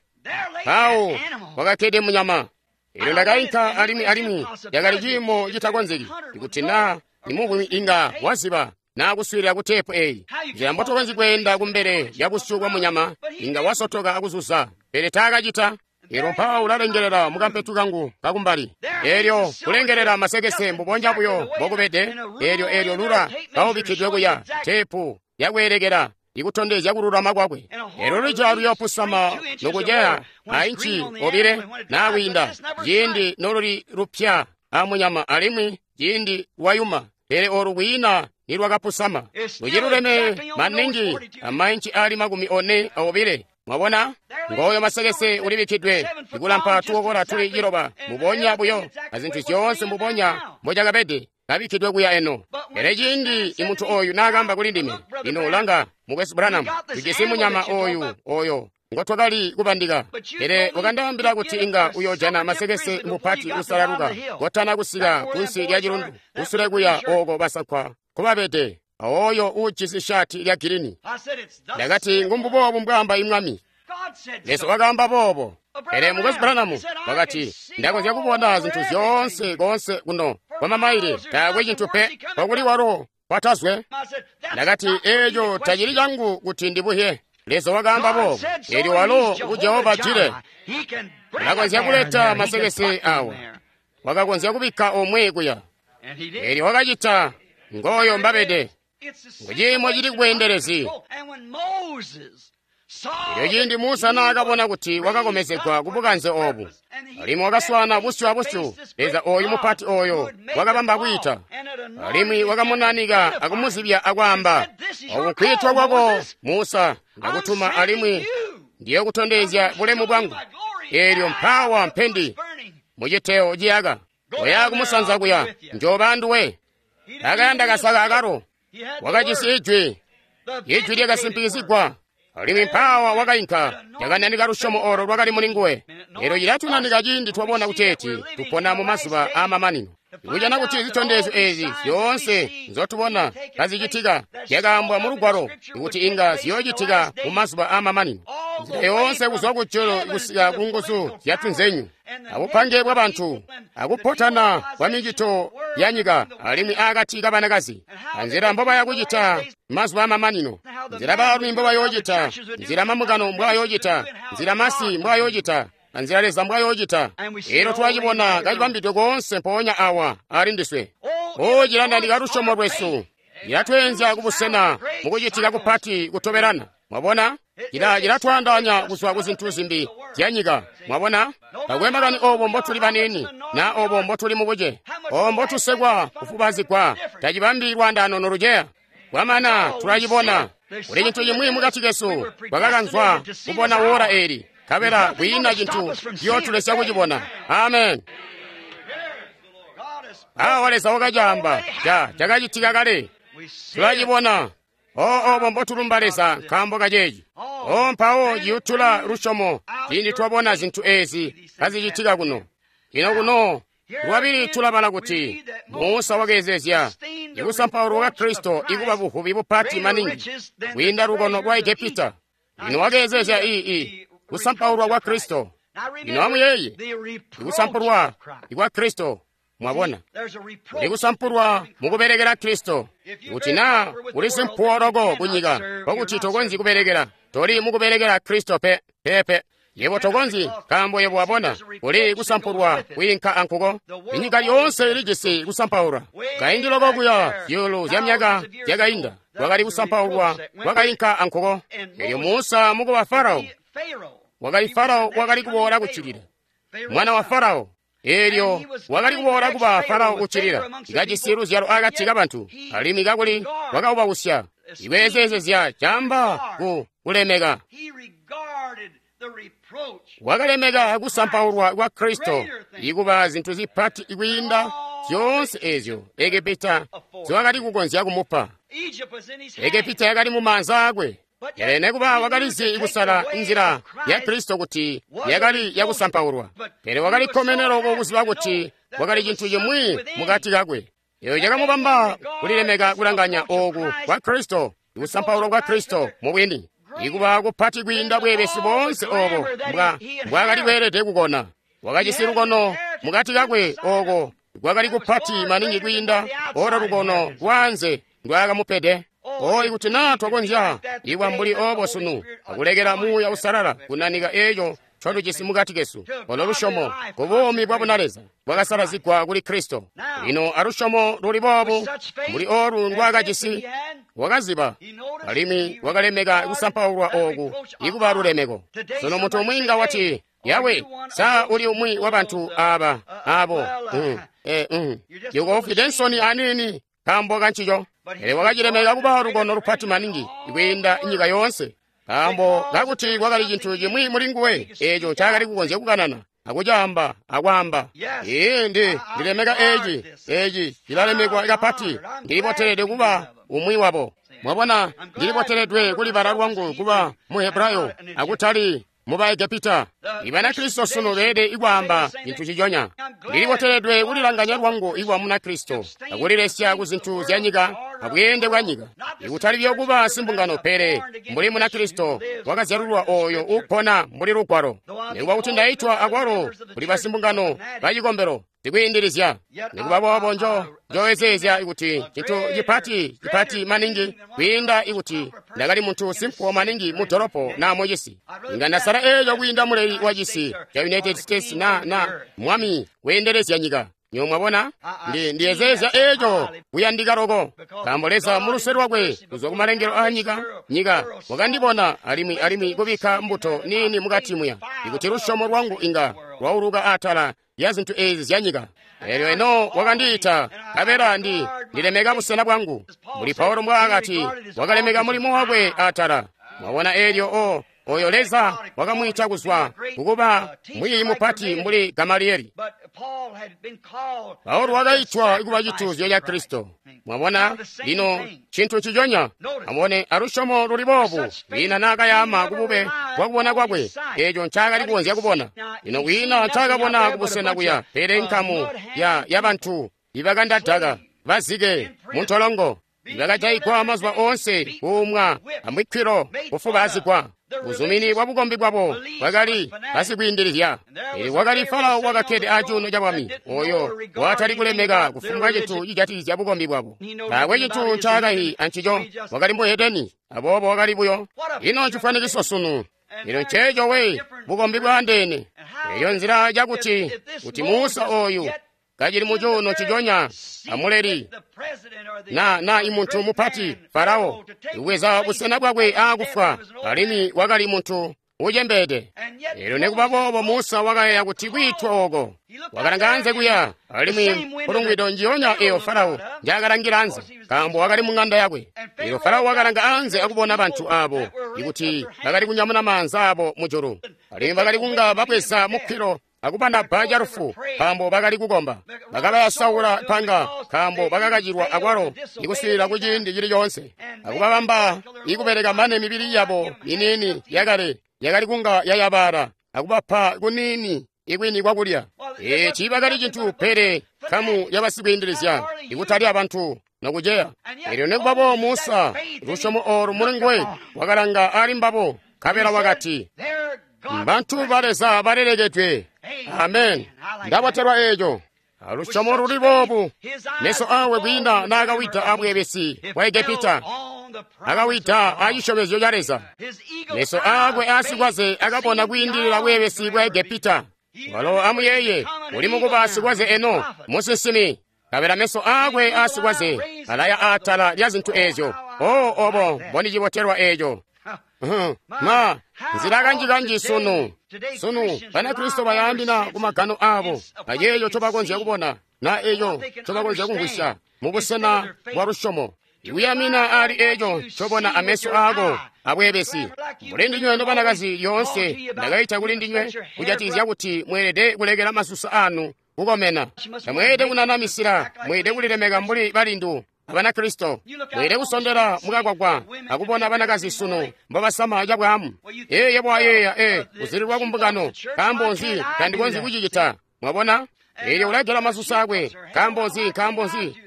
mpawo kwakakkede munyama. Eelyo ndakainka alimwi alimwi yakali ciimo citakonzeki ikuti naa imuvwi inga waziba naa kuswiilila ku teepu eyi. Nzila mbotukonzyi kweenda kumbele lya busyu bwa munyama inga wasotoka akuzuza, pele taakacita. Eelyo mpawo ulalengelela mukampetu kangu kakumbali. Eelyo kulengelela masekese mbubonya buyo mbokubede. Eelyo eelyo lula kaubikkidwe kuya teepu yakweelekela ikutondezya kululama kwakwe. Eelyo luja luyoopusama nokuceya ainci obile naa kwiinda ciindi noluli lupya amunyama alimwi ciindi lwayuma, pele olu kwiina nilwakapusama. Luciluleme maningi amainci ali 42. Mwabona? Ngoyo masekese ulibikkidwe ikulampa tukokola tuli 9 mbubonya buyo azintu zyoonse mbubonya mbocakabede kabikkidwe kuya eno. Pele ciindi imuntu oyu naakamba kuli ndime, lino langa, mukwesu Branham, tujisi munyama oyu oyo ngotwakali kubandika, pele wakandaambila kuti inga uyojana masekese mupati usalaluka kotana kusika kunsi lya cilundu kusule kuya ooko basankwa nkobabede, oyo uujisi shati lya girini. Ndakati, ngumbuboobu mbwaamba imwami. Leza wakaamba boobo. Pele mukwesu Branham wakati, ndakonzya kubona zintu zyoonse koonse kuno kwa mamaile, taakwe cintu pe kwakuli walo kwatazwe. Ndakati, eeco tacili cangu kuti ndibuhye. Leza wakaamba boobo. Eelyo walo ngu Jehova Jire, ulakonzya kuleta masekese awa, wakakonzya kubikka omwe kuya. Eelyo wakacita. Ngoyo mbabede. Nguciimo cili kubweendelezi. Eelyo ciindi Musa naakabona kuti wakakomezegwa kubukanze oobu, alimwi wakaswaana busyu abusyu Leza ooyu mupati ooyo wakabamba kwiita, alimwi wakamunanika akumuzibya akwaamba, oku nkwiitwa kwako Musa, ndakutuma alimwi ndiyokutondezya bulemu bwangu. Eelyo mpaawa mpendi muciteyo ciyaka, oya kumusanza kuya, njooba anduwe. Akayanda kasaka akalo, wakajisi ijwi, ijwi lyakasimpikizigwa. Alimwi mpaawa wakainka, yakananika lusyomo olo lwakali muli nguwe. Eelyo cilatunanika ciindi twabona kuteeti tupona mu mazuba aamamanino. Ikujana kuti zitondezyo eezi zyoonse nzotubona kazicitika zyakaambwa mu Lugwalo ikuti inga ziyoocitika mu mazuba aamamanino. Nzila yoonse kuzwa kujulu kusika ku nguzu zyatunzenyu, abupange bwabantu, akupotana kwa micito ya nyika alimwi akati kabanakazi, anzila mbobaya kucita mazuba aamamanino, nzila baalumi mbobayoocita, nzila mambungano mbwayoocita, nzila masi mbwayoocita, anzila Leza mbwayoocita. Eelyo twacibona kacibambidwe koonse mpoonya awa ali ndiswe. O, cilandandika lusyomo lwesu, cilatweenzya kubusena mukucitika kupati kutobelana. Mwabona? Cilatwaandaanya kuzwa ku zintu zimbi zya nyika. Mwabona? Takwe makani obo mbotuli baniini, na obo mbotuli mubuce, obo mbotusekwa kufubazigwa, tacibambi lwaandaano noluceya. Kwamana tulacibona. Kuli cintu cimwi mukati kesu kwakakanzwa kubona wora eeli, nkabela kwiina cintu ciyootulesya kucibona. Amen. Awa Leza wakacaamba, cakacitika kale. Tulacibona. O, obo mbotulumba Leza nkaambo kaceeci. O mpawo ciyutula lusyomo ciindi twabona zintu ezi kazicitika kuno. Lino kuno lwabili tulabala kuti Musa wakeezezya ikusampaulwa kwa Kristo ikuba buvubi bupati maningi kwiinda lukono lwa Egepita. Lino wakeezezya kusampaulwa kwa Kristo. Lino amuyeeye ikusampulwa kwa Kristo. Mwabona, ikusampulwa mukubelekela Kristo. Kuti naa uli simpuwo loko kunyika kokuti tokonzyi kubelekela, toli mukubelekela Kristo pe pepe. Yebo tokonzyi, nkaambo yebo wabona uli kusampulwa kwiinka ankuko. Inyika yoonse ilijisi kusampaulwa. Kaindi loko kuya zyuulu zya myaka zyakainda kwakali kusampaulwa kwakainka ankuko. Elyo Musa mukuba Farao, wakali Farao wakali kuboola kuccilila, mwana wa Farao. Elyo wakali kuboola kuba Farao kuccilila, kajisi luzyalo akati kabantu, alimwi kakuli wakaubausya. Ikweezezezya camba ku kulemeka. Wakalemeka kusampaulwa kwa Kristo ikuba zintu zipati kwiinda zyoonse ezyo Egepita ziwakali kukonzya kumupa. Egepita yakali mu maanza akwe. Pele nekuba wakalizi kusala nzila ya Kristo kuti yakali yakusampaulwa. Pele wakali kkomene loko kuziba kuti wakali cintu cimwi mukati kakwe. Eyo cakamubamba kulilemeka kulanganya ooku kwa Kristo, ikusampaulwa kwa Kristo mubwini, ikuba kupati kwiinda bweebesi boonse oobo mbwaakali kweelede kukona. Wakajisi lukono mukati kakwe ooko kwakali kupati maningi kwiinda olo lukono lwaanze ndwaakamupede. O ikuti naa twakonzya ikuba mbuli oobo sunu akulekela Muuya Uusalala kunanika eeco ncotujisi mukati kesu, olo lusyomo ku buumi bwa bunaleza bwakasalazigwa kuli Kristo. Lino alusyomo luli boobu mbuli olu ndwaakajisi, wakaziba alimwi wakalemeka kusampaulwa ooku ikuba lulemeko. Sunu muntu umwi nga wati, Yawe, sa uli umwi wa bantu aba abo yoko nsoni aniini nkaambo kancico. Pele wakacilemeka kuba lukono lupati maningi kwiinda nyika yoonse, nkaambo kakuti kwakali cintu cimwi muli nguwe eeco ncaakali kukonzya kukanana akucaamba akwaamba. Ee, ndilemeka eeci, eeci cilalemekwa kapati. Ndiliboteledwe kuba umwi wabo. Mwabona, ndiliboteledwe kulibala lwangu kuba mu Hebrayo akutali mu Baegepita. Ibanakristo sunu beelede ikwaamba cintu ciconya. Ndiliboteledwe kulilanganya lwangu ikuba Munakristo akulilesya ku zintu zya nyika abweende bwa nyika, ikutali buyo kuba simbungano, pele mbuli Munakristo wakazyalulwa ooyo uupona mbuli Lugwalo. Nikuba kuti ndaitwa akwalo kuli basimbungano bacikombelo zikwiindilizya, nikuba boobo njowezeezya kuti cintu cipati cipati maningi kwiinda ikuti ndakali muntu simpuwo maningi mu dolopo naa mucisi. Inga ndasala eeco kwiinda muleli wa cisi ca United States na mwami weendelezya nyika. Nyo mwabona, ndiyezeezya eeco kuyandika loko, nkaambo Leza muluse lwakwe kuzwa kumalengelo aa nyika wakandibona alimwi kubikka mbuto niini mukati muya, ikuti lusyomo lwangu inga lwauluka atala ya zintu ezi zya nyika. Elyo eno wakandiita, nkabela ndilemeka busena bwangu. Mbuli Paulo mbwaakati wakalemeka mulimo wakwe atala. Mwabona, elyo oyo Leza wakamwiita kuzwa kukuba mwiiyi mupati mbuli Gamalieli. Paulo wakaitwa kuba cituuzyo ca Kristo. Mwabona, lino cintu ciconya. Amubone alusyomo luli boobu kwiina naakayaama kubube bwakubona kwakwe eeco ncaakali kukonzya kubona. Lino kwiina ncaakabona kubusena kuya, pele nkamu ya bantu ibakandadaka bazike muntolongo, ibakajaigwa mazuba oonse, kuumwa amwikkilo, kufubaazigwa. Buzumini bwa bukombi bwabo bwakali basikwiindilizya. Pele wakali Farao wakakkede acuuno ca bwami, oyo watali kulemeka kufumbwa cintu cijatikizya bukombi bwabo. Taakwe cintu ncaakayi ancico, wakali muhedeni, aboobo wakali buyo. Ino ncifwanikiso sunu. Lino nceeco we, bukombi bwaandeene. Eyo nzila yakuti kuti Musa oyu kacili mucuuno ciconya amuleli na imuntu mupati Farao kubweza busena bwakwe aakufwa, alimwi wakali muntu ucembeede. Elyo nekuba boobo Musa wakayeeya kuti kwiitwa ooko wakalanga anze kuya, alimwi mpulungwido njiyonya eyo Farao njaakalangila anze, nkaambo wakali mu ng'anda yakwe. Elyo Farao wakalanga anze akubona bantu abo ikuti bakali kunyamuna maanza abo mujulu, alimwi bakali kunga babweza mukkilo akubanabba calufu nkaambo bakali kukomba. Bakabayasaula panga nkaambo bakakacilwa akwalo ikuswiilila kuciindi cili coonse, akubabamba ikubeleka mane mibili yabo miniini yakale yakali kunga yayabala, akubapa kuniini ikwini kwakulya. Eeci bakali cintu pele nkamu yabasikwiindilizya, ikutali abantu nokuceya. Elyo nekubabo Musa, lusyomo oolu mulinguwe wakalanga ali mbabo, nkabela wakati, bantu ba Leza balelekedwe. Amen. Ndabotelwa eeco. Alusyomo luli boobu, meso awe kwiinda naakawida abweebesi bwa Egepita, akawida acisyomezyo ca Leza. Meso aakwe aasikwaze akabona kwiindilila bweebesi bwa Egepita. Walo amuyeeye, uli mukuba sikwaze eno, musinsimi. Kabela meso aakwe aasikwaze alaya aatala lya zintu eezyo. O obo mbondicibotelwa eeco. Ma nzila kanji-kanji sunu Banakristo bayaambina kumagano aabo ayeeyo ncobakonzya kubona na eeyo ncobakonzya kumvwisya mubusena bwa lusyomo. Ikuyamina ali eeco ncobona ameso aako abweebesi. Mbuli ndinywe nobanakazi lyoonse ndakaita kuli ndinywe kujatikizya kuti mweelede kulekela masusa anu kukomena. Tamweelede kunanamisila, mweelede kulilemeka mbuli balindu Abanakristo. Mweelede kusondela mukagwagwa akubona banakazi sunu mbobasama cabwaamu. Yebo ayeeya, kuzililwa kumbungano, nkaambo nzi tandikonzyi kucicita? Mwabona? Eelyo ulagela masusa akwe, nkaambo nzi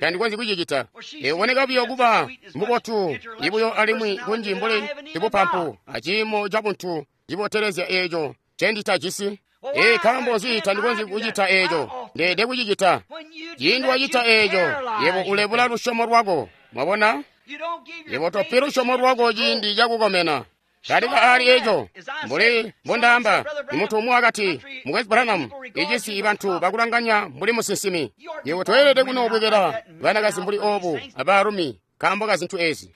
tandikonzyi kucicita? Uboneka buyo kuba mubotu ibuyo alimwi kunji mbuli ibupampu aciimo cabuntu cibotelezya eeco ncenditajisi. Nkaambo nzi tandikonzyi kucita eeco? Ndeelede kucicita. Ciindi wacita eeco, yebo ulebula lusyomo lwako. Mwabona? Yebo topi lusyomo lwako ciindi cakukomena. Talika aali eeco. Mbuli mbondaamba, imuntu umwi wakati, Mukwesu Branham, icisi ibantu bakulanganya mbuli musinsimi. Yebo toyelede kunoobwekela banakazi mbuli oobu abaalumi nkaambo ka zintu eezi.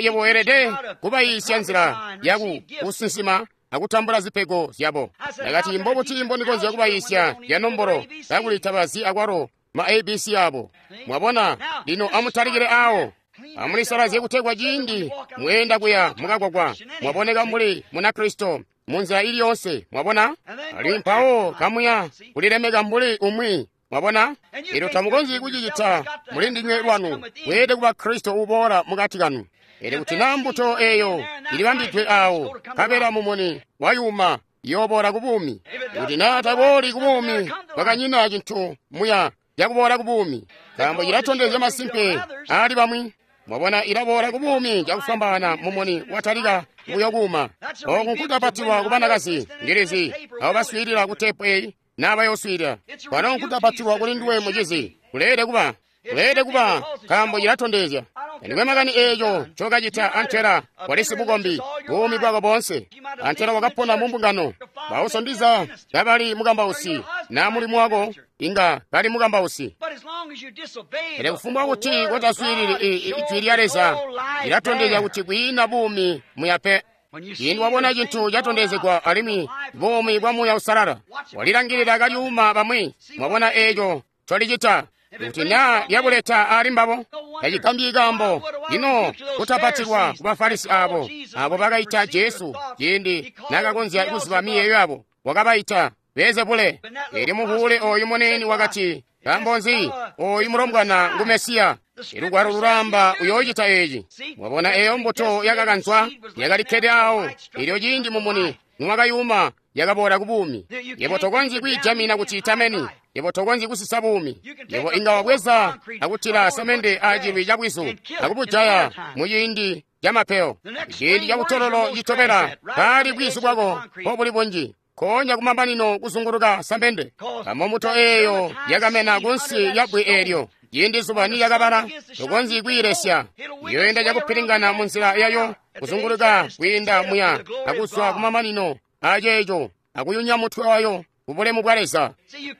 Yebo weelede kubayiisya nzila yaku kusinsima akutambula zipego zyabo. Ndakati, mbobuti mbondikonzya kubayiisya ya nombolo kakuli tabazi akwalo ma ABC abo. Mwabona? Lino amutalikile awo. Amulisalazye kutegwa ciindi mweenda kuya mukagwagwa mwaboneka mbuli Munakristo munzila ili yonse. Mwabona? Ali mpawo kamuya kulilemeka mbuli umwi. Mwabona? Elyo tamukonzyi kucicita muli ndinywe lwanu. Mweelede kuba Kristo uboola mukati kanu. Elyo kuti naa mbuto eeyo ilibambidwe awo, nkabela mumuni wayuma, iyooboola ku buumi. Kuti naa tabooli ku buumi, kwakanyina cintu muya yakuboola ku buumi, nkaambo cilatondezya masimpe aali bamwi. Mwabona, ilaboola ku buumi cakufwambaana mumuni watalika buyo kuuma. Ooku nkutapatilwa ku banakazi, ndilizi abo baswiilila ku teepu eyi naa bayooswiilila. Kwalo nkutapatilwa kuli nduwe mucizi, kuleelede kuba, nkaambo cilatondezya. Tandikwe makani eeco ncokacita antela walisi bukombi buumi bwako boonse. Antela wakapona mu mbungano. Bauso ndiza kabali mukambausi, naa mulimu wako inga kali mukambausi. Pele kufumbwa kuti kotaswiilili ijwi lya Leza, lilatondezya kuti kwiina buumi muya pe. Ciindi wabona cintu catondezegwa alimwi buumi bwa Muuya Uusalala, walilangilila kalyuuma bamwi. Mwabona eeco ncolicita. Kuti naa lyabuleta ali mbabo, tacigambyi kaambo lino kutapatilwa ku Bafarisi aabo bakaita Jesu ciindi naakakonzya kuziba miyeeyo yabo, wakabaita Beelzebule. Elyo muvuule ooyu muniini wakati, nkaambo nzi ooyu mulombwana ngu Mesiya? Ilugwalo lulaamba uyoocita eeci. Mwabona eeyo mbuto yakakanzwa yakalikkede awo, elyo ciindi mumuni niwakayuma yakaboola ku buumi. Yebo tokonzyi kwiijamina kuti itameni. Yebo tokonzyi kusisa buumi. Yebo inga wabweza akutila samende acilwi cabwizu akubujaya muciindi camapeyo. Ciindi cabutololo citobela kaali bwizu bwako mbobuli bunji, nkoonya kumamanino kuzunguluka samende. Kamo mbuto eeyo yakamena kunsi lyabwe eelyo. Ciindi zuba nilyakabala, tokonzyi kwiilesya. Iyoenda cakupilingana munzila yayo kuzunguluka kwiinda muya akuzwa kumamanino aceeco akuyunya mutwe wayo kubulemu bwa Leza.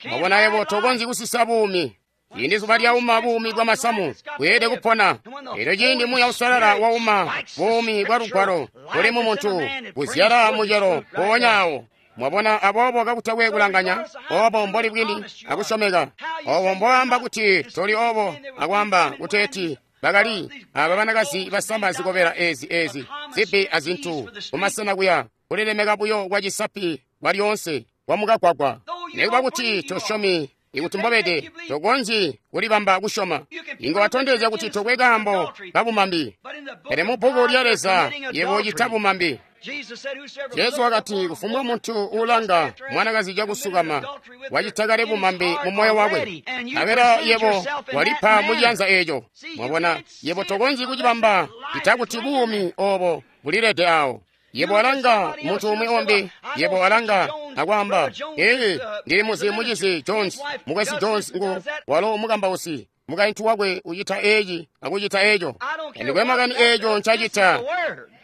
Mwabona, yebo tokonzyi kusisa buumi. Ciindi zuba lyauma buumi bwa masamu, bweelede kupona. Elyo ciindi Muuya Uusalala wauma buumi bwa lugwalo buli mu muntu, buzyala mucelo mpoonya awo. Mwabona, aboobo kakutakwe kulanganya obo mboli bwini akusyomeka, obo mboamba kuti toli obo, akwaamba kuteeti bakali aba banakazi basama zikobela ezi zibbi azintu kumasena kuya kulilemeka buyo kwa cisapi kwa lyoonse kwa mukagwagwa. Nikuba kuti tosyomi ikuti mbobede, tokonzyi kulibamba kusyoma. Inga watondezya kuti tokwe kaambo kabumambi. Pele mu bbuku lya Leza yebo ucita bumambi. Jesu wakati kufumbwa muntu uulanga mwanakazi cakusukama wacita kale bumambi mu moyo wakwe, nkabela yebo walipa mu ciyanza eeco. Mwabona, yebo tokonzyi kucibamba cita kuti buumi obo bulilede awo. Yebo alanga muntu umwi umbi, yebo alanga akwaamba, ee, ndili muzi mucizi Jones, mukwesu Jones ngu walo mukambausi. Mukaintu wakwe ucita eeci akucita eeco. Ndikwe makani eeco ncacita.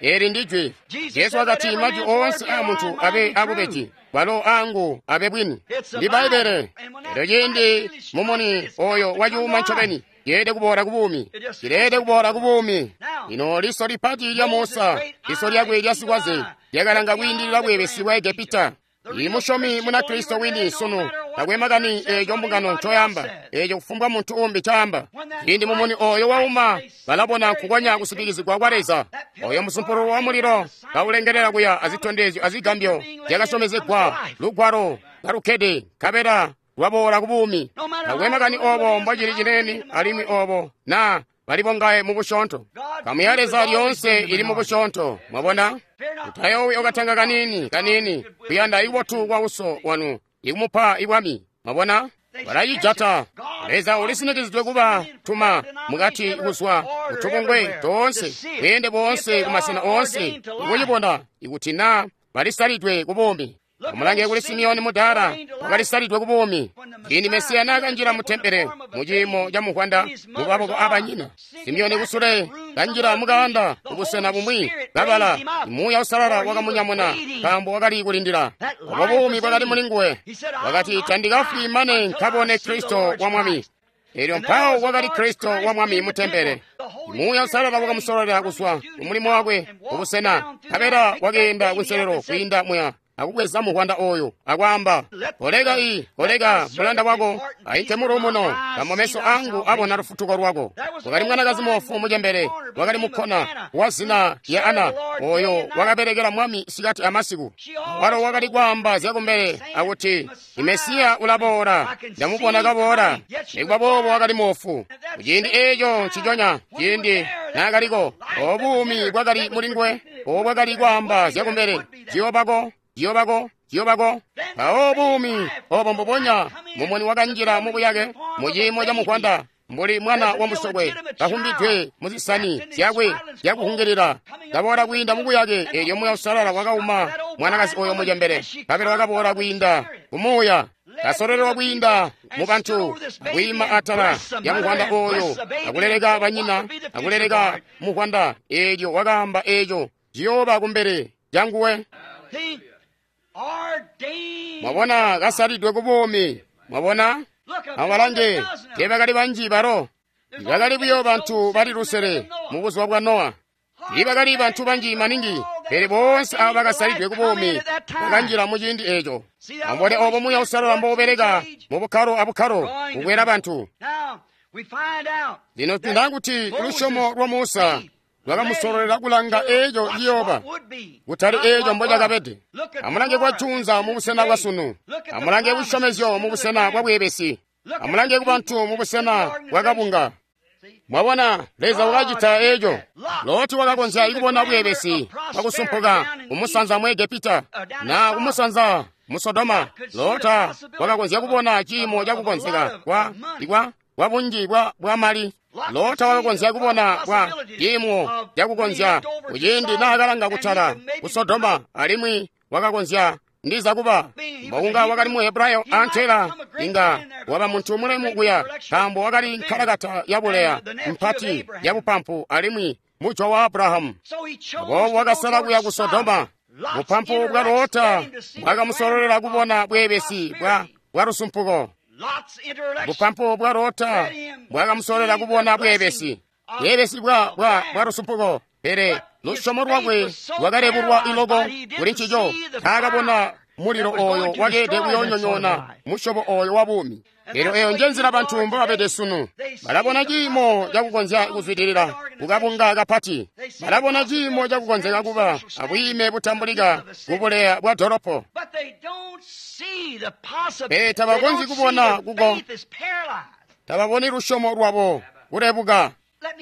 Eli ndi jwi. Jesu wakati majwi oonse aa muntu abe abubeji, walo aangu abe bwini. Ndi Bbaibbele. Elyo ciindi mumuni oyo wacuuma ncobeni, yeelede kuboola ku buumi. Cileelede kuboola ku buumi. Lino liso lipati lya Musa, liso lyakwe lya sikwaze, lyakalanga kwiindilila bweebesi bwa Egepita. I musyomi Munakristo wini sunu takwe makani eeco mbungano ncoyamba, eeco kufumbwa muntu umbi ncaamba. Ciindi mumuni oyo wauma, balabona nkukonya kusitikizigwa kwa Leza. Oyo musumpululu wa mulilo kaulengelela kuya azitondezyo azigambyo zyakasyomezegwa, lugwalo kalukkede, nkabela lwaboola ku buumi. Takwe makani obo mbocili cinene alimwi obo na bali bongaye mu busyoonto. Nkamu ya Leza lyoonse ili mu busyoonto. Mwabona? Mutayoowi okatanga kaniini kaniini kuyanda ibubotu kwa uso wanu ikumupa ibwami. Mwabona? Balacijata. Leza ulisinikizidwe kuba tuma mukati kuzwa kutubungwe toonse, bweende boonse kumasena oonse, ikucibona ikuti na balisalidwe ku buumi. Amulange kuli Simeoni mudaala, wakalisalidwe ku buumi. Ciindi Mesiya naakanjila mu tempele mu ciimo ca muvwanda mu maboko aabanyina, Simeoni kusule kanjila mukaanda kubusena bumwi kabala, Muuya Uusalala wakamunyamuna nkaambo wakali kulindila. Obo buumi bwakali muli nguwe. Wakati, tandikafwi mane nkabone Kristo wa Mwami. Elyo mpawo wakali Kristo wa Mwami mu tempele. Muuya Uusalala wakamusololela kuzwa kumulimo wakwe kubusena, nkabela wakeenda kunselelo kwiinda muya akubweza muvwanda oyo akwaamba, koleka koleka mulanda wako ainke muluumuno, nkaambo meso angu abona lufutuko lwako. Wakali mwanakazi moofu mucembele, wakali mukkona wa zina lya Ana, oyo wakabelekela Mwami sikati amasiku. Walo wakali kwaamba zyakumbele akuti, Mesiya ulaboola, ndamubona kaboola. Nikuba boobo wakali moofu. Kuciindi eeco nciconya, ciindi naakaliko, obo buumi bwakali muli nguwe, obo bwakali kwaamba zyakumbele, ziyoobako, ziyoobako, ziyoobako. Mpawo buumi obo mbubonya mumuni wakanjila mu buyake mu ciimo ca muvwanda, mbuli mwana wa musokwe kahumbidwe mu zisani zyakwe zyakuhungilila, kaboola kwiinda mu buyake. Elyo Muuya Uusalala wakauma mwanakazi oyo mucembele, nkabela wakaboola kwiinda ku Muuya, kasololelwa kwiinda mu bantu, akwiima atala lya muvwanda oyo, akuleleka banyina, akuleleka muvwanda. Elyo wakaamba eeco ciyooba kumbele lyanguwe. Mwabona, kasalidwe ku buumi. Mwabona? Amubalange, teebakali banji balo. Bakali buyo bantu bali 500 mu buzuba bwa Nowa. Tiibakali bantu banji maningi, pele boonse abo bakasalidwe ku buumi bakanjila mu ciindi eeco. Amubone obo Muuya Uusalala mboubeleka mu bukkalo abukkalo kukwela bantu. Lino tunda kuti lusyomo lwa Musa lwakamusololela kulanga eeco ciyooba, kutali eeco mbocakabede. Amulange kwacunza mu busena bwa sunu. Amulange kusyomezyo mu busena bwa bweebesi. Amulange kubantu mu busena bwa kabunga. Mwabona, Leza wakacita eeco. Loti wakakonzya kubona bweebesi bwakusumpuka kumusanza mu Egepita na kumusanza mu Sodoma. Lota wakakonzya kubona ciimo cakukonzeka kwa bunji bwa mali. Lota wakakonzya kubona bwa ciimo cakukonzya kuciindi naakalanga kutala ku Sodoma, alimwi wakakonzya ndiza kuba mbokunga wakali mu Hebrayo antela inga waba muntu mulemu kuya, nkaambo wakali nkalakata yabuleya mpati yabupampu alimwi mujwa wa Abrahamu. Aboobo wakasala kuya ku Sodoma. Bupampu bwa Lota bwakamusololela kubona bweebesi bwa lusumpuko. Bupampu bwa Lota bwakamusololela kubona bweebesi bwa lusumpuko, pele lusyomo lwakwe lwakalebulwa iloko kuli ncico. Taakabona mulilo oyo wakeede kuyoonyonyoona musyobo oyo wa buumi. Elyo eyo nje nzila bantu mbobabede sunu. Balabona ciimo cakukonzya kuzwidilila kukabunga kapati. Balabona ciimo cakukonzeka kuba abwiime butambulika kubuleya bwa dolopo. Pele tabakonzyi kubona kuko tababoni lusyomo lwabo kulebuka.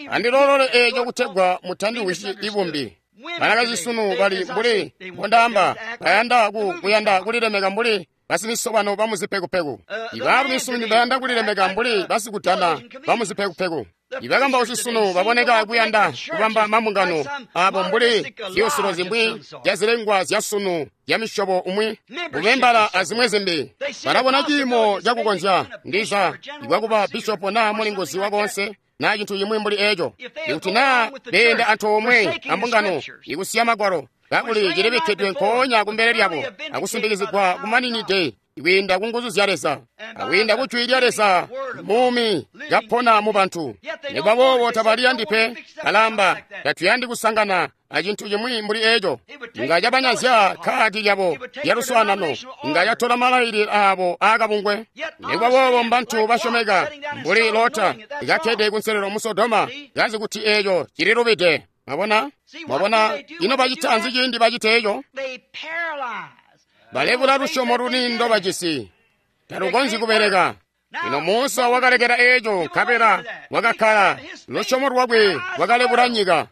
Andilolole eeco kutegwa mutandiwisyi ibumbi. Banakazi sunu bali mbuli mbondaamba, bayanda kuyanda kulilemeka mbuli basimisobano bamuzipekupeku. Ibaalumi sunu bayanda kulilemeka mbuli basikudana bamuzipekupeku. Ibakambausi sunu baboneka kuyanda kubamba mambungano abo mbuli ziyusilo zimwi zyazilengwa zyasunu zyamisyobo umwi, bubembala azimwi zimbi. Balabona ciimo cakukonzya ndiza ibwakuba bishopo naa mulinguzi wakoonse naa cintu cimwi mbuli eeco. Ikuti naa beenda antoomwe ambungano ikusiya magwalo, kakuli cilibikkidwe nkoonya kumbele lyabo akusimbikizigwa kumaninide kwiinda ku nguzu zya Leza akwiinda ku jwi lya Leza muumi kapona mu bantu. Nikuba boobo tabaliyandi pe, balamba tatuyandi kusangana acintu cimwi mbuli eeco. Inga cabanyazya kkaadi lyabo lya luswaanano, inga catola malailile aabo aakabungwe. Nikuba boobo mbantu basyomeka mbuli Lota kakkede kunselelo mu Sodoma, kazi kuti eeco cililubide. Mwabona? Mwabona ino bacita nzi ciindi bacita eeco? Balebula lusyomo luni ndobajisi, talukonzyi kubeleka. Lino Musa wakalekela eeco, nkabela wakakkala. Lusyomo lwakwe lwakalebula nyika.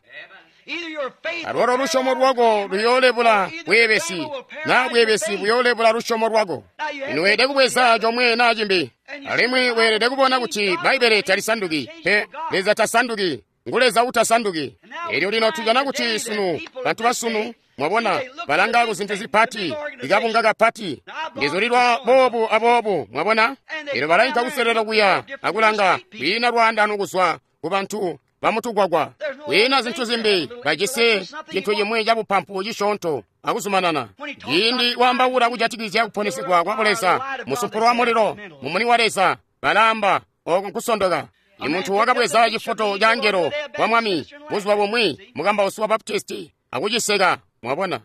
Alwalo lusyomo lwako luyoolebula bweebesi, naa bweebesi buyoolebula lusyomo lwako. Lino weelede kubweza comwe naa cimbi, alimwi weelede kubona kuti Bbaibbele talisanduki pe. Leza tasanduki, ngu Leza utasanduki. Elyo lino tujana kuti sunu, bantu basunu, mwabona, balanga ku zintu zipati, ikabunga kapati, ndizulilwa boobu aboobu, mwabona. Elyo balainka kuselelo kuya akulanga, kwiina lwaandano kuzwa ku bantu bamutugwagwa, kwiina zintu zimbi, bajisi cintu cimwi cabupampu cisyoonto akuzumanana. Ciindi waambaula kujatikizya kuponesigwa kwa Buleza, musumpulo wa mulilo, mumuni wa Leza, balaamba oko nkusondoka. Imuntu wakabweza cifoto ca angelo wa Mwami buzuba bumwi, mukambausi wa Baptisti, akuciseka. Mwabona,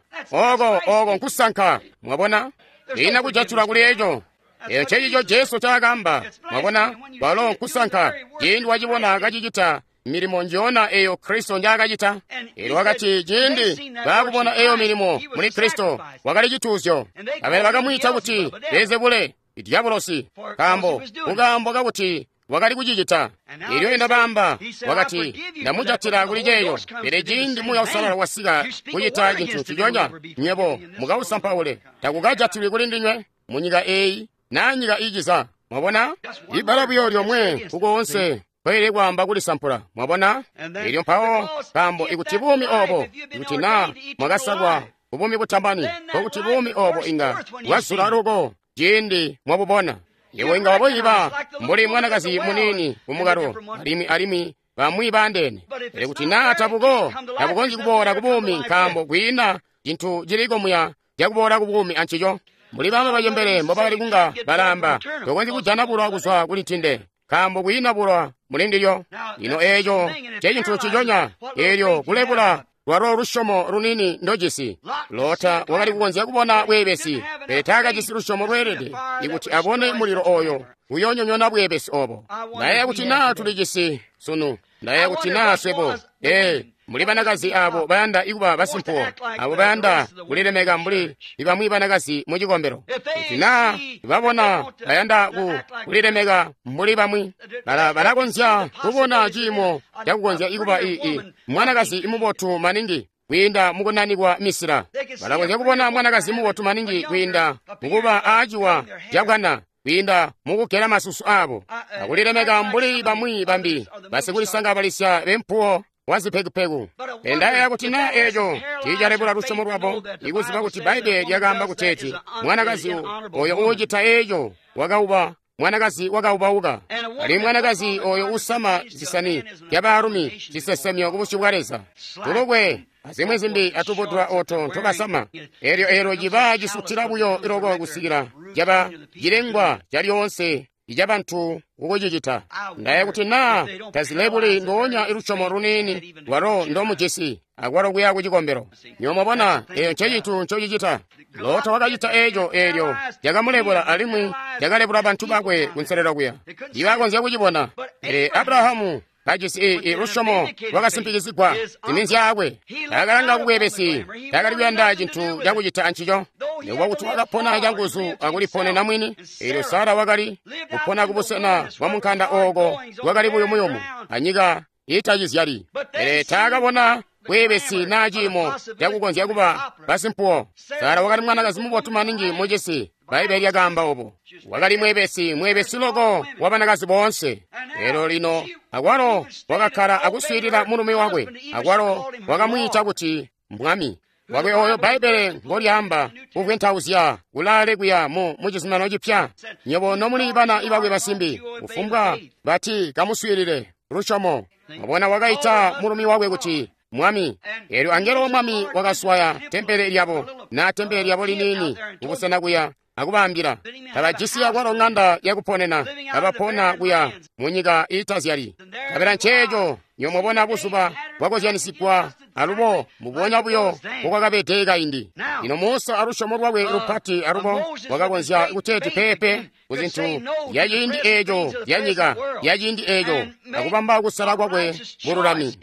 oko nkusanka. Mwabona, kwiina kujatula kuli eco. Eco ncecico Jesu ncaakaamba. Mwabona, kwalo nkusanka. Ciindi wacibona kacicita milimo njoona eyo Kristo njaakacita. Elyo wakati ciindi baakubona eyo milimo muli Kristo, wakali cituuzyo. Abele bakamwiita kuti Beelzebule, dyabulosi, nkaambo kukaambo kakuti wakali kucicita. Elyo enda baamba, wakati, ndamujatila kuli ceeyo. Pele ciindi Muuya Uusalala wasika kucita cintu nciconya, nywebo mukausampaule, takukajatilwi kuli ndinywe munyika eeyi naa nyika iiciza. Mwabona, ibbala buyo lyomwe kukoonse kweelede kwaamba kulisampula. Mwabona? Elyo mpawo nkaambo ikuti buumi obo, ikuti naa mwakasalwa kubuumi butamani, nkokuti buumi obo inga bwazula luko ciindi mwabubona. Iwe inga wabuyiba mbuli mwanakazi muniini kumukalo, alimwi bamwi baandeene. Pele kuti naa tabuko, tabukonzyi kuboola kubuumi, nkaambo kwiina cintu ciliko muya cakuboola kubuumi ancico. Mbuli bama bacembele mbobakali kunga balaamba, tokonzyi kujana bulwa kuzwa kuli ntinde, nkaambo kwiina bulwa muli ndilyo. Lino eeco ncecintu nciconya, eelyo kulebula lwalo lusyomo lunini ndojisi. Lota wakali kukonzya kubona bweebesi, pele taakajisi lusyomo lweelede ikuti abone mulilo oyo uyoonyonyoona bweebesi obo. Ndayeeya kuti naa tulijisi sunu. Ndayeeya kuti naa swebo, muli banakazi abo bayanda ikuba basimpuwo, abo bayanda kulilemeka mbuli bamwi banakazi mu cikombelo. Kuti naa babona bayanda kulilemeka mbuli bamwi, balakonzya kubona ciimo cakukonzya ikuba mwanakazi mubotu maningi kwiinda mukunanikwa misila. Balakonzya kubona mwanakazi mubotu maningi kwiinda mukuba aaciwa cabwana, kwiinda mukugela masusu abo, akulilemeka mbuli bamwi bambi basikulisangabalisya bempuwo wazipekupeku. Pele ndayeeya kuti naa eeco tiicalebula lusyomo lwabo, ikuziba kuti Bbaibbele lyakaamba kuteeti mwanakazi oyo uucita eeco wakauba, mwanakazi wakaubauka, alimwi mwanakazi oyo usama zisani zyabaalumi cisesemyo kubusyu bwa Leza, tulukwe azimwi zimbi atubudula oto ntobasama. Eelyo ciba cisutila buyo iloko kusikila caba cilengwa calyoonse icabantu kukucicita. Ndayeeya kuti naa tazilebuli ndoonya ilusyomo luniini lwalo ndomujisi akwalo kuya kucikombelo. Nywebo mwabona, eeyo ncecintu ncocicita. Lota wakacita eeco, eelyo cakamulebula alimwi cakalebula bantu bakwe kunselelo kuya. Tiibakonzya kucibona. Pele Abrahamu Kajisi i lusyomo lwakasimpikizigwa ziminzyaakwe. Taakalanga kubweebesi, taakali kuyanda cintu cakucita ancico. Nikuba kuti wakapona canguzu akuliponena mwini, eelyo Sara wakali kupona kubusena bwa munkanda ooko bwakali buyumuyumu anyika iitacizyali. Pele taakabona bweebesi naa ciimo cakukonzya kuba basimpuwo. Sara wakali mwanakazi mubotu maningi mucisi, Bbaibbele lyakaamba obo. Wakali mweebesi, mweebesi loko wa banakazi boonse. Elyo lino akwalo wakakkala akuswiilila mulumi wakwe, akwalo wakamwiita kuti mwami wakwe oyo Bbaibbele ngolyaamba kuvwentauzya kulaale kuya mu cizuminano cipya. Nywebo nomuli bana ibakwe basimbi, kufumbwa bati kamuswiilile lusyomo. Mwabona, wakaita mulumi wakwe kuti mwami. Eelyo angelo wa mwami wakaswaya tempele lyabo, na tempele lyabo liniini kubusena kuya, akubaambila tabajisi akwalo ng'anda yakuponena, kabapona kuya mu nyika iitazyali. Kabela nceeco nywebo mwabona buzuba bwakozyanisigwa alubo mbubonya buyo mbokwakabede kaindi. Lino Musa alusyomo lwakwe lupati alubo wakakonzya kuteeti peepe ku zintu zya ciindi eeco zya nyika ya ciindi eeco, akubamba kusala kwakwe bululami.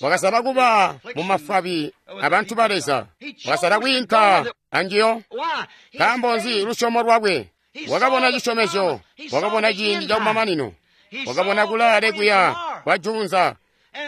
Wakasala kuba mu mafwabi abantu ba Leza. Wakasala kwiinka anjiyo. Nkaambo nzi? Lusyomo lwakwe. Wakabona cisyomezyo, wakabona ciindi cakumamanino, wakabona kulaale kuya kwa juunza,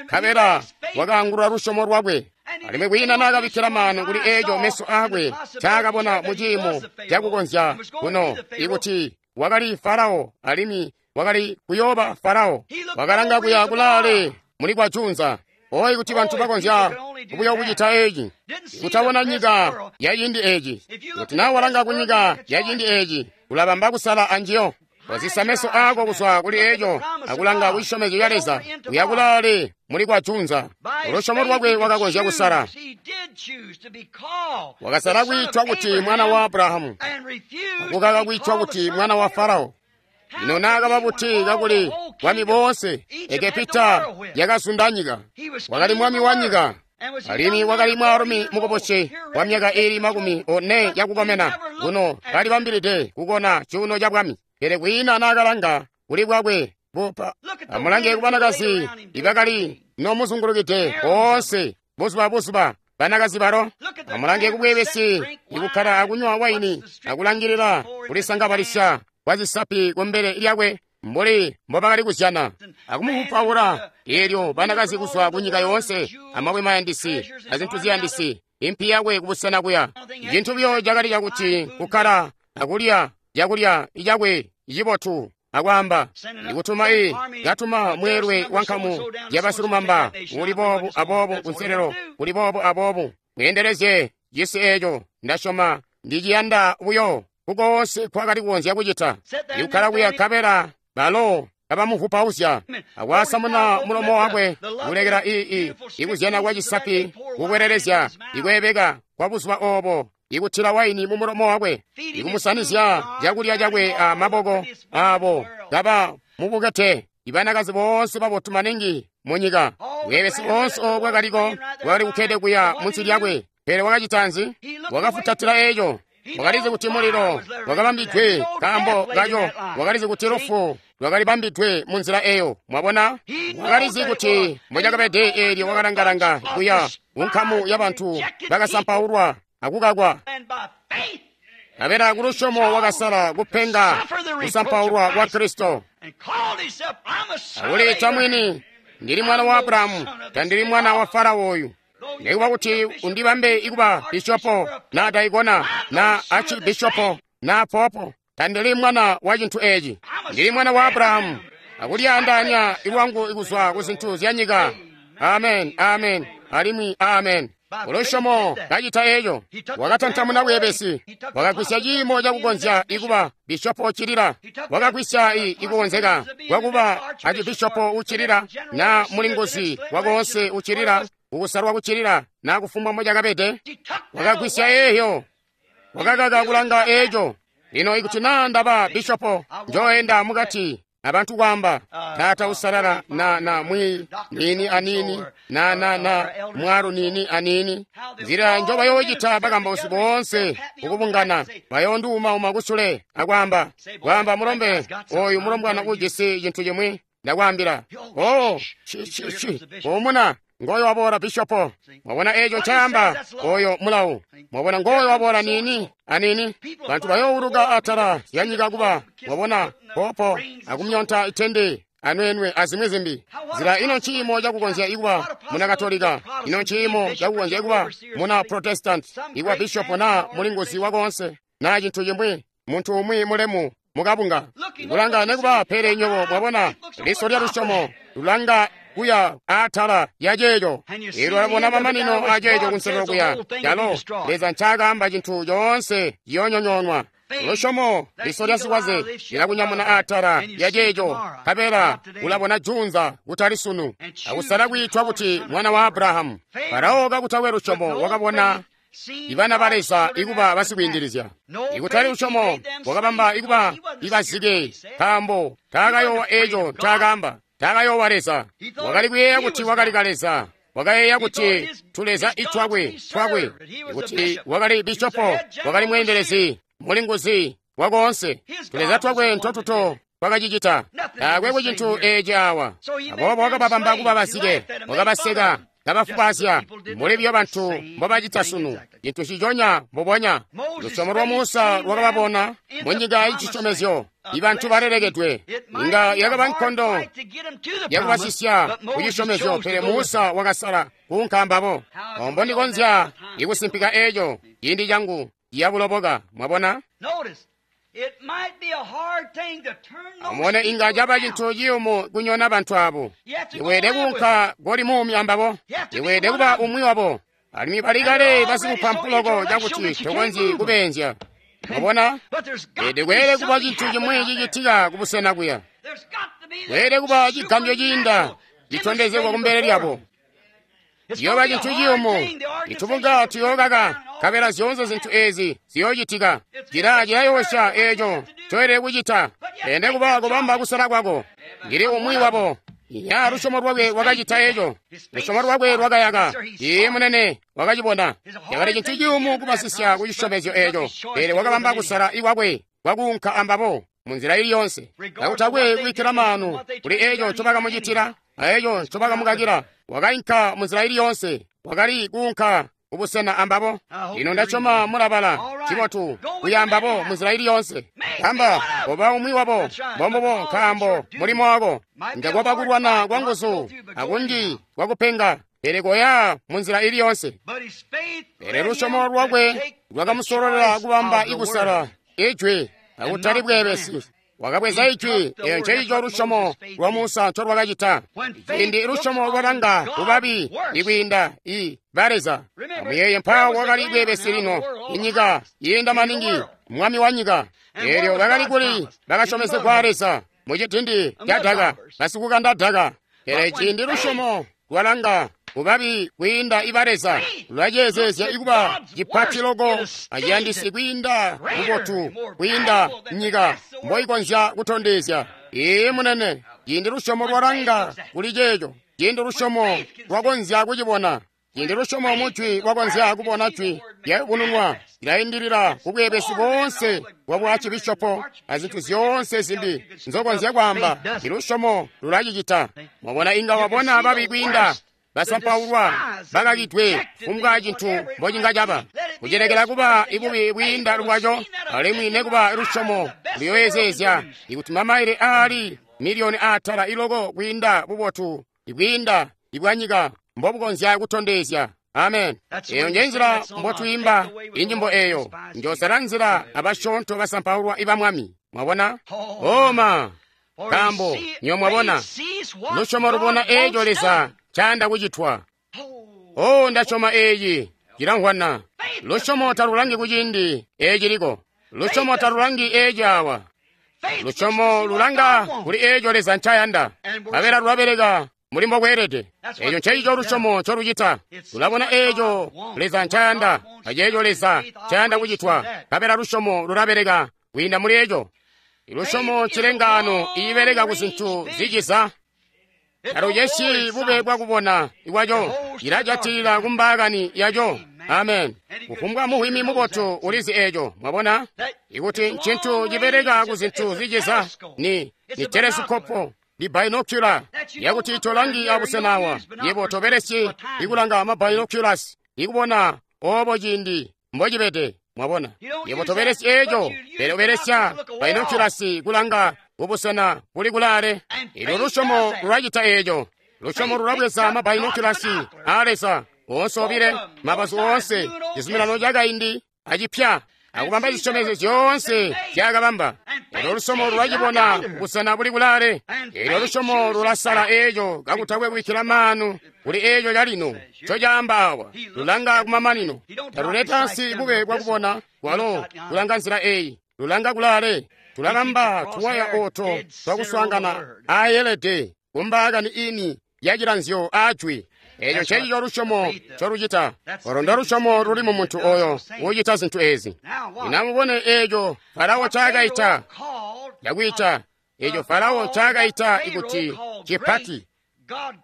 nkabela wakaangulula lusyomo lwakwe. Alimwi kwiina naakabikkila maanu kuli eeco meso aakwe ncaakabona mu ciimo cakukonzya kuno, ikuti wakali Farao alimwi wakali kuyooba Farao. Wakalanga kuya kulaale muli kwa juunza. Oyi, kuti bantu bakonzya kubuya kucita eeci, kutabona nyika ya ciindi eeci. Kuti naa walanga kunyika ya ciindi eeci, ulabamba kusala anjiyo. Wazisa meso aako kuzwa kuli eeco akulanga ku cisyomezyo ca Leza, uya kulaale muli kwa juunza. Lusyomo lwakwe wakakonzya kusala. Wakasala kwiitwa kuti mwana wa Abrahamu, akukaka kwiitwa kuti mwana wa Farao. Lino naakaba buti kakuli bwami boonse, Egepita yakazunda nyika. Wakali mwami wa nyika, alimwi wakali mwaalumi mukubusi wa myaka iili 40 yakukomena. Kuno kalibambilide kukona cuuno ca bwami, pele kwiina naakalanga kuli bwakwe bupa. Amulange kubanakazi ibakali nomuzungulukide boonse buzuba buzuba, banakazi balo. Amulange kubweebesi ikukkala akunywa waini akulangilila kulisangabalisya kwa zisapi kumbele lyakwe mbuli mbobakali kuzyana akumuvupaula. Eelyo banakazi kuzwa kunyika yoonse, amabwe mayandisi azintu ziyandisi, impi yakwe kubusena kuya. Cintu buyo cakali cakuti kukkala akulya cakulya cakwe cibotu akwaamba ikutuma katuma mweelwe wa nkamu yabasilumamba uli boobu aboobu kunselelo kuli boobu aboobu, mweendelezye cisi eeco. Ndasyoma ndiciyanda buyo kukoonse kwakali kukonzya kucita. Ikukkala kuya nkabela balo kabamuvupauzya akwasamuna mulomo wakwe, kulekela ikuzyana kwa cisapi kukwelelezya ikweebeka kwa buzuba oobo, ikutila waini mu mulomo wakwe, ikumusanizya cakulya cakwe a maboko aabo kaba mubukete. Ibanakazi boonse babotu maningi mu nyika, bweebesi boonse oobo bwakaliko bwakali kukkede kuya munsi lyakwe. Pele wakacita nzi? Wakafutatila eeco. Wakalizi kuti mulilo wakabambidwe nkaambo kaco. Wakalizi kuti lufu lwakalibambidwe mu nzila eyo. Mwabona, wakalizi kuti mbocakabede. Eelyo wakalangalanga kuya kunkamu yabantu bakasampaulwa akukakwa. Nkabela kulusyomo wakasala kupenga kusampaulwa kwa Kristo. Akuliita mwini, ndili mwana wa Abrahamu, tandili mwana wa Farao oyu. Nikuba kuti undibambe ikuba bishopo na daikona na archibishopo na popo, tandili mwana wa cintu eeci. Ndili mwana wa Abrahamu, akulyaandaanya lwangu kuzwa ku zintu zya nyika. Amen, amen, alimwi amen. Kulusyomo kacita eeco, wakatantamuna bweebesi, wakagwisya ciimo cakukonzya ikuba bishopo uccilila, wakagwisya ikukonzeka kwakuba acibishopo uccilila na mulinguzi wakoonse uccilila, kukusalwa kuccilila na kufumbwa mbocakabede. Wakagwisya eeyo, wakakaka kulanga eeco. Lino ikuti naa ndaba bishopo, njoenda mukati abantu kwaamba taata usalala na na mwi nini anini na na na mwalu nini anini. Nzila njo bayoocita bakambausi boonse kukubungana, bayoonduumauma kusule akwaamba kwaamba mulombe oyu mulombwana ujisi cintu cimwi. Ndakwaambila. Oh, umuna ngoyo waboola bishopo. Mwabona eco ncaamba oyo mulawu. Mwabona ngoyo waboola nini anini. Bantu bayouluka atala ya nyika kuba mwabona popo akumyonta itende anwenwe azimwi zimbi. Zila ino nciimo cakukonzya ikuba muna Katolika, ino nciimo cakukonzya ikuba muna Protestant, ikuba bishopo na mulinguzi wakonse na cintu cimwi, muntu umwi mulemu mukabunga. Kulanga nekuba pele nyobo mwabona liso lya lusyomo lulanga kuya atala ya ceeco. Ilo labona mamanino a ceeco kunselelo kuya. Calo Leza ncaakaamba cintu coonse ciyoonyonyoonwa. Lusyomo liso lya sikwaze lilakunyamuna atala ya ceeco, nkabela ulabona junza kutali sunu, akusala kwiitwa kuti mwana wa Abrahamu. Farao kakutakwe lusyomo wakabona ibana ba Leza ikuba basikwiindilizya. Ikutali lusyomo wakabamba ikuba ibazike, nkaambo taakayoowa eeco ncaakaamba. Taakayoowa Leza. Wakali kuyeeya kuti wakali kaleza. Wakayeeya kuti tuleza itwakwe twakwe, kuti wakali bishopo, wakali mweendelezi, mulinguzi wakoonse. Tuleza twakwe ntotuto twakacicita. Taakwe kucintu eeci awa. Aboobo wakababamba kuba bazike, wakabaseka, kabafubazya, muli biyo bantu mbobacita sunu, cintu ciconya mbubonya. Lusyomo lwa Musa lwakababona mu nyika yicisyomezyo, ibantu balelekedwe. Inga yakaba nkondo yakubasisya kucisyomezyo, pele Musa wakasala kuunka ambabo. Ombo ndikonzya ikusimpika eeco ciindi cangu ciyakuloboka. Mwabona? Amubone, inga caba cintu ciyumu kunyona bantu abo. Iweede kuunka koli muumi ambabo. Iweede kuba umwi wabo. Alimwi bali kale basikupampu cakuti tokonzyi kubeenzya. Mwabona? Ede kweelede kuba cintu cimwi cicitika kubusena kuya. Kweelede kuba cigambyo ciinda citondezegwa kumbele lyabo. Ciyooba cintu ciyumu, itubunga tuyookaka, nkabela zyoonse zintu eezi ziyoocitika. Cila cilayoosya eeco ncoelede kucita. Ende kuba kubamba kusala kwako. Ndili umwi wabo. Ya lusyomo lwakwe lwakacita eeco. Lusyomo lwakwe lwakayaka. Iye munene wakacibona. Cakali cintu ciyumu kubasisya kucisyomezyo eeco, pele wakabamba kusala ikwakwe kwakuunka ambabo munzila ili yonse. Kakutakwe kubikkila maanu kuli eeco ncobakamucitila aeco ncobakamukakila, wakainka munzila ili yonse. Wakali kuunka kubusena ambabo. Ino ndasyoma mulabala cibotu kuya ambabo munzila ili yonse. Kamba koba umwi wabo, mbombubo, nkaambo mulimo wako inga kwaba kulwana kwa nguzu akunji kwakupenga, pele koya munzila ili yonse. Pele lusyomo lwakwe lwakamusololela kubamba ikusala ijwi akutali bweebesi. Wakabweza ijwi, eyo nceico lusyomo lwa Musa ncolwakacita. Ciindi lusyomo lwalanga kubabi ikwiinda i baleza. Amuyeeye mpawo wakali bweebesi lino, inyika yiinda maningi, mwami wa nyika. Eelyo bakali kuli bakasyomezegwa Leza mucidindi ca daka, basikukanda daka. Pele ciindi lusyomo lwalanga kubabi kwiinda ibaleza, lwaceezezya ikuba cipati loko aciyandisi kwiinda bubotu kwiinda nyika mboikonzya kutondezya. Iye munene, ciindi lusyomo lwalanga kuli ceeco, ciindi lusyomo lwakonzya kucibona, ciindi lusyomo mujwi lwakonzya kubona jwi lyayubununwa, lilaindilila kubweebesi boonse bwa bwacibishopo azintu zyoonse zimbi nzokonzya kwaamba. Ilusyomo lulacicita. Mwabona, inga wabona babi kwiinda basampaulwa bakakidwe kumbwa cintu mbocinga caba kucelekela kuba ibubi bwiinda lwaco, alimwi nekuba lusyomo luyoyezezya ikuti mamaile aali miliyoni aatala iloko kwiinda bubotu ibwiinda ibwanyika mbobukonzya kutondezya. Amen. Eyo nje nzila mbotwiimba inyimbo eyo. Njosala nzila abasyoonto basampaulwa iba Mwami. Mwabona? Oma nkaambo nyo mwabona lusyomo lubona eeco Leza ncaanda kucitwa. Oh, ndasyoma eeci cilamvwana. Lusyomo talulangi kuciindi eeciliko. Lusyomo talulangi eeci awa. Lusyomo lulanga kuli eeco Leza ncayanda, nkabela lulabeleka mulimo bweelede. Eeco nceico lusyomo ncolucita. Lulabona eeco Leza ncayanda aceeco Leza ncayanda kucitwa, nkabela lusyomo lulabeleka kwiinda muli eeco. Ilusyomo ncilengaano iibeleka ku zintu ziciza. Talucesyi bube bwakubona ikwaco, cilajatilila kumbaakani yaco. Amen. Kufumbwa muhwimi mubotu ulizi eeco. Mwabona? Ikuti ncintu cibeleka ku zintu ziciza, ni telesikopo, Ndi binocular yakuti tolangi abusena awa. Yebo tobelesyi ikulanga ma binoculars ikubona obo ciindi mbocibede. Mwabona, yebo tobelesyi eco, pele ubelesya binoculars kulanga kubusena buli kulaale. Elyo lusyomo lulacita eco. Lusyomo lulabweza ma binoculars a Leza oonse obile, mabazu oonse, cizuminano cakaindi acipya, akubamba zisyomezyo zyoonse zyakabamba. Elyo lusyomo lulacibona busena buli kulaale. Elyo lusyomo lulasala eco kakutakwe kubikkila maanu kuli eco calino ncocaamba awa. Lulanga kumamanino. Taluleta ansi bube bwakubona kwalo kulanga nzila eyi. Lulanga kulaale. Tulabamba tuwaya oto twakuswaangana aayelede kumbaakani ini yacilanzyo aajwi. Eco ncecico lusyomo ncolucita. Olo ndo lusyomo luli mu muntu oyo ucita zintu ezi. Lino amubone eco Farao ncaakaita yakwiita, eco Farao ncaakaita ikuti cipati.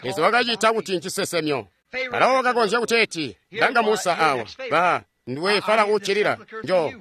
Leza wakacita kuti ncisesemyo. Farao wakakonzya kuteeti, langa Musa awa, ba nduwe Farao uccilila, njo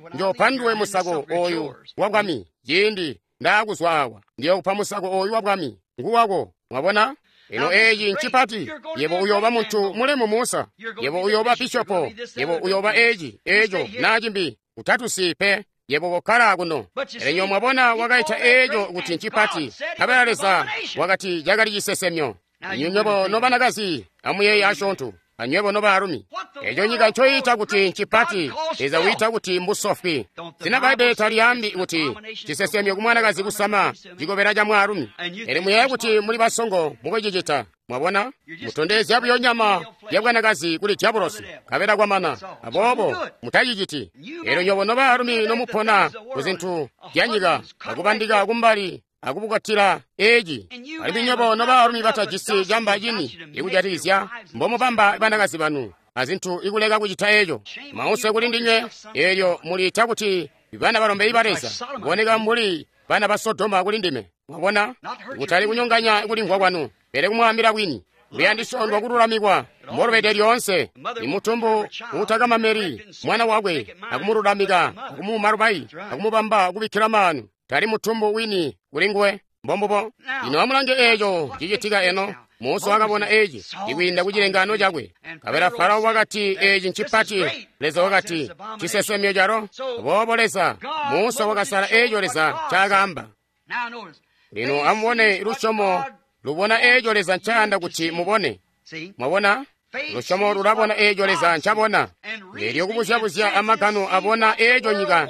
nduwe musako oyu wa bwami. Ciindi ndaakuzwa awa, ndiyokupa musako oyu wa bwami, nguwako. Mwabona? Ino eeci ncipati. Yebo uyooba muntu mulemu Musa. Yebo uyooba bishopo. Yebo uyooba eci, eco, na cimbi. Utatusi pe. Yebo kokkala kuno. Pele nyo mwabona wakaita eco kuti ncipati. Nkabela Leza wakati cakali cisesemyo. Nywebo nobanakazi amuyeeye asyoonto, anywebo nobaalumi. Eco nyika ncoyiita kuti ncipati, Leza wiita kuti mbusofwi. Sina Bbaibbele talyaambi kuti cisesemyo kumwanakazi kusama cikobela ca mwaalumi. Pele muyeeye kuti muli basongo mukucicita. Mwabona? Mutondezya buyo nyama ya bwanakazi kuli diabolosi, nkabela kwamana. Aboobo mutaciciti. Elyo nywebo nobaalumi nomupona ku zintu zya nyika, akubandika kumbali akubukatila eci. Alimwi nywebo nobaalumi batajisi camba cini ikujatikizya mbomubamba banakazi banu azintu ikuleka kucita eco. Mause kuli ndinywe, elyo muliita kuti bana balombe ba Leza, kuboneka mbuli bana ba Sodoma kuli ndime. Mwabona? Kutali kunyonganya kulimvwa kwanu, pele kumwaambila bwini. Luyandisyo ndwa kululamikwa mbolubede lyoonse. Imutumbu uutakamameli mwana wakwe akumululamika, akumuuma lubayi, akumubamba kubikkila maanu. Tali mutumbu wini kuli nguwe. Mbombubo. Lino amulange eco cicitika eno. Musa wakabona eci ikwiinda ku cilengaano cakwe. Nkabela Farao wakati eci ncipati. Leza wakati cisesemyo calo. Aboobo Leza, Musa wakasala eco Leza ncaakaamba. Lino amubone lusyomo lubona eco Leza ncayanda kuti mubone. Mwabona? Lusyomo lulabona eco Leza ncabona. Elyo kubuzyabuzya amagano abona eco nyika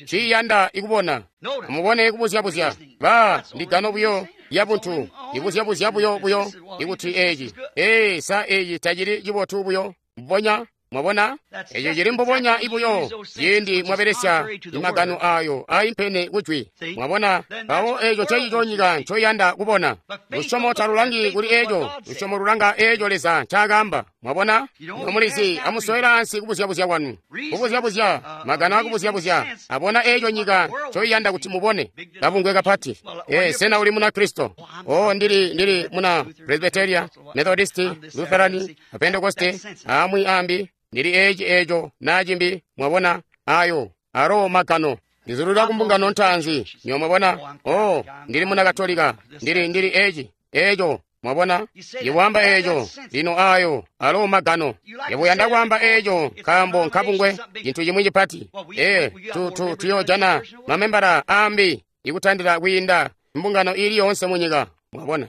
nciyanda ikubona. Amubone kubuzyabuzya. Ba ndigano buyo yabuntu. Ibuzyabuzya buyo buyo ikuti eci. Ee, sa eci tacili cibotu buyo. Mbubonya. Mwabona? Eco cili mbubonya ibuyo ciindi mwabelesya imagano ayo aimpene kujwi. Mwabona? Mpawo eco ncecico nyika ncoyanda kubona. Lusyomo talulangi kuli eco. Lusyomo lulanga eco Leza ncaakaamba. Mwabona? Nomulizi, amusowela ansi kubuzyabuzya kwanu. Kubuzyabuzya, magano akubuzyabuzya, abona eco nyika ncoyanda kuti mubone. Kabungwe kapati. Ee, sena uli muna Kristo? Oh, ndili muna Presbyteria, Methodist, Lutheran, Pentecoste, amwi ambi. Ndili eci eco na cimbi. Mwabona? Ayo aro magano. Ndizulula kumbungano ntaanzi. Nyo mwabona? Oh, ndili muna Katolika. Ndili eci eco. Mwabona? Iwamba eco. Lino ayo aro magano. Yebo kwaamba eco nkaambo nkabungwe cintu cimwi cipati. Ee, tuyojana mamembala ambi ikutandila kwiinda mbungano ili yoonse munyika. Mwabona?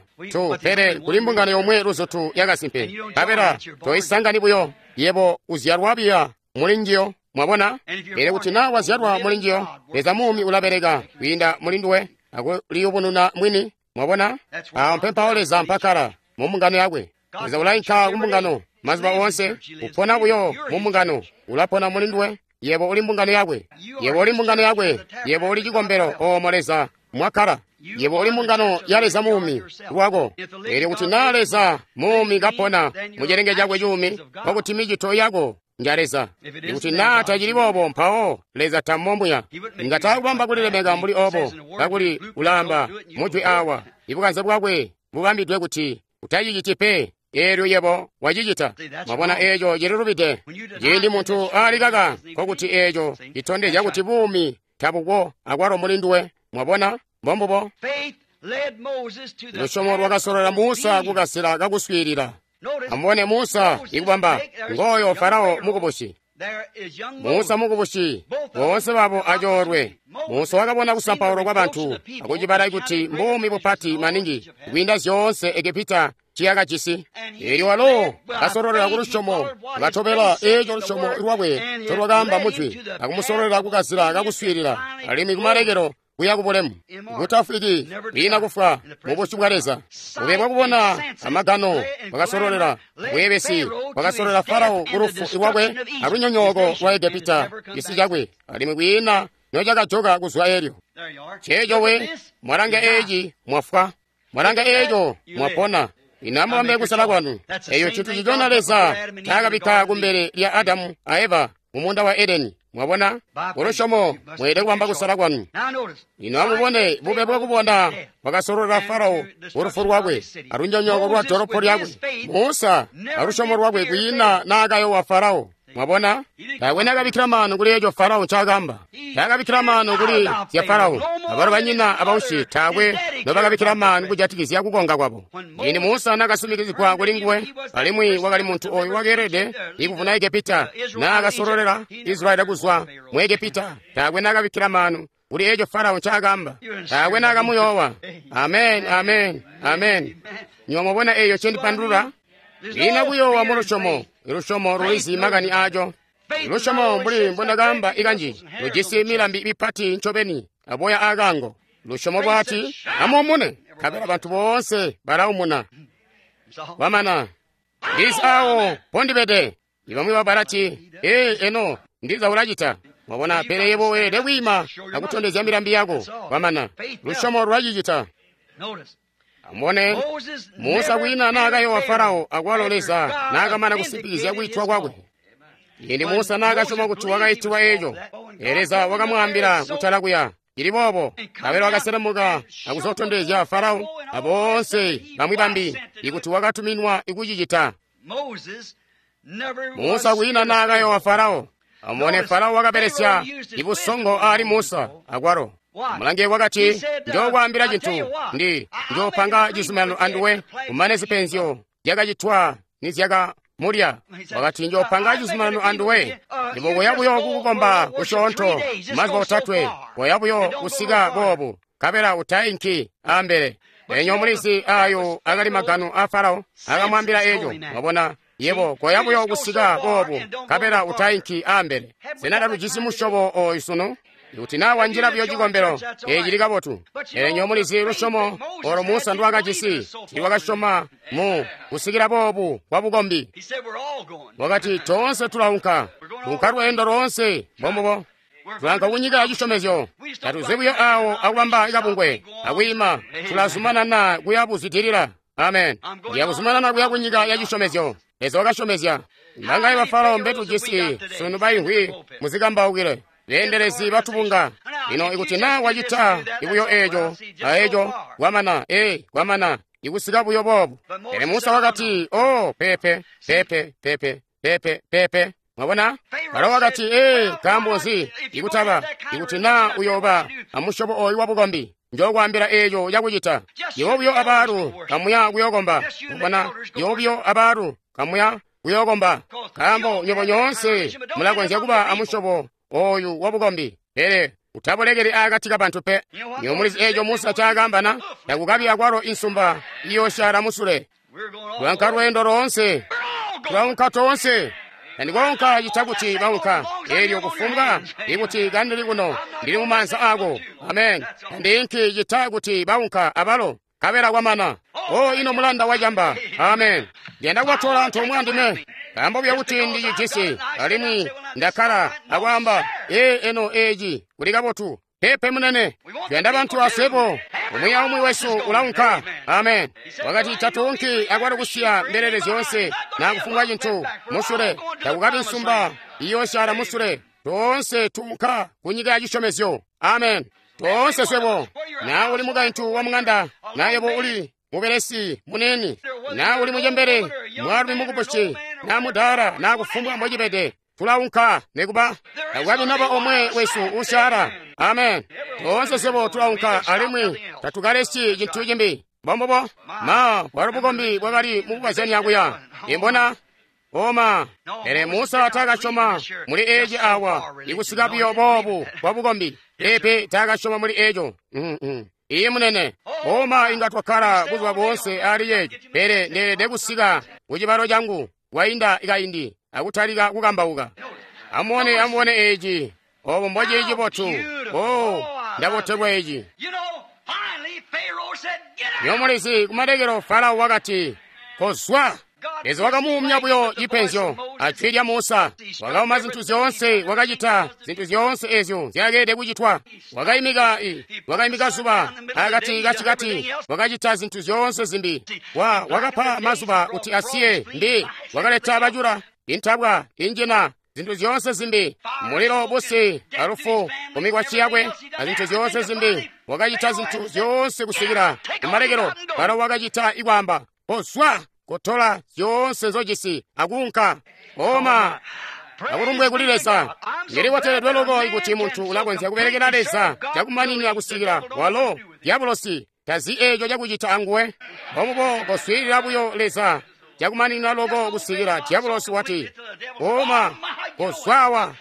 Pele kuli mbungano yomwe luzutu yakasimpe. Nkabela toisangani buyo. Yebo uzyalwa biya muli njiyo. Mwabona? Pele kuti naa wazyalwa muli njiyo, Leza muumi ulabeleka kwiinda muli nduwe akuliyubununa mwini. Mwabona? Awo mpempawo Leza mpakkala mu mbungano yakwe. Leza ulainka kumbungano mazuba oonse, upona buyo mu mbungano, ulapona muli nduwe. Yebo uli mbungano yakwe. Yebo uli mbungano yakwe. Yebo uli cikombelo oomo Leza mwakkala. Yebo uli mbungano ya Leza muumi lwako. Elyo kuti naa Leza muumi kapona mu cilenge cakwe cuumi, nkokuti micito yako nja Leza. Ikuti naa tacili boobo, mpawo Leza tammomuya. Inga taakubamba kulilemeka mbuli obo, kakuli ulaamba mujwi awa, ibukanze bwakwe bubambidwe kuti utaciciti pe. Eelyo yebo wacicita. Mwabona eeco cililubide. Ciindi muntu alikaka, nkokuti eeco citondezya kuti buumi tabuko akwalo muli nduwe. Mwabona? Mbombubo. Lusyomo lwakasololela Musa kukasila kakuswiilila. Amubone Musa ikubamba ngooyo Farao mukubusi. Musa mukubusi, boonse babo acoolwe. Musa wakabona kusampaulwa kwa bantu akucibala kuti mbuumi bupati maningi kwiinda zyoonse Egepita ciyakajisi. Eelyo walo kasololela ku lusyomo, katobela eeco lusyomo lwakwe ncolwakaamba mujwi, akumusololela kukazila kakuswiilila, alimwi kumalekelo kuya kubulemu, kutafwiki, kwiina kufwa mubusyu bwa Leza. Bube bwakubona amagano bwakasololela bweebesi, bwakasololela Farao kulufu lwakwe alunyonyooko lwa Egepita cisi cakwe, alimwi kwiina nocakajoka kuzwa eelyo. Ceeco we, mwalanga eeci mwafwa, mwalanga eeco mwapona. Ino amubambe kusala kwanu. Eyo cintu cicona Leza ncaakabikka kumbele lya Adamu a Eva mu muunda wa Edeni. Mwabona? Kulusyomo mweelede kubamba kusala kwanu. Ino amubone bube bwakubona bwakasololela Farao kulufu lwakwe alunyonyooko lwa dolopo lyakwe. Musa alusyomo lwakwe kwiina naakayowa Farao. Mwabona? Taakwe naakabikkila maanu kuli eeco Farao ncaakaamba. Taakabikkila maanu kuli zya Farao. Abalo banyina abausyi taakwe nobakabikkila maanu kujatikizya kukonga kwabo. Ciindi Musa naakasumikizigwa kuli nguwe, alimwi wakali muntu ooyu wakeelede ikuvuna Egepita, naakasololela Israyeli kuzwa mu Egepita, taakwe naakabikkila maanu kuli eeco Farao ncaakaamba. Taakwe naakamuyoowa. Amen, amen, amen. Nywebo mwabona eeyo ncendipandulula? Kwiina kuyoowa mu lusyomo. Lusyomo lulizi makani aaco. Lusyomo mbuli mbondakaamba ikanji lujisi milambi mipati ncobeni aboya aakaango. Lusyomo lwati amuumune, nkabela bantu boonse balaumuna. Kwamana ndizi awo mpondibede. Ibamwi babalati, ee eno ndiza ulacita. Mwabona, pele yebo weelede kwiima akutondezya milambi yako. Kwamana lusyomo lwacicita. Amubone Musa kwiina naakayowa Farao akwalo Leza naakamana kusimpikizya kwiitwa kwakwe. Ciindi Musa naakasyoma kuti wakaitiwa eeco, Leza wakamwaambila kutala kuya cili boobo, nkabela wakaselemuka akuzotondezya Farao aboonse bamwi bambi ikuti wakatuminwa ikucicita. Musa kwiina naakayowa Farao. Amubone Farao wakabelesya ibusongo aali Musa akwalo. Mulange wakati, njookwaambila cintu, ndi njoopanga cizuminano anduwe kumane zipenzyo zyakacitwa nizyakamulya. Wakati, njoopanga cizuminano anduwe, ndibokoya buyo kukukomba kusyoonto mazuba otatwe, koya buyo kusika boobu, nkabela utainki ambele. Enyo mulizi ayo akali magano a Farao akamwambila eeco. Mwabona, yebo koya buyo kusika boobu, nkabela utainki ambele. Sena tatujisi musyobo ooyu sunu? Ikuti naa wanjila buyo cikombelo, eeci cili kabotu. Pele nywebo mulizi lusyomo olo Musa ndwaakajisi, tiiwakasyoma mu kusikila boobu kwa bukombi. Wakati, toonse tulaunka, tuunka lweendo loonse, mbombubo. Tulaunka kunyika ya cisyomezyo. Tatuzi buyo awo akubamba kabungwe, akwiima, tulazumanana kuya buzwidilila. Amen. Ndiya kuzumanana kuya kunyika ya cisyomezyo. Leza wakasyomezya. Mbangaye ba Farao mbetujisi sunu baimvwi muzikambaukile. Beendelezi batubunga. Lino ikuti naa wacita ibuyo eeco, aeco, kwamana, ee, kwamana, ikusika buyo boobu. Pele Musa wakati, oh, pepe, pepe, pepe, pepe, pepe. Mwabona? Farao wakati, ee, nkaambo nzi ikutaba, ikuti naa uyooba amusyobo ooyu wabukombi, njookwaambila eeco cakucita. Yebo buyo abaalu kamuya kuyookomba. Mwabona? Yebo buyo abaalu kamuya kuyookomba. Nkaambo nywebo nyoonse mulakonzya kuba amusyobo ooyu wabukombi, pele utabulekeli aakati kabantu pe. Nywebo mulizi eeco Musa ncaakaamba na? Takukabi akwalo insumba iyoosyala musule. Tulaunka lweendo loonse, tulaunka toonse. Tandikoonka cita kuti baunka. Eelyo kufumbwa ikuti kandili kuno, ndili mumaanza aako. Amen. Tandiinki cita kuti baunka abalo, nkabela kwamana. O ino mulanda wacamba. Amen. Ndiyanda kubatola antoomwe andime. Nkaambo buyo kuti ndicijisi, alimwi ndakkala akwaamba, ee eno eeci kuli kabotu. Pepe munene, tuyanda bantu aswebo, umwi aumwi wesu ulaunka. Amen. Wakati tatuunki akwalo kusiya mbelele zyoonse naa kufumbwa cintu musule, takukabi nsumba iyoosyala musule. Toonse tuunka kunyika ya cisyomezyo. Amen. Toonse swebo, naa uli mukaintu wa mung'anda, naa yebo uli mubelesi munene, naa uli mucembele, mwaalumi mukubusi, naa mudaala, naa kufumbwa mbocibede, tulaunka nekuba takukabi naba omwe wesu usyala. Amen. Toonse swebo tulaunka alimwi tatukalesyi cintu cimbi. Mbombubo. Ma, bwalo bukombi bwakali mukukazyanya kuya. Imbona? Oma. Pele Musa taakasyoma muli eci awa, ikusika buyo boobu bwa bukombi. Peepe taakasyoma muli eco. Iye munene. Oma, inga twakkala buzuba boonse ali yeeci, pele ndeelede kusika ku cibalo cangu kwainda kaindi akutalika kukambauka. Amubone, amubone eci. Obo mbocili cibotu. Oh, ndabotelwa eci. Nyomulizi kumalekelo Farao wakati, kozwa. Leza wakamuumya buyo cipenzyo ajwi lya Musa. Wakauma zintu zyoonse, wakacita zintu zyoonse ezyo nzyakeelede kucitwa. Wakaimika wakaimika zuba akati kacikati, wakacita zintu zyoonse zimbi. Wakapa mazuba kuti asiye mbi, wakaleta bacula, intabwa, injina, zintu zyoonse zimbi, mulilo, busi, alufu kumikwasyi yakwe, azintu zyoonse zimbi. Wakacita zintu zyoonse kusikila kumalekelo. Farao wakacita ikwaamba, kozwa, kotola zyoonse nzojisi akuunka. Oma, akulumbwe kuli Leza. Ndili loko ikuti muntu ulakonzya kubelekela Leza cakumaninina kusikila walo dyabulosi tazi eco cakucita anguwe. Omubo koswiilila buyo Leza cakumaninina loko kusikila dyabulosi wati, oma, kozwawa,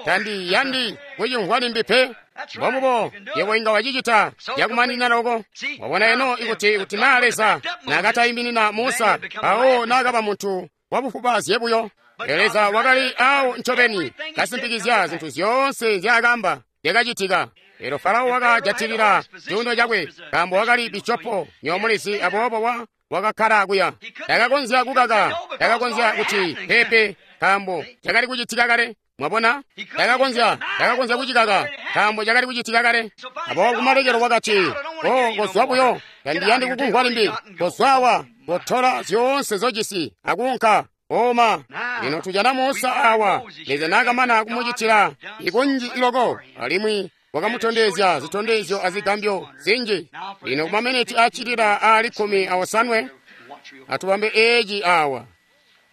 tandiyandi kucimvwa limbi pe. Mbomubo yebo inga wacicita cakumaninina loko. Wabona eno ikuti naa Leza naakataiminina Musa, awo naakaba muntu wabufubaazye buyo. Leza wakali awo ncobeni kasimpikizya zintu zyoonse nzyaakamba zyakacitika. Elyo Farao wakajatilila cuuno cakwe, nkaambo wakali bishopo nyomulizi, aboobo wakakkala kuya. Takakonzya kukaka, takakonzya kuti pepe, nkaambo cakali kucitika kale. Mwabona? Takakonzya kucikaka, nkaambo cakali kucitika kale. Aboobo kumalekelo wakati, oh, kozwa buyo, tandiyandi kukumvwa limbi. Kozwawa, kotola zyoonse nzojisi akuunka. Oma, lino tujana Musa awa, Leza naakamana kumucitila ikunji iloko, alimwi wakamutondezya zitondezyo azigambyo zinji. Lino kumameneti acilila aali 18, atubambe eci awa.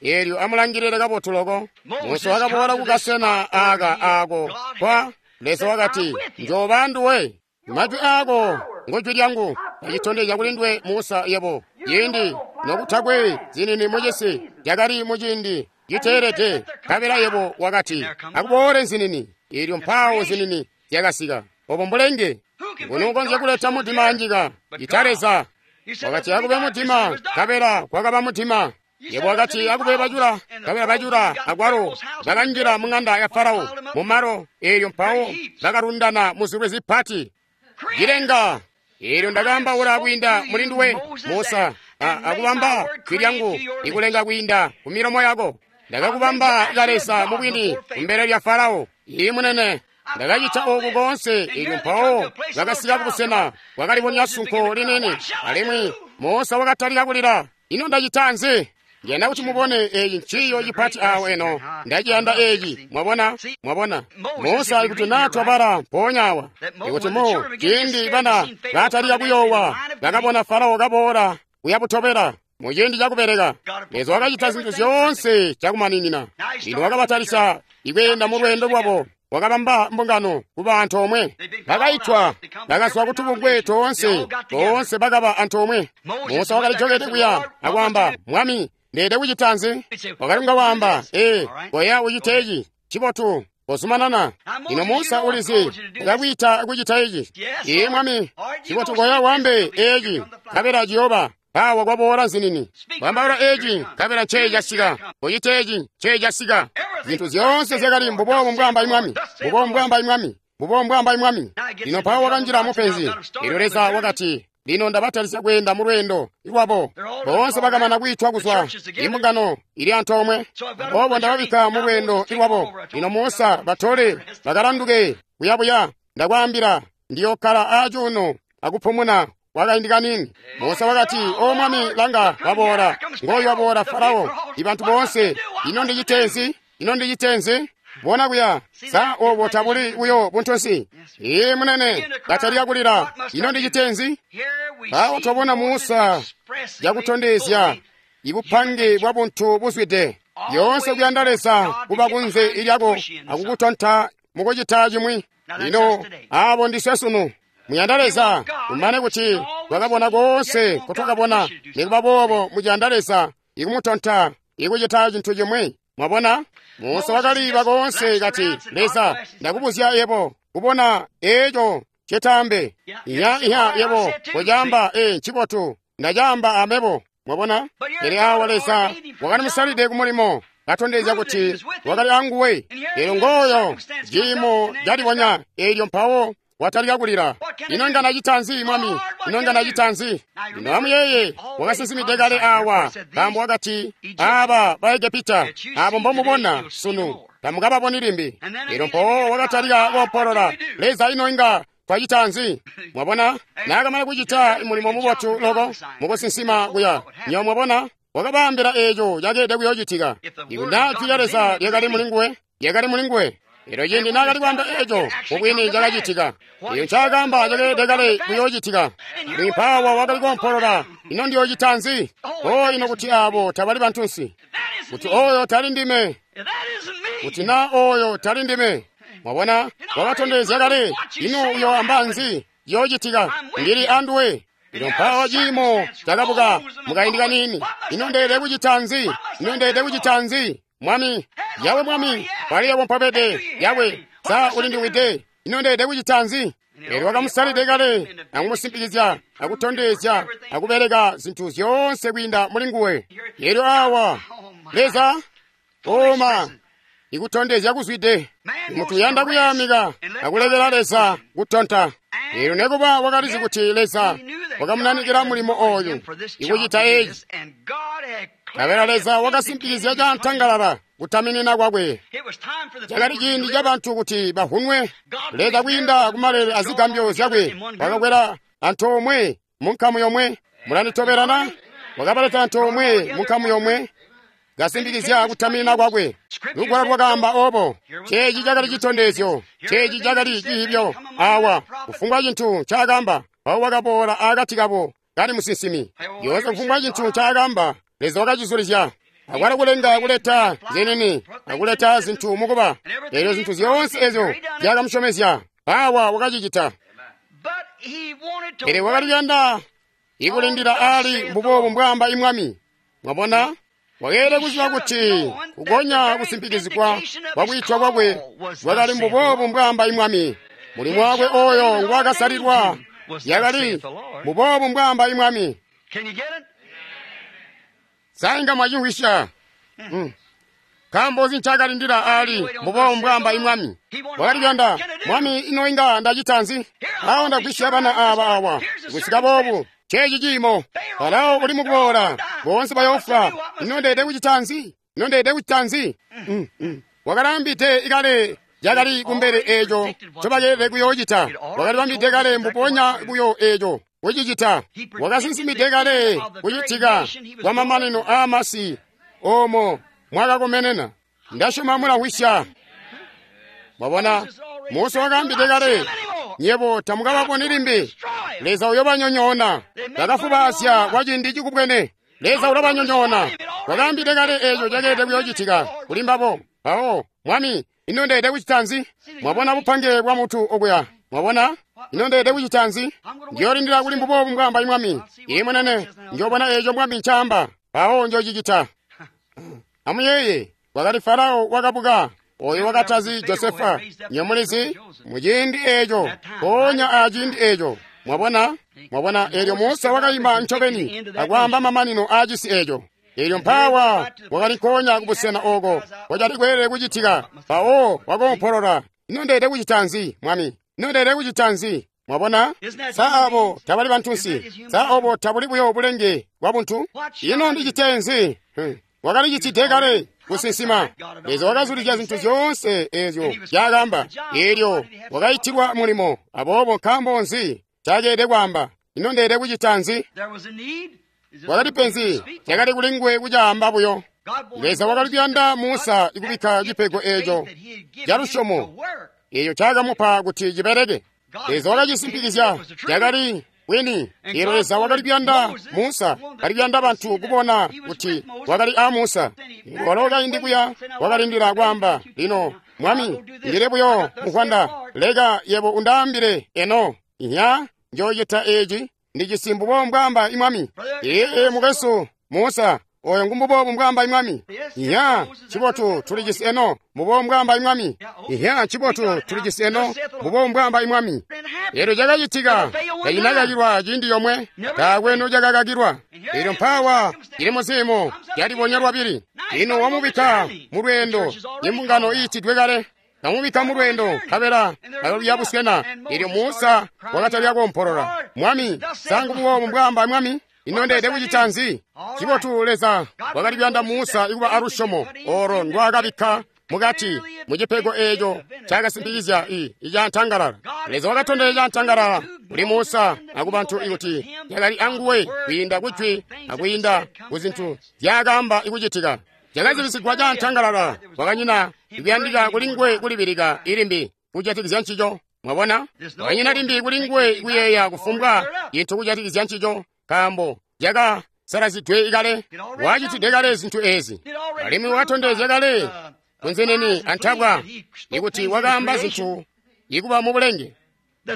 Elyo amulangilile kabotu loko. Musa wakaboola kukasena aka ako kwa Leza wakati, njoba nduwe, majwi ako ngojwi lyangu, acitondezya kuli nduwe Musa yebo. Ciindi nokutakwe zinini mucisi yakali muciindi citeelede, nkabela yebo wakati, akuboole nzinini. Elyo mpawo zinini zyakasika. Obo mbulenge. Nguni ukonzya kuleta mudima anjika? Ita Leza. Wakati akube mudima, nkabela kwakaba mudima. Yebo wakati akube bacula, nkabela bacula akwalo bakanjila mung'anda ya Farao mumalo. Elyo mpawo bakalundana muzilwe zipati cilenga. Elyo ndakaambaula kwiinda muli nduwe Musa, akubamba jwi lyangu ikulenga kwiinda ku milomo yako. Ndakakubamba kaleza mubwini kumbele lya Farao. Ii munene, ndakacita oku koonse. Elyo mpawo bakasika kubusena bwakalibonya sunko linini, alimwi Musa wakatalika kulila. Ino ndacita nzi? Ndiyanda kuti mubone eeci nciyo cipati awo eno. Ndaciyanda eeci. Mwabona? Mwabona? Musa ikuti naa twabala mpoonya awa, ikuti mu ciindi bana batalika kuyoowa, bakabona Farao kaboola kuyabutobela muciindi cakubeleka. Leza wakacita zintu zyoonse cakumaninina. Lino wakabatalisya ikweenda mu lweendo lwabo. Wakabamba mbungano kuba antoomwe. Bakaitwa, bakazwa kutubungwe toonse, boonse bakaba antoomwe. Musa wakalijokede kuya akwaamba, Mwami, ndeede kucita nzi? Wakali kunga waamba, ee, koya ucite eci, cibotu, kozumanana. Lino Musa ulizi, ndakwiita kucita eci. Ee Mwami, cibotu koya waambe eci, nkabela ciyooba. Awa kwaboola nzinini. Wambaula eci, nkabela nceeci casika. Ucite eci, nceeci casika. Zintu zyoonse zyakali mbuboobu mbwaamba Mwami, mbuboobu mbwaamba Mwami, mbuboobu mbwaamba Mwami. Lino mpawo wakanjila mupenzi. Elyo Leza wakati, lino ndabatalisya kweenda mu lweendo lwabo. Boonse bakamana kwiitwa kuzwa imbungano ili antoomwe. Aboobo ndababikka mu lweendo lwabo. Lino Musa batole bakalanduke kuyabuya. Ndakwaambila, ndiyokkala aacuuno akupumuna kwakaindi kanini. Musa wakati, o Mwami, langa, waboola, ngooyu waboola Farao, ibantu boonse. Ino ndicite nzi? Ino ndicite nzi? Bona kuya, sa obo tabuli buyo buntunsi? Ee munene, batalika kulila, ino ndicite nzi? Awo twabona Musa yakutondezya ibupange bwa buntu buzwide. Yoonse kuyanda Leza kuba kunze ilyako akukutonta mukucita cimwi. Lino abo ndiswe sunu. Muyanda Leza, kumane kuti twakabona koonse kotwakabona, nikuba boobo muyanda Leza ikumutonta ikucita cintu cimwi. Mwabona? Musa wakaliba koonse kati, Leza, ndakubuzya yebo, kubona eco cetambe. Iya, iya, yebo, kucamba, ncibotu, ndacamba amebo. Mwabona? Pele awa Leza wakalimusalide kumulimo, katondezya kuti wakali anguwe. Elyo ngooyo ciimo calibonya, elyo mpawo watalika kulila. Ino nga nacita nzi, Mwami? Ino nga nacita nzi? Lino amuyeeye, wakasinsimide kale awa, nkaambo wakati, aba ba Egepita, abo mbomubona sunu, tamukababoni limbi. Elyo mpawo wakatalika koompolola, Leza, ino inga twacita nzi? Mwabona? Naakamana kucita mulimo mubotu loko mukusinsima kuya. Nyo mwabona? Wakabaambila eeco cakeelede kuyoocitika. Ikuti naa jwi lya Leza lyakali mulinguwe, lyakali mulinguwe. Elyo ciindi naakali kwaamba eeco, mubwini cakacitika. Eeco ncaakaamba cakeelede kale kuyoocitika. Alimwi mpaawa wakali koompolola, ino ndiyoocita nzi? O, ino kuti aabo tabali bantunsi. Kuti oyo tali ndime. Kuti naa oyo tali ndime. Mwabona? Wakatondezya kale. Ino uyoamba nzi? Yoocitika. Ndili anduwe. Elyo mpaawa ciimo cakabuka mukaindi kaniini. Ino ndeelede kucita nzi? Ino ndeelede kucita nzi? Mwami, Yawe Mwami, pali yebo mpobede, Yawe, sa ulindiwide, ino ndeelede kucita nzi? Elyo wakamusalide kale, akumusimpikizya, akutondezya, akubeleka zintu zyoonse kwiinda muli nguwe. Elyo awa, Leza, oma, ikutondezya kuzwide. Muntu uyanda kuyamika akulekela Leza kutonta. Elyo nekuba wakalizi kuti Leza wakamunanikila mulimo oyu ikucita eci. Nkabela Leza wakasimpikizya cantangalala kutaminina kwakwe. Cakali ciindi ca bantu kuti bahunwe. Leza kwiinda kumalele azigambyo zyakwe wakakwela antoomwe munkamu yomwe. Mulanditobelana? Wakabaleta antoomwe munkamu yomwe, kasimpikizya kutaminina kwakwe. Lugwalo lwakaamba obo. Ceeci cakali citondezyo. Ceeci cakali cihibyo. Awa, kufumbwa cintu ncaakamba, mpawo wakaboola akati kabo kali musinsimi. Yoonse kufumbwa cintu ncaakamba, Leza wakacizulizya. Akwalo kulenga kuleta zinini, akuleta zintu mukuba. Elyo zintu zyoonse ezyo zyakamusyomezya, awa wakacicita. Pele wakali kuyanda ikulindila ali mbuboobu mbwaamba imwami. Mwabona? Wakeelede kuziba kuti kukonya kusimpikizigwa kwa kwiitwa kwakwe kwakali mbuboobu mbwaamba imwami. Mulimo wakwe oyo ngwakasalilwa yakali mbuboobu mbwaamba imwami. Sainga mwacimvwisya. Nkaambo nzi ncakalindila ali mbuboobu mbwaamba imwami? Wakali kuyanda, Mwami, ino inga ndacita nzi? Awo ndagwisya bana aba awa. Kusika boobu, ceeci ciimo. Farao uli mukuboola, boonse bayoofwa. Ino ndeelede kucita nzi? Ino ndeelede kucita nzi? Wakalambide kale cakali kumbele eeco ncobakeelede kuyoocita. Wakalibambide kale mbubonya buyo eeco kucicita. Wakasinsimide kale kucitika kwa mamanino aamasi oomo mwakakomenena. Ndasyoma mulamvwisya. Mwabona, Musa wakaambide kale, nyebo tamukababoni limbi. Leza uyobanyonyoona. Bakafubaasya kwa ciindi cikubwene. Leza ulabanyonyoona. Wakaambide kale eeco cakeelede kuyoocitika kuli mbabo. Mpawo, Mwami, ino ndeelede kucita nzi? Mwabona bupange bwa muntu okuya. Mwabona? Ino ndeelede kucita nzi? Ndiyoolindila kuli mbuboobu mbwaamba imwami. Iye mwenene, njoobona eeco Mwami ncaamba. Mpawo njoocicita. Amuyeeye, kwakali Farao wakabuka, oyo wakatazi Josefa. Nyomulizi, muciindi eeco, mpoonya aciindi eeco. Mwabona? Mwabona, eelyo Musa wakayima ncobeni akwaamba mamanino aacisi eeco. Eelyo mpaawa wakali nkoonya kubusena ooko kwacali kweelede kucitika. Mpawo wakoompolola, ino ndeelede kucita nzi, Mwami? Ino ndeelede kucita nzi? Mwabona? Sa abo tabali bantunsi? Sa obo tabuli buyo bulenge bwa buntu? Ino ndicite nzi? Wakalicitide kale kusinsima. Leza wakazulizya zintu zyoonse eezyo nzyaakaamba. Eelyo wakaitilwa mulimo. Aboobo nkaambo nzi ncakeelede kwaamba? Ino ndeelede kucita nzi? Kwakali penzi lyakali kuli nguwe kucaamba buyo. Leza wakali kuyanda Musa ikubikka cipego eeco calusyomo eeco ncaakamupa kuti cibeleke. Leza wakacisimpikizya cakali bwini. Eelyo Leza wakali kuyanda Musa, kali kuyanda bantu kubona kuti wakali a Musa. Walo kaindi kuya wakalindila kwaamba, lino Mwami, ndile buyo muvwanda. Leka yebo undaambile eno. Iya, njoocita eci. Ndijisi mbubo mbwaamba imwami. Ee, mukwesu Musa, oyo ngumbubo mbwaamba imwami. Iya, cibotu tulijisi eno, mbubo mbwaamba imwami. Iya, cibotu tulijisi eno, mbubo mbwaamba imwami. Elyo cakacitika, tacina ciindi yomwe, taakwe nocakakakilwa. Elyo mpaawa cili muziimo calibonya lwabili. Ino wamubikka mu lweendo, imbungano iitidwe kale. Kamubikka mu lweendo, nkabela aluya busena. Elyo Musa wakatalika koompolola, Mwami, sa ngububo mbwaamba mwami? Ino ndeede kucita nzi? Cibotu Leza wakali kuyanda Musa ikuba alusyomo olo ndwaakabikka mukati mu cipego eeco cakasimpikizya icantangalala. Leza wakatondezya cantangalala kuli Musa akubantu ikuti yakali anguwe kwiinda kujwi akwiinda kuzintu zyaakaamba ikucitika. Cakazibisigwa cantangalala, kwakanyina ikuyandika kulinguwe kulibilika ilimbi kujatikizya ncico. Mwabona? Kwakanyina limbi kulinguwe kuyeeya kufumbwa cintu kujatikizya ncico, nkaambo cakasalazidwe kale, wacitide kale zintu ezi, alimwi wakatondezya kale kunzeneni antabwa ikuti wakaamba zintu ikuba mu bulenge,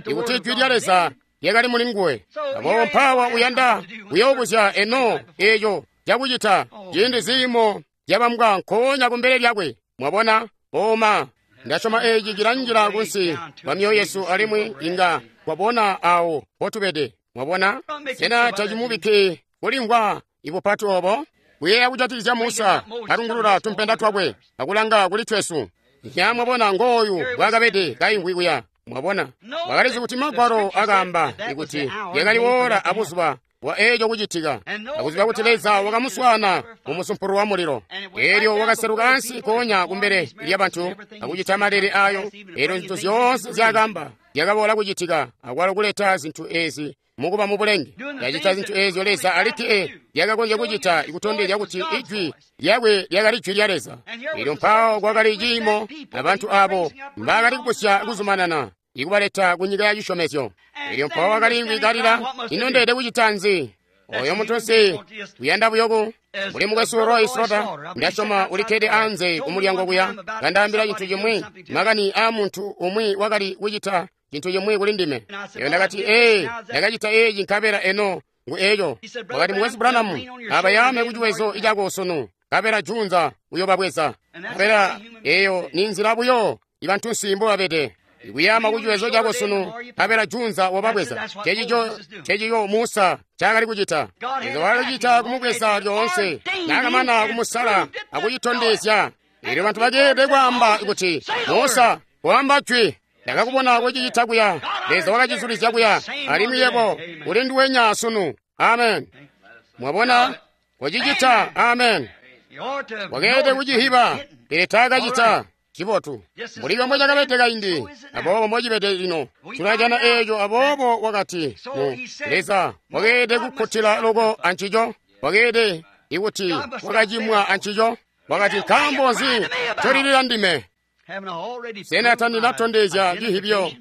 ikuti jwi lya Leza lyakali mulinguwe. Aboobo mpaawa uyanda kuyoobuzya eno eeco cakucita ciindi ziimo zyabambwa nkoonya kumbele lyakwe. Mwabona? Oma, ndasyoma eci cilanjila kunsi kwa myoyo yesu alimwi inga kwabona awo potubede. Mwabona? Sena tacimubikki kulimvwa ibupati obo? Kuyeeya kujatikizya Musa alungulula tumpenda twakwe akulanga kuli twesu. Ya mwabona ngooyu bwakabede kaimvwi kuya. Mwabona? Wakalizi kuti Magwalo akaamba ikuti yakali woola abuzuba bwa eeco kucitika, akuziba kuti Leza wakamuswaana mu musumpulu wa mulilo. Elyo wakaseluka ansi koonya kumbele lyabantu akucita malele ayo. Elyo zintu zyoonse zyakaamba zyakaboola kucitika, akwalo kuleta zintu ezi mukuba mu bulenge. Yacita zintu ezyo Leza alikke lyakakonzya kucita, ikutondezya kuti ijwi lyakwe lyakali jwi lya Leza. Elyo mpawo kwakali ciimo abantu abo mbaakali kubusya kuzumanana ikubaleta ku nyika ya cisyomezyo. Elyo mpawo wakali kalila, ino ndeede kucita nzi? Oyo muntunsi uyanda buyoku mbuli mukwesu Roy Slaughter, ndasyoma ulikkede anze kumulyango kuya, kandaambila cintu cimwi, makani aa muntu umwi wakali kucita cintu cimwi kuli ndime. Eyo ndakati, ee, ndakacita eci nkabela eno ngu eco. Wakati, mukwesu Branham, abayame kuciwezo icako sunu, nkabela junza uyobabweza. Nkabela eyo ni nzila buyo ibantunsi mbobabede. Ikuyama kuciwezo cako sunu, nkabela junza wababweza. Cecico Musa cakali kucita. Leza wakacita kumubweza lyoonse, naakamana kumusala akucitondezya. Elyo bantu bakeelede kwaamba kuti, Musa, koamba jwi. Ndakakubona kucicita kuya. Leza wakacizulizya kuya, alimwi yebo uli nduwenya sunu. Amen. Mwabona? Kucicita. Amen. Wakeelede kucihiba, pele taakacita. Cibotu. Mbuli comwe cakabede kaindi, aboobo mbocibede lino. Tulajana eeco. Aboobo wakati, Leza wakeelede kukkutila loko ancico. Wakeelede ikuti wakacimwa ancico. Wakati, nkaambo nzi ncolilila ndime? Sena tandinatondezya cihibyo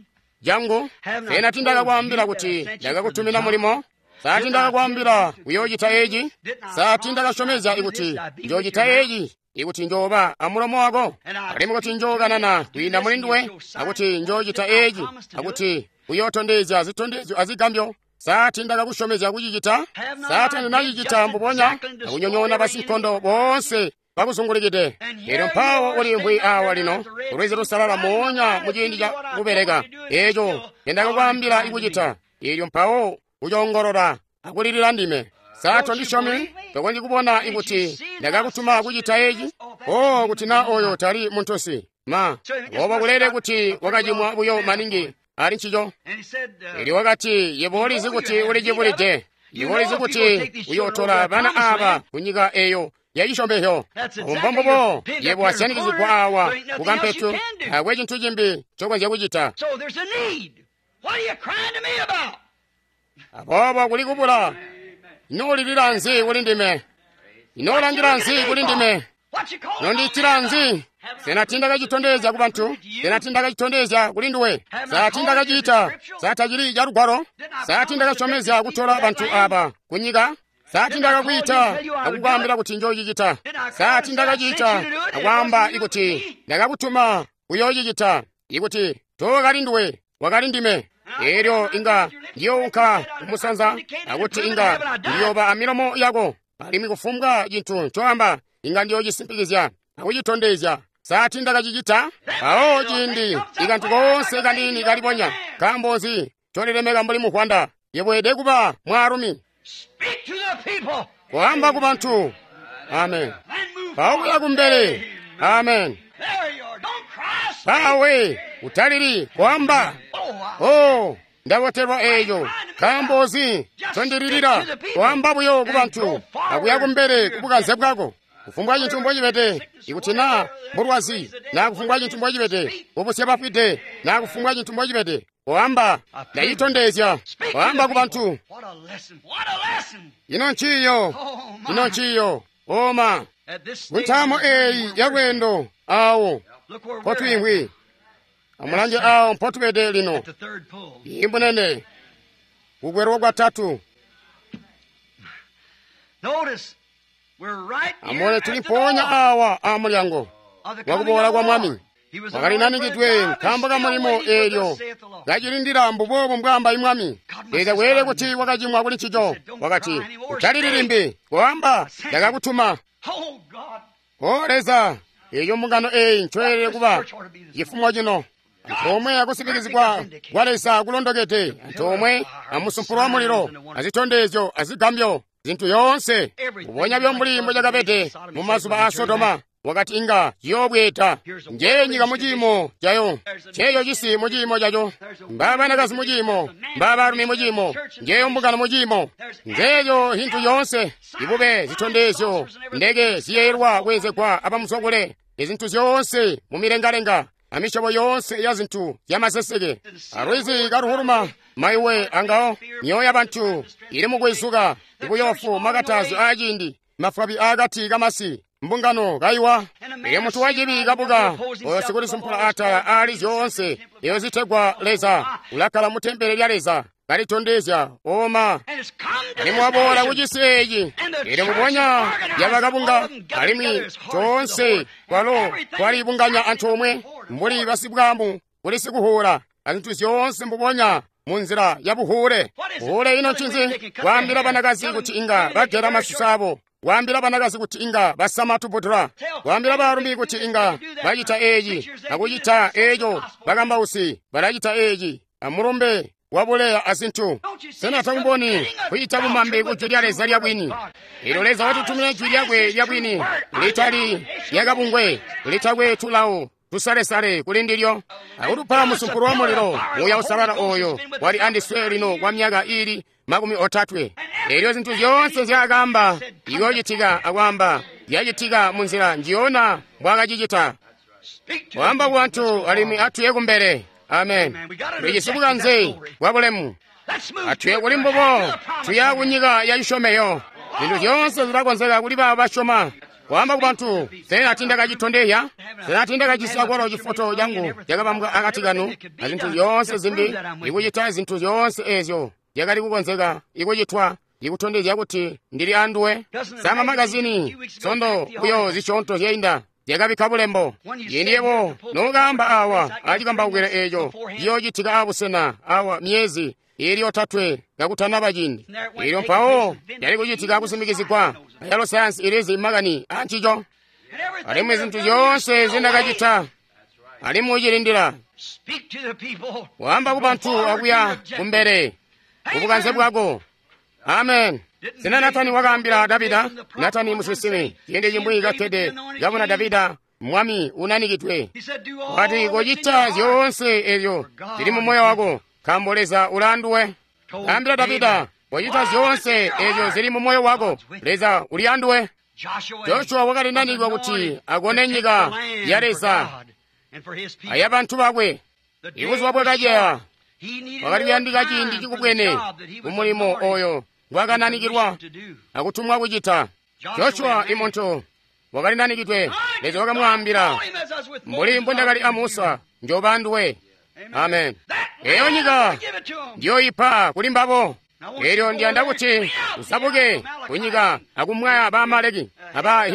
cangu? Sena tindakakwaambila kuti ndakakutumina mulimo? Sa tindakakwaambila uyoocita eci? Sa tindakasyomezya ikuti njoocita eci, ikuti njooba amulomo wako, alimwi kuti njookanana kwiinda muli nduwe, akuti njoocita eci, akuti uyootondezya zitondezyo azigambyo? Sa tindakakusyomezya kucicita? Sa tandinacicita mbubonya akunyonyoona basinkondo boonse bakuzungulikide? Elyo mpawo ulimvwi awa lino kulwizi lusalala moonya muciindi ca kubeleka eeco nendakakwaambila ikucita. Elyo mpawo ucoongolola akulilila ndime. Sa tondisyomi? Tokonzyi kubona ikuti ndakakutuma kucita eci? O, kuti na oyo tali muntunsi ma obo kulele kuti wakacimwa buyo maningi ali ncico. Elyo wakati, yebo ulizi kuti ulicibulide. Yebo ulizi kuti uyootola bana aba ku nyika eyo yacisyomezyo. Mbombubo yebo wasyanikizigwa awa kukampetu, taakwe cintu cimbi ncokonzya kucita. Aboobo kuli kubula. Ino ulilila nzi kuli ndime? Ino ulangila nzi kuli ndime? Nondiitila nzi? Sena tindakacitondezya ku bantu? Sena tindakacitondezya kuli nduwe? Sa tindakaciita? Sa tacili ca lugwalo? Sa tindakasyomezya kutola bantu aba ku nyika? Sa tindakakwiita akukwaambila kuti njoocicita? Sa tindakaciita akwaamba ikuti ndakakutuma kuyoocicita? Ikuti Tokali nduwe, wakali ndime. Elyo inga ndiyounka kumusanza, akuti inga ndiyooba amilomo yako, alimwi kufumbwa cintu ncoamba inga ndiyoocisimpikizya akucitondezya. Sa tiindakacicita? Mpawo ciindi ikantu koonse kaniini kalibonya, nkaambo nzi ncolilemeka mbuli muvwanda? Yebo weelede kuba mwaalumi. Koamba ku bantu. Amen. Mpawo kuya kumbele. Amen. Mpawe utalili koamba. Oh, ndabotelwa eeyo. Nkaambo nzi ncondililila? Koamba buyo ku bantu akuya kumbele kubukanze bwako. Kufumbwa cintu mbocibede, ikuti naa mbulwazi, naa kufumbwa cintu mbocibede, kubusya bafwide, naa kufumbwa cintu mbocibede, koamba, ndacitondezya. Koamba ku bantu. Ino nciiyo, ino nciiyo, oma. Kuntamo eeyi yalweendo awo mpotwiimvwi, amulange awo mpotubede lino. Imbunene kukwelwa kwatatu. Amone tuli mpoonya awa amulyango wakuboola kwa Mwami. Wakali nanikidwe nkaambo ka mulimo eelyo kacilindila mbuboobo mbwaamba Mwami. Leza kweelede kuti wakacimwa kuli ncico. Wakati, utalili limbi, koamba, ndakakutuma. O Leza, eeyo mbungano eeyi ncoyelede kuba cifumo cino. Antoomwe akusimpikizigwa kwa Leza kulondokede, antoomwe amusumpulu wa mulilo, azitondezyo azigambyo, zintu yoonse kubonya byo mbuli mbocakabede mu mazuba a Sodoma. Wakati inga ciyoobweeda. Njeeyo nyika mu ciimo cayo, nceeyo cisi mu ciimo caco, mbaabanakazi mu ciimo, mbaabalumi mu ciimo, njeeyo mbungano mu ciimo, njeeyo hintu yoonse, ibube zitondezyo, ndeke ziyeeyelwa kweenzegwa abamuzwakule, izintu zyoonse mu milengalenga, amisyobo yoonse ya zintu zyamaseseke, alwizi kaluhuluma, maiwe angawo, myoyo ya bantu ili mukwizuka, ibuyoofu makatazyo aaciindi, mafwabi aakati kamasi, mbungano kaiwa. Elyo muntu wacibi kabuka, oyo sikulisumpula atala aali zyoonse eyo zitegwa Leza, ulakkala mu tempele lya Leza, kalitondezya oma. Alimwi waboola kucisi eeci, elyo mubonya yabakabunga, alimwi toonse kwalo twalibunganya antoomwe mbuli basibwaamu kuli sikuhuula, azintu zyoonse mbubonya munzila ya buhuule. Buhuule ino ncinzi? Kwaambila banakazi kuti inga bagela masusu abo, kwaambila banakazi kuti inga basama tubudula, kwaambila baalumi kuti inga bacita eeci akucita eeco, bakambausi balacita eeci, amulumbe wabuleya azintu. Sena takuboni kucita bumambe ku jwi lya Leza lya bwini? Elyo Leza watutumina jwi lyakwe lya bwini, litali lyakabungwe, litakwe tulawo tusalesale kuli ndilyo, akutupa musumpulu wa mulilo, Muuya Uusalala oyo wali andiswe lino kwa myaka ili 30. Elyo zintu zyoonse nzyaakaamba iyoocitika akwaamba zyacitika munzila njiyona mbwaakacicita. Waamba ku bantu alimwi atuye kumbele. Amen. Tulijisi bukanze bwa bulemu. Atuye kuli mbubo, tuya kunyika ya cisyomeyo. Zintu zyoonse zilakonzeka kuli baabo basyoma. Kwaamba ku bantu, sena tiindakacitondezya? Sena tiindakacisi akwalo cifoto cangu cakabambwa akati kanu azintu zyoonse zimbi, ikucita zintu zyoonse eezyo zyakali kukonzeka ikucitwa ikutondezya kuti ndili anduwe? Sama magazini sondo buyo zisyoonto zyainda zyakabikka bulembo. Ciindi yebo nokaamba awa acikambaukilo eeco ciyoocitika abusena awa myezi iili 3 kakutanaba ciindi. Elyo mpawo yali kucitika kusimikizigwa, ayalo sayansi ilizi makani ancico. Alimwi zintu zyoonse zindakacita, alimwi ucilindila. Waamba ku bantu akuya kumbele kubukanze bwako. Amen. Sena Natani wakaambila Davida, Natani musinsimi, ciindi cimwi kakkede kabona Davida mwami unanikidwe, wakati, kocita zyoonse ezyo zili mu moyo wako, nkaambo Leza ulaanduwe. Kaambila Davida, kocita zyoonse ezyo zili mu moyo wako, Leza uli anduwe. Joshua wakali nanikwa kuti akone nyika ya Leza aya bantu bakwe. Ibuzuba bwakaceya, wakali kuyandika ciindi cikubwene kumulimo oyo ngwakananikilwa akutumwa kucita. Joshua imuntu wakali nanikidwe, Leza wakamwaambila, mbuli mbondakali a Musa, njoba anduwe. Amen. Eyo nyika ndiyoipa kuli mbabo. Elyo ndiyanda kuti usabuke kunyika akumwaya ba Amaleki, aba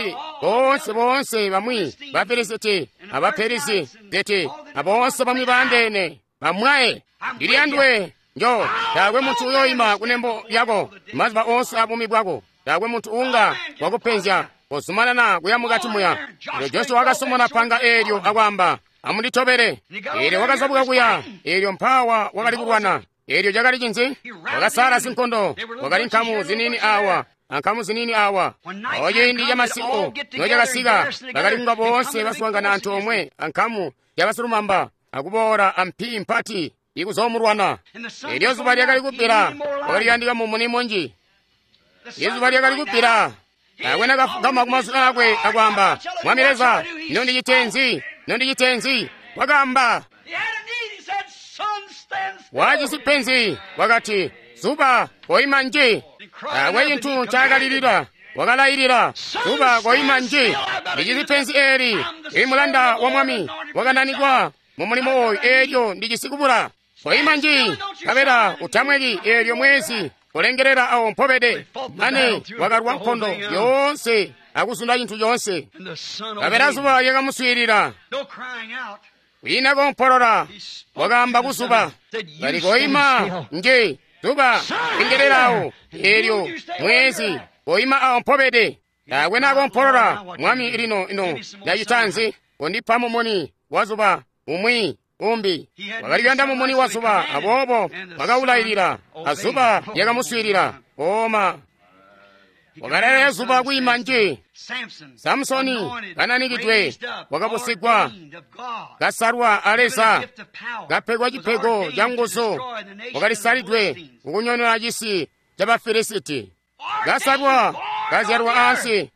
Boonse boonse bamwi ba Filisiti aba Perisi zeti aboonse bamwi baandeene bamwaye. Ndili anduwe njo taakwe muntu uyoima kunembo lyako mazuba oonse abuumi bwako. Taakwe muntu uunga wakupenzya. Kozumanana kuya mukati muya. Elyo Joshua wakasomona panga eelyo akwaamba, amunditobele. Eelyo wakazabuka kuya. Eelyo mpaawa wakali kulwana. Eelyo cakali cinzi? Wakasala sinkondo. Wakali nkamu ziniini awa ankamu ziniini awa. Awo ciindi camasiku nocakasika, bakali kunga boonse baswaangana antoomwe ankamu yabasilumamba akuboola ampi mpati ikuzoomulwana. Eelyo zuba lyakali kubbila, wakali kuyandika mumuni munji. Izuba lyakali kubbila. Taakwe nakafugama kumazwi aakwe akwaamba, Mwami Leza, ino ndicite nzi? Ino ndicite nzi? Wakaamba. Wajisi penzi, wakati, zuba koima nji. Taakwe cintu ncaakalilila. Wakalailila, zuba koima nji. Ndijisi penzi eeli, imulanda wa Mwami wakananikwa mu mulimo oyu, eelyo ndijisi kubula. Koima nji, nkabela utamweki eelyo mwezi kulengelela awo mpobede. Mane wakalwa nkondo yoonse akuzunda cintu coonse. Nkabela zuba lyakamuswiilila. Kwiina kompolola, wakaamba kuzuba, kali koima nji, zuba lengelelawo, eelyo mwezi koima awo mpobede. Taakwe nakompolola, Mwami lino ino ndacita nzi? Kondipa mumuni wa zuba umwi umbi. Wakali kuyanda mumuni wa zuba, aboobo wakawulailila, azuba lyakamuswiilila. Oma wakalailila zuba kwiima nji. Samusoni kananikidwe wakabusigwa, kasalwa a Leza, kapegwa cipego ca nguzu, wakalisalidwe kukunyonyoona cisi ca Bafilisiti. Kasalwa, kazyalwa ansi,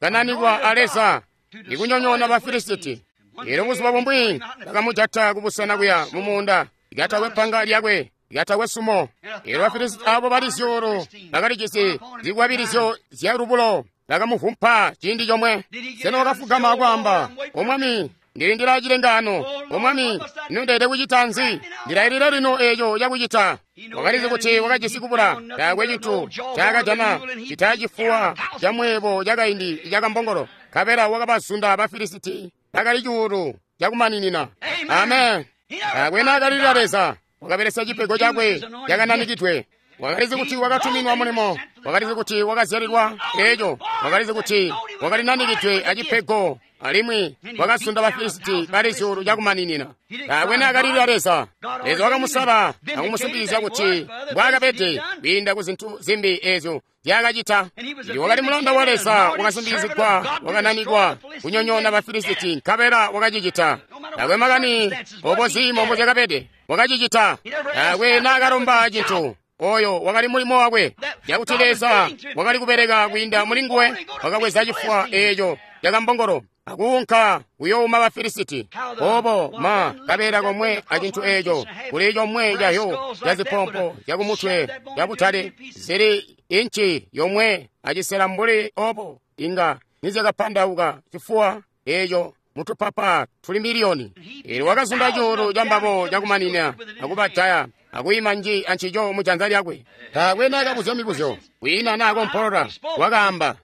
kananikwa a Leza ikunyonyoona Bafilisiti. Eelyo buzuba bumwi bakamujata kubusena kuya mumuunda, lyatakwe panga lyakwe, lyatakwe sumo. Eelyo Bafilisiti abo bali zyuulu bakalijisi zikwabilizyo zya lubulo, bakamuvumpa ciindi comwe. Sena wakafugama akwaamba, O Mwami, ndilindila cilengaano. O Mwami, ino ndeelede kucita nzi? Ndilailila lino eeco cakucita. Wakalizi kuti wakajisi kubula, taakwe cintu ncaakajana cita cifuwa camweebo cakaindi cakambongolo. Nkabela wakabazunda Bafilisiti bakali cuulu cakumaninina. Amen. Taakwe naakalilila Leza, wakabelesya cipego cakwe cakananikidwe. Wakalizi kuti wakatuminwa mulimo, wakalizi kuti wakazyalilwa eeco, wakalizi kuti wakalinanikidwe acipego, alimwi wakazunda Bafilisiti bali zyuulu cakumaninina. Taakwe naakalilila Leza. Leza wakamusala akumusimpikizya kuti mbwaakabede kwiinda ku zintu zimbi eezyo nzyaakacita. Ndi wakali mulanda wa Leza, wakasimpikizigwa, wakananikwa kunyonyoona Bafilisiti, nkabela wakacicita. Taakwe makani obo ziimo mbozyakabede, wakacicita. Taakwe naakalomba cintu. Oyo wakali mulimo wakwe, cakuti Leza wakali kubeleka kwiinda muli nguwe. Wakabweza cifuwa eeco cakambongolo akuunka kuyouma Bafilisiti. Obo ma kabeela komwe acintu eeco kuli comwe cahyo cazipompo zyakumutwe zyabutale zili inci yomwe acisela mbuli obo, inga nizyakapandauka cifuwa eeco mutupapa tuli miliyoni. Eelyo wakazunda cuulu cambabo cakumanina akubajaya akuyima nji ancico mujanza lyakwe. Taakwe naakabuzya mibuzyo, kwiina naakompolola, wakaamba.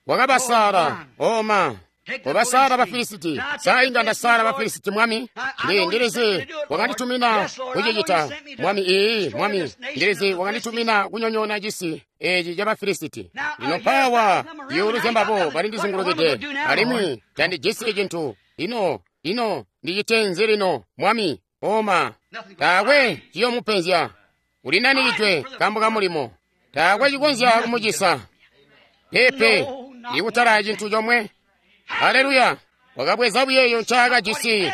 Wakabasala, oma wabasala Bafilisiti. Sa inga ndasala Bafilisiti, Mwami? Ndilizi wakanditumina kucicita, Mwami. Ii, Mwami, ndilizi wakanditumina kunyonyoona cisi eeci ca Bafilisiti. Lino mpaawa zyuulu zyambabo balindizingulukide, alimwi tandijisi cintu. Ino, ino ndicite nzi lino, Mwami? Oma, taakwe ciyoomupenzya. Ulinanikidwe nkaambo ka mulimo. Taakwe cikonzya kumucisa. Peepe, ikutala cintu comwe. Haleluya! Wakabweza buyeeyo ncaakajisi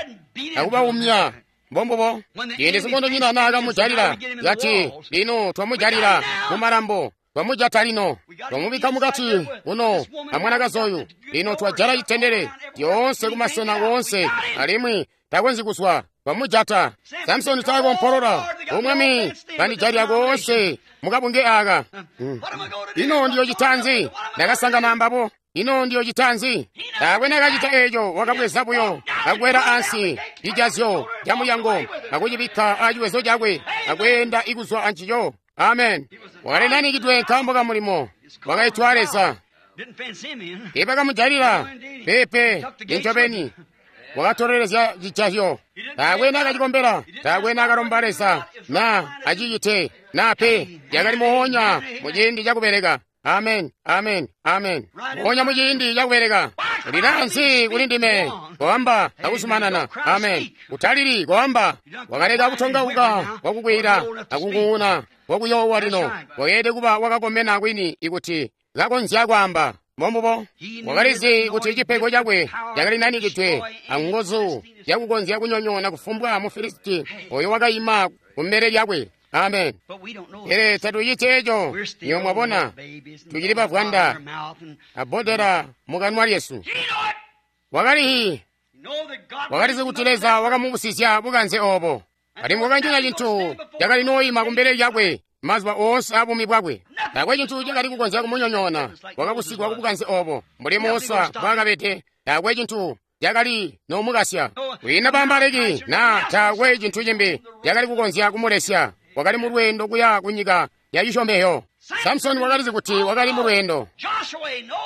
akubaumya. Mbombubo. Ciindi sinkondonyina naakamujalila, kati, lino twamujalila mumalambo, twamujata lino, twamubikka mukati kuno amwanakazi oyu. Lino twajala citendele lyoonse kumasena woonse, alimwi takonzyi kuzwa. Twamujata. Samsoni taakompolola, O Mwami, bandijalila koonse mukabunge aaka. Ino ndiyocita nzi? Ndakasangana ambabo. Ino ndiyocita nzi? Taakwe naakacita eeco, wakabweza buyo akwela ansi cijazyo camulyango akucibikka aciwezo cakwe akweenda ikuzwa ancico. Amen. Wakalinanikidwe nkaambo ka mulimo wakaitwa Leza. Teebakamujalila. Peepe, incobeni. Wakatolelezya cijazyo. Taakwe naakacikombela, taakwe naakalomba Leza na acicite na pe. Yakali moonya muciindi cakubeleka. Amen, amen, amen. Moonya muciindi cakubeleka. Lila nzi kuli ndime, koamba akuzumanana. Amen. Utalili, koamba. Wakaleka kutongauka kwakukwila akung'ung'una kwakuyoowa lino. Wakeelede kuba wakakomena kwini ikuti kakonzya kwaamba. Mombubo wakalizi kuti cipego cakwe cakali nanikidwe anguzu zyakukonzya kunyonyoona kufumbwa Mufilisiti oyo wakayima kumbele lyakwe. Amen. Pele tatuciti eco, nywebo mwabona, tucili bavwanda abodera mukanwa lyesu. Wakalizi kuti Leza wakamubusizya bukanze obo, alimwi wakanyina cintu cakali nooyima kumbele lyakwe mazuba oonse abuumi bwakwe. Taakwe cintu cakali kukonzya kumunyonyoona. Wakabusigwa kubukanze obo mbuli Musa mbwaakabede. Taakwe cintu cakali nomukasya. Kwiina Baamaleki na taakwe cintu cimbi cakali kukonzya kumulesya. Wakali mu lweendo kuya kunyika ya cisyomezyo. Samsoni wakalizi kuti wakali mu lweendo.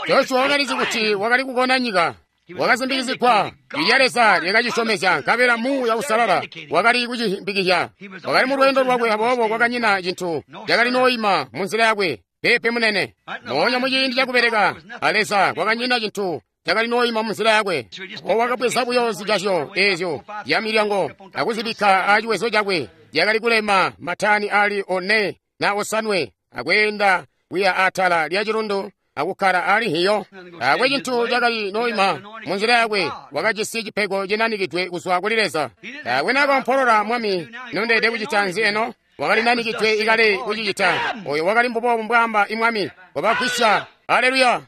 Joshua wakalizi kuti wakali kukona nyika. Wakasimbikizigwa lya Leza lyakacisyomezya, nkabela Muuya Uusalala wakali kucimbikizya. Wakali mu lweendo lwakwe, aboobo kwakanyina cintu cakali nooyima mu nzila yakwe. Peepe munene. Moonya muciindi cakubeleka a Leza kwakanyina cintu cakali nooyima mu nzila yakwe. O wakabweza buyo zijazyo eezyo zya milyango akuzibikka aciwezo cakwe. Yakali kulema matani ali 4 na 5 akweenda kuya atala lya cilundu akukkala ali hiyo. Taakwe cintu cakali nooyima mu nzila yakwe. Wakajisi cipego cinanikidwe kuzwa kuli Leza. Taakwe naakaompolola, Mwami, nondeede kucita nzi eno? Wakali nanikidwe ikale kucicita. Oyo wakali mbubobu mbwaamba imwami. Wabagwisya. Aleluya.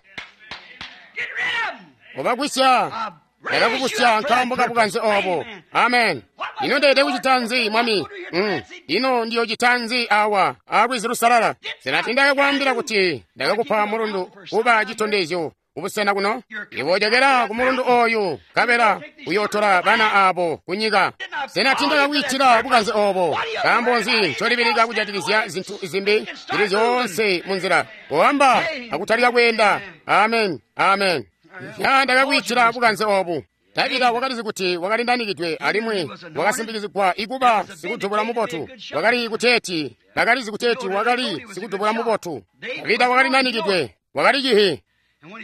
Wabagwisya. Ndakakubusya nkaambo kabukanze obo. Amen. Ino ndeede kucita nzi, Mwami? Ino ndiyocita nzi awa alwizi lusalala? Sena tindakakwaambila kuti ndakakupa mulundu kuba citondezyo kubusena kuno? Iwe ojokela ku mulundu oyu, nkabela uyootola bana abo kunyika. Sena tindakakwiitila bukanze obo? Nkaambo nzi ncolibilika kujatikizya zintu zimbi zili zyoonse mu nzila? Koamba akutalika kweenda. Amen, amen. Ya ndakakwiitila bukanze obu. Davida wakalizi kuti wakali nanikidwe alimwi wakasimbikizigwa ikuba sikudubula mubotu. Wakali kuteeti, bakalizi kuteeti wakali sikudubula mubotu. Davida wakali nanikidwe, wakali cihi.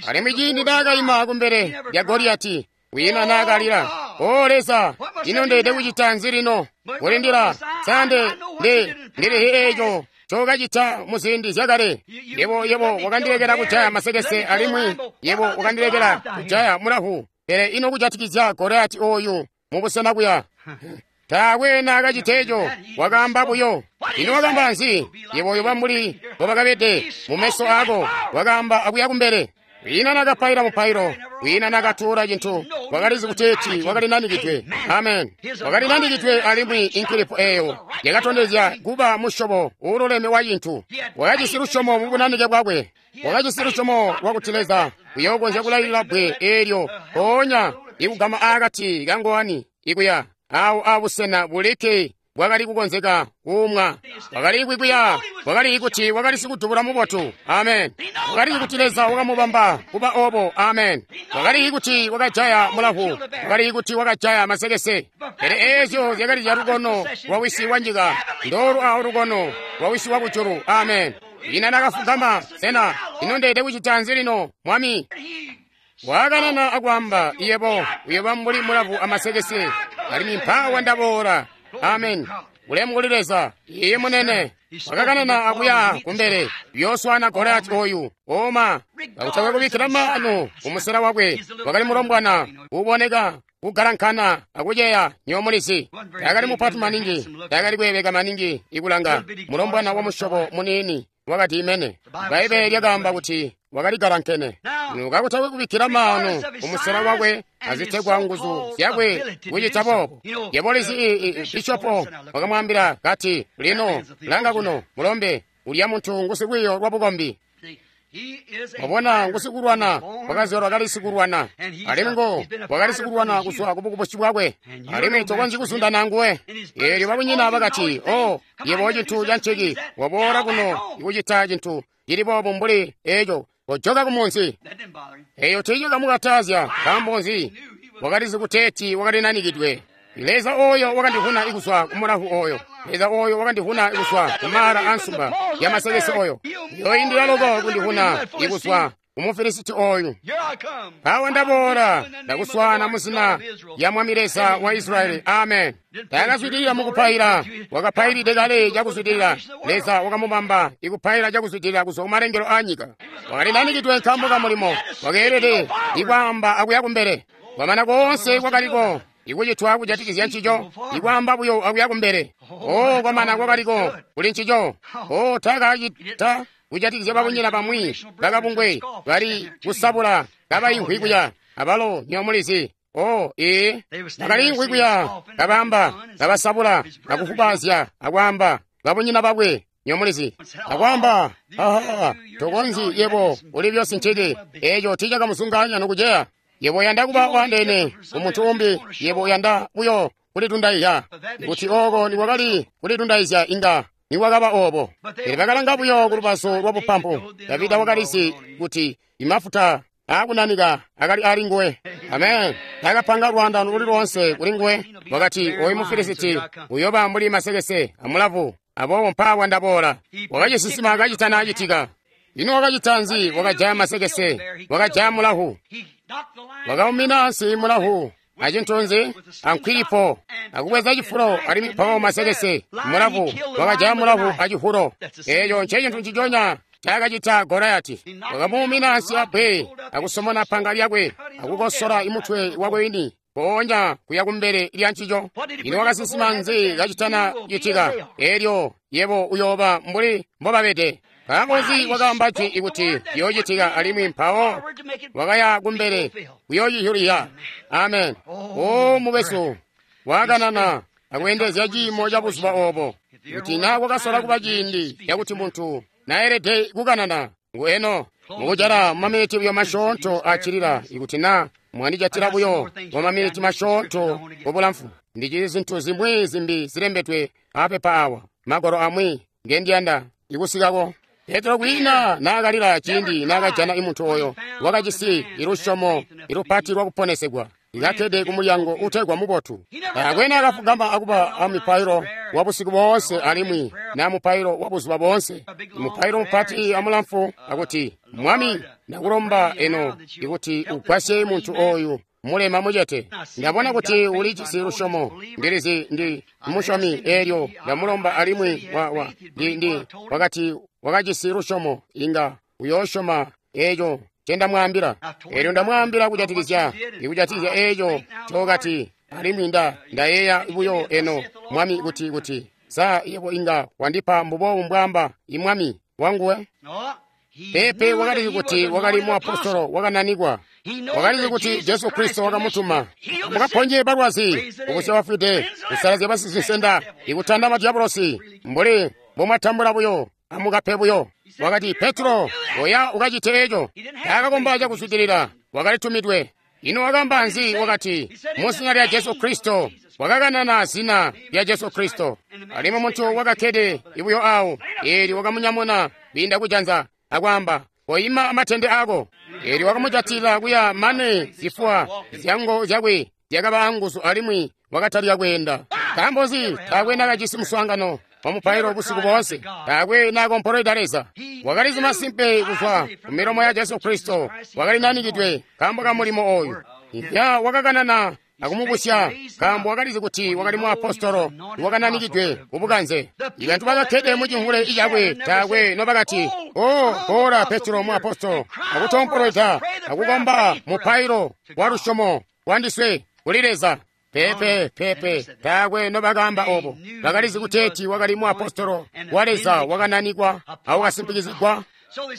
Alimwi ciindi naakayima kumbele lya Goliyati, kwiina naakalila. O Leza, ino ndeede kucita nzi lino? Kulindila, sande ndilihi eeco cokacita muziindi zyakale. Yebo wakandilekela kujaya masekese alimwi yebo wakandilekela kujaya mulahu. Pele ino kujatikizya Goliyati oyu mubusena kuya? Taakwe naakacita eco, wakaamba buyo. Ino wakaamba nzi? Yebo uyoba mbuli mbobakabede mumeso aako. Wakaamba akuya kumbele. Kwiina naakapaila mupailo, kwiina naakatuula cintu. Wakalizi kuteeti wakali nanikidwe. Amen. Wakali nanikidwe alimwi inkilipo eeyo yakatondezya kuba musyobo uululeme wa cintu. Wakajisi lusyomo mubunanike bwakwe. Wakajisi lusyomo lwakuti Leza uyookonzya kulailila bbwe eelyo mpoonya ikugama aakati kangowani ikuya awo abusena bulikke bwakali kukonzeka kuumwa. Wakali kwikwiya, wakali kuti wakali sikudubula mubotu. Amen. Wakali kuti Leza wakamubamba kuba obo. Amen. Wakali kuti wakajaya mulahu, wakali kuti wakajaya masekese. Pele eezyo zyakali zya lukono lwa wisi wa nyika, ndoolu awo lukono lwa wisi wa kujulu. Amen. Ina nakafugama, sena ino ndeede kucita nzi lino, Mwami? Wakanana akwaamba, yebo uyoba mbuli mulavu amasekese, alimwi mpaawa ndaboola. Amen. Ulemu kuli Leza. Iye munene. Wakakanana akuya kumbele yooswana Goliyati oyu. Oma kakutakwe kubikkila maanu kumusela wakwe. Wakali mulombwana uboneka kugalankana akuceya nyomulizi. Taakali mupati maningi, taakali kweebeka maningi ikulanga. Mulombwana wa musyobo muniini wakati imene. Bbaibbele lyakaamba kuti wakali galankene. Kakutakwe kubikkila maanu kumusela wakwe azitegwa nguzu zyakwe kucita boobo. Yebo lizi bishopo wakamwaambila kati, lino langa kuno mulombe, ulya muntu ngusilwiiyo lwa bukombi. Wabona ngusikulwana, wakazyalwa kali sikulwana, alimwi wakali sikulwana kuzwa kubukubusi bwakwe, alimwi tokonzyi kuzundana nguwe. Eelyo babunyina bakati, o yebo cintu canciki, waboola kuno ikucita cintu cili boobu mbuli eeco. Kojoka ku munzi. Eyo tiicakamukatazya. Nkaambo nzi? Wakalizi kuteeti wakali nanikidwe. Leza oyo wakandivuna ikuzwa ku mulavu oyo. Leza oyo wakandivuna ikuzwa ku mala ansumba ya masekese oyo. Yoindila loko kundivuna ikuzwa ku Mufilisiti oyu. Mpawo ndaboola ndakuswaana mu zina lya Mwami Leza wa Israyeli. Amen. Taakazwidilila mukupaila, wakapailide kale cakuzwidilila. Leza wakamubamba ikupaila cakuzwidilila kuzwa kumalengelo aanyika. Wakali nanikidwe nkaambo ka mulimo, wakeelede ikwaamba akuya kumbele. Kwamana koonse kwakaliko ikucitwa kujatikizya ncico, ikwaamba buyo akuya kumbele. Oh, kwamana kwakaliko kuli ncico. Oh, taakacita kujatikizya babunyina bamwi bakabungwe bali kusabula kabaimvwi kuya abalo nywebo mulizi. Oh, ee, bakaliimvwi kuya kabaamba, kabasabula, akufubazya, akwaamba babunyina bakwe nywebo mulizi, akwaamba, aha, tokonzyi yebo uli byonse nciki. Eeco tiicakamuzungaanya nokuceya. Yebo uyanda kuba waandeene kumuntu umbi, yebo uyanda buyo kulitundaiya. Kuti ooko nikwakali kulitundayizya inga nikwakaba oobo. Pele bakalanga buyo kulubazu lwa bupampu. Davida wakalizi kuti imafuta aakunanika akali ali nguwe. Amen. Taakapanga lwaandano luli loonse kuli nguwe. Wakati, oyu Mufilisiti uyooba mbuli masekese amulavu, aboobo mpaawa ndaboola. Wakacisinsima kacitana citika. Ino wakacita nzi? Wakajaya masekese, wakajaya mulavu, wakaumina ansi mulavu acintu nzi ankwilipo, akubweza cifulo alimwi mpawo masekese mulavu, wakajaya mulavu acifulo. Eeco ncecintu nciconya ncaakacita Goliati. Wakamuumina ansi abbwe, akusomona panga lyakwe, akukosora imutwe wakwe wini, mpoonya kuya kumbele lya ncico. Ino wakasinsima nzi kacitana citika? Eelyo yebo uyooba mbuli mbobabede. Nkaambo nzi wakaamba jwi ikuti ciyoocitika alimwi mpawo wakaya kumbele kuyoocihyulya? Amen. O mukwesu, wakanana akweendezya ciimo ca buzuba oobo. Kuti naa kwakasola kuba ciindi cakuti muntu naelede kukanana, ngu eno. Mukujala mumaminiti buyo masyoonto accilila, ikuti naa mwandijatila buyo mumaminiti masyoonto mubulamfu, ndijisi zintu zimwi zimbi zilembedwe apepa awa, magwalo amwi ngendiyanda ikusikako. Petro kwiina naakalila ciindi naakajana imuntu oyo wakajisi ilusyomo ilupati lwakuponesegwa, ikakkede kumulyango utegwa Mubotu. Taakwe naakafugama akuba amupailo wa busiku boonse alimwi na mupailo wa buzuba boonse, mupailo mupati amulamfu akuti, Mwami, ndakulomba eno ikuti ugwasye muntu oyu mulema mucete. Ndabona kuti ulijisi lusyomo, ndilizi ndi musyomi. Eelyo ndamulomba alimwi ndi wakati wakajisi lusyomo, inga uyoosyoma eeco ncendamwaambila. Eelyo ndamwaambila kujatikizya eeco ncokati, alimwi ndayeeya buyo eno, Mwami, kuti sa yebo inga wandipa mbuboobu mbwaamba imwami wanguwe. Pepe wakalizi kuti wakali muapostolo wakananikwa. Wakalizi kuti Jesu Kristo wakamutuma. Mukaponye balwazi, kubusya bafwide, kusalazya basizinsenda, ikutanda madiabolosi, mbuli mbomwatambula buyo, amukape buyo. Wakati, Petro, oya ukacite eeco. Taakakomba cakuzwidilila, wakalitumidwe. Ino wakaamba nzi? Wakati, mu zina lya Jesu Kristo. Wakakanana zina lya Jesu Kristo. Alimwi muntu wakakkede ibuyo awo, eelyo wakamunyamuna kwiinda kujanza, akwaamba, koima amatende ako. Eelyo wakamujatila kuya mane zifuwa zyango zyakwe zyakaba anguzu alimwi wakatalika kweenda. Nkaambo nzi? Taakwe naakajisi muswaangano wa mupailo busiku boonse. Taakwe naakompolweda Leza. Wakalizi masimpe kuzwa ku milomo ya Jesu Kristo wakali nanikidwe nkaambo ka mulimo oyu. Ya wakakanana akumubusya nkaambo wakalizi kuti wakali muapostolo wakananikidwe kubukanze. Ibantu bakakkede mucimvule icakwe taakwe nobakati, o boola Petro muapostolo, akutompolweda akukomba mupailo wa lusyomo wandiswe kuli Leza. Pepe, pepe, taakwe nobakaamba obo. Bakalizi kuteeti wakali muapostolo wa Leza wakananikwa awakasimpikizigwa.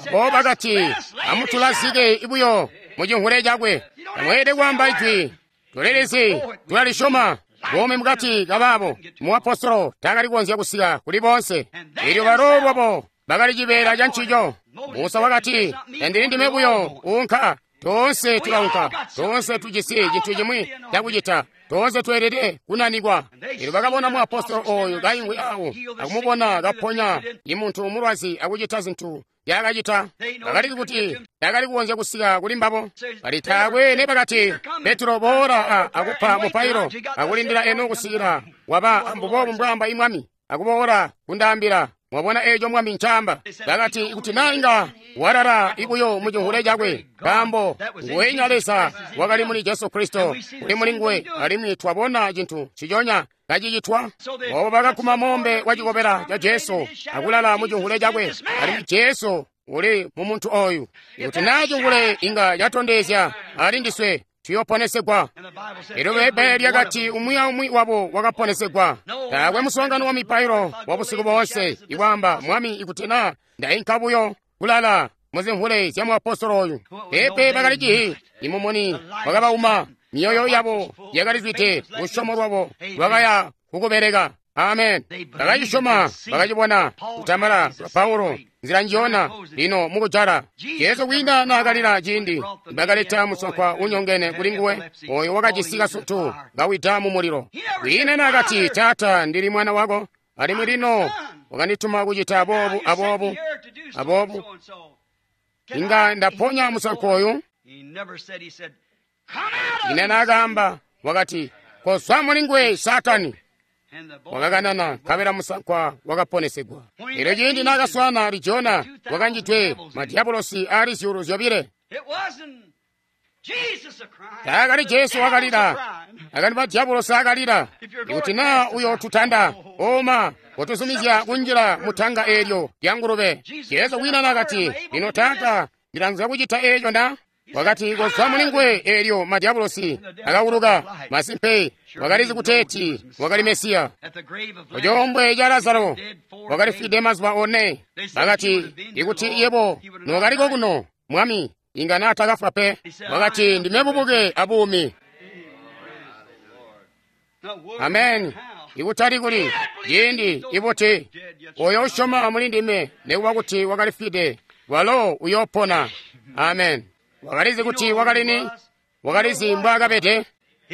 Abo bakati, amutulazike buyo mucimvule cakwe. Tamweelede kwaamba ijwi. Tulilizi, tulalisyoma. Buumi mukati kabaabo, muapostolo taakali kukonzya kusika kuli boonse. Eelyo balo lwabo bakali cibeela ca ncico. Musa wakati, tandili ndime buyo uunka. Toonse tulaunka, toonse tujisi cintu cimwi cakucita, toonse tweelede kunanikwa. Eelyo bakabona muapostolo oyu kaimvwi awo, akumubona kaponya imuntu mulwazi akucita zintu ncaakacita. Bakalizi kuti taakali kukonzya kusika kuli mbabo. Bali taakwe nebakati, Petro boola akupa mupailo akulindila eno kusikila waba mbuboobu mbwaamba imwami, akuboola kundaambila. Mwabona eeco mwami ncaamba. Bakati ikuti naa inga walala ibuyo mucihule cakwe, nkaambo nguwenya Leza wakali muli Jesu Kristo uli muli nguwe, alimwi twabona cintu nciconya kacicitwa. Obo bakaguma moombe wa cikobela ca Jesu akulala mucihule cakwe, alimwi Jesu uli mu muntu oyu. Ikuti naa cihule inga catondezya ali ndiswe, tuyoponesegwa. Elyo Bbaibbele lyakati umwi aumwi wabo wakaponesegwa. Taakwe muswaangano wa mipailo wa busiku boonse ikwaamba, Mwami, ikuti naa ndainka buyo kulala muzimvule zya muapostolo oyu. Peepe, bakali cihi imumuni wakabauma, myoyo yabo yakalizwide, lusyomo lwabo lwakaya kukubeleka. Amen. Bakacisyoma, bakacibona kutambala kwa Paulo nzila njiyona lino mukujala. Jesu kwiinda naakalila ciindi bakaleta musankwa unyongene kuli nguwe, oyo wakajisi kasutu kawida mu mulilo. Kwiina naakati, Taata, ndili mwana wako, alimwi lino wakandituma kucita boobu aboobu aboobu. Inga ndaponya musankwa oyu. Ine naakaamba, wakati, kozwa muli nguwe, Satani. Wakakanana, nkabela musankwa wakaponesegwa. Elyo ciindi naakaswaana Lijona, wakanjidwe madiabolosi aali 2,000. Taakali Jesu wakalila, akali madiabolosi akalila. Ikuti naa uyootutanda, oma kotuzumizya kunjila mutanga eelyo lya ngulube. Jesu kwiina naakati, lino Taata, ndilanzya kucita eeco na? Wakati, kozwa muli nguwe. Eelyo madiabolosi akawuluka. Masimpe wakalizi kuteeti wakali Mesiya. Kucoombwe ca Lazaro wakalifwide mazuba 4. Bakati, ikuti yebo nookaliko kuno, Mwami, inga naatakafwa pe. Wakati, ndime bubuke abuumi. Amen. Ikutali kuli ciindi ibuti oyo usyoma muli ndime, nekuba kuti wakalifwide, walo uyoopona. Amen. Wakalizi kuti wakali ni, wakalizi mbwaakabede,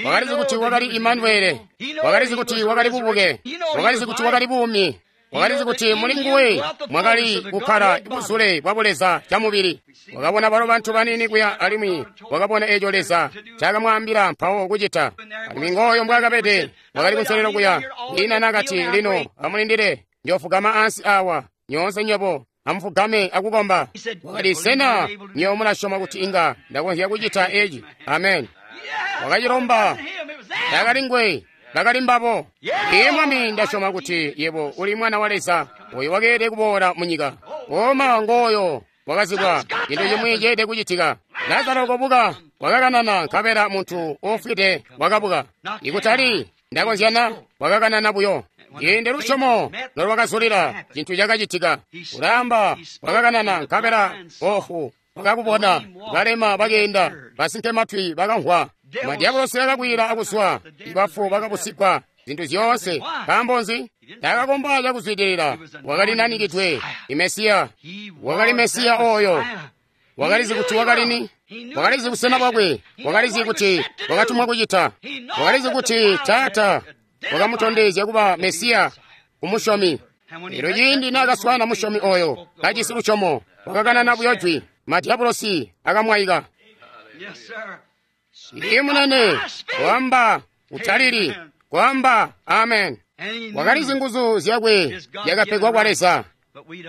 wakalizi kuti wakali Imanuele, wakalizi kuti wakali bubuke, wakalizi kuti wakali buumi, wakalizi kuti muli nguwe mwakali kukkala buzule bwa buleza camubili. Wakabona balo bantu banini kuya, alimwi wakabona eeco Leza ncakamwaambila mpawo kucita. Alimwi ngooyo mbwaakabede, wakali kunselelo kuya. Ina nakati, lino amulindile, njoofugama ansi awa, nyoonse nywebo amufugame akukomba. Wakati, sena nywebo mulasyoma kuti inga ndakonzya kucita eci? Amen. Wakacilomba. Taakali nguwe, bakali mbabo. Iye Mwami, ndasyoma kuti yebo uli mwana wa Leza, oyo wakeelede kuboola mu nyika. Oma ngooyo wakazibwa, cintu cimwi ceelede kucitika. Lazaro kobuka, wakakanana, nkabela muntu uufwide wakabuka. Ikutali ndakonzyana, wakakanana buyo. Ciindi lusyomo nolwakazulila, cintu cakacitika. Ulaamba, wakakanana, nkabela oofu wakakubona, balema bakeenda, basinkematwi bakamvwa, madiabolosi akakwiila akuswa, ibafu bakabusigwa, zintu zyoonse. Nkaambo nzi? Taakakomba cakuzwidilila. Wakali nanikidwe, Imesiya. Wakali Mesiya oyo. Wakalizi kuti wakali ni, wakalizi busena bwakwe, wakalizi kuti wakatumwa kucita, wakalizi kuti Taata wakamutondezya kuba Mesiya kumusyomi. Elyo ciindi naakaswaana musyomi oyo kajisi lusyomo, wakakanana buyo jwi, madiabolosi akamwaika. Iye munene, kwaamba utalili, kwaamba amen. Wakalizi nguzu zyakwe zyakapegwa kwa Leza,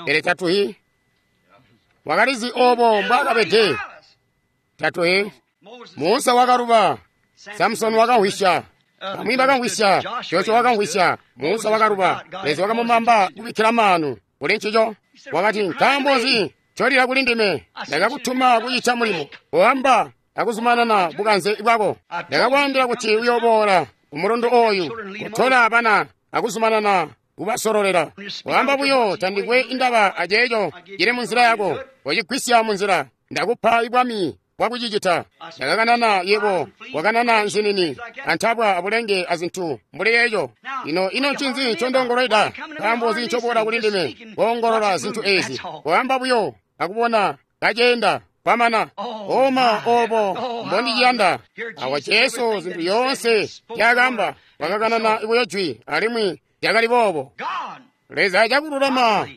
pele tatuhi. Wakalizi obo mbwaakabede, tatuhi. Musa wakaluba, Samsoni wakamvwisya, bamwi bakamvwisya, Joshua wakamvwisya, Musa wakaluba. Leza wakamubamba kubikkila maanu kuli ncico. Wakati, nkaambo nzi ncolila kuli ndime? Ndakakutuma kucita mulimo, koamba akuzumanana bukanze bwako. Ndakakwaambila kuti uyooboola kumulundu oyu, kutola bana akuzumanana kubasololela. Koamba buyo, tandikwe indaba aceeco cili munzila yako, kocigwisya munzila. Ndakupa ibwami bwakucicita. Ndakakanana yebo, wakanana nzinini, antabwa abulenge azintu mbuli eco. Ino ino ncinzi ncondongolweda? Nkaambo nzi ncoboola kuli ndime koongolola zintu ezi? Koamba buyo akubona kaceenda kwamana. Oma obo mbondiciyanda. Awa Jesu zintu yoonse nzyaakaamba, wakakanana buyo jwi, alimwi zyakali boobo. Leza cakululama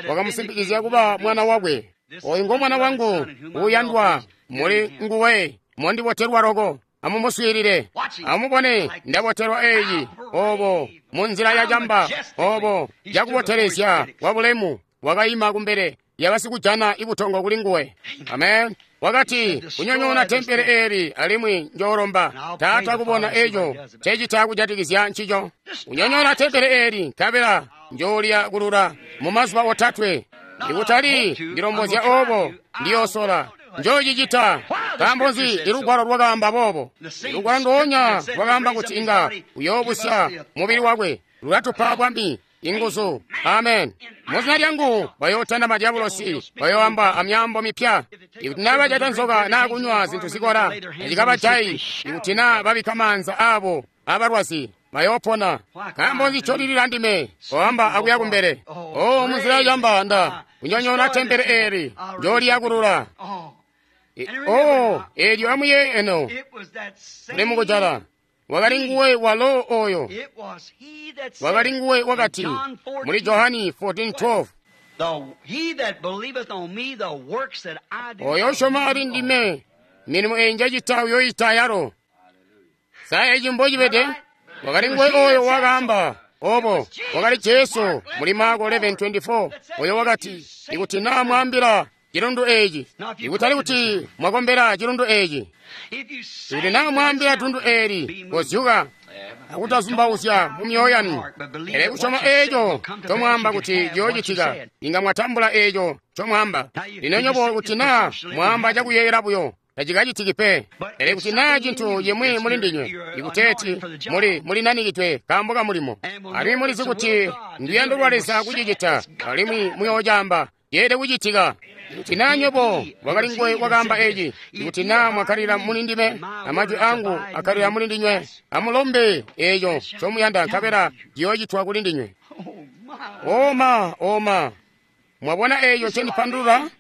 wakamusimpikizya kuba mwana wakwe. Oyu ngo Mwana wangu uuyandwa, muli nguwe mondibotelwa loko. Amumuswiilile. Amubone, ndabotelwa eyi obo munzila ya camba, obo cakubotelezya kwa bulemu wakaima kumbele yabasikujana ibutongo kuli nguwe. Amen. Wakati, kunyonyoona tempele eeli alimwi njoolomba Taata kubona eco ncecita kujatikizya ncico. Kunyonyoona tempele eeli nkabela njoolya kulula mu mazuba otatwe. Ikutali ndilombozya obo, ndiyoosola njoocicita. Nkaambo nzi? Ilugwalo lwakaamba boobo. Ilugwalo ndoonya lwakaamba kuti inga uyoobusya mubili wakwe, lulatupa bwami, inguzu. Amen. Muzina lyangu bayootanda madyabulosi, bayooamba amyaambo mipya. Ikuti naa bajata nzoka naa kunywa zintu zikola, tacikabajayi. Ikuti naa babikka maanza aabo abalwazi, bayoopona. Nkaambo nzi ncolilila ndime? Koamba akuya kumbele. Oh, munzila yacamba nda kunyonyoona tempele eeli, njooliyakulula. Oh, eelyo amuyeeye eno muli mukujala. Wakali nguwe walo oyo. Wakali nguwe wakati muli Johani 14:12, oyo usyoma ali ndime, milimo eyi njacita uyoyita yalo. Sa eci mbocibede? Wakali nguwe oyo wakaamba obo. Wakali Jesu muli Marko 11:24, oyo wakati, ikuti naa mwaambila cilundu eeci, ikutali kuti mwakombela cilundu eeci, ikuti naa mwaambila tundu eeli, kozyuka akutazumbauzya mu myoyo yanu, pele kusyoma eeco ncomwaamba kuti ciyoocitika, inga mwatambula eeco ncomwaamba. Lino nyobo kuti naa mwaamba cakuyeeyela buyo, tacikacitiki pe. Pele kuti naa cintu cimwi muli ndinywe, ikuteeti muli nanikidwe kaambo ka mulimo, alimwi mulizi kuti nduyando lwa Leza kucicita, alimwi muyoocaamba, yeelede kucitika. Ikuti naa nywebo, wakali nguwe wakaamba eci, ikuti naa mwakkalila muli ndime, amajwi angu akkalila muli ndinywe, amulombe eeco ncomuyanda, nkabela ciyoocitwa kuli ndinywe. Oma, oma, mwabona eeco ncendipandulula?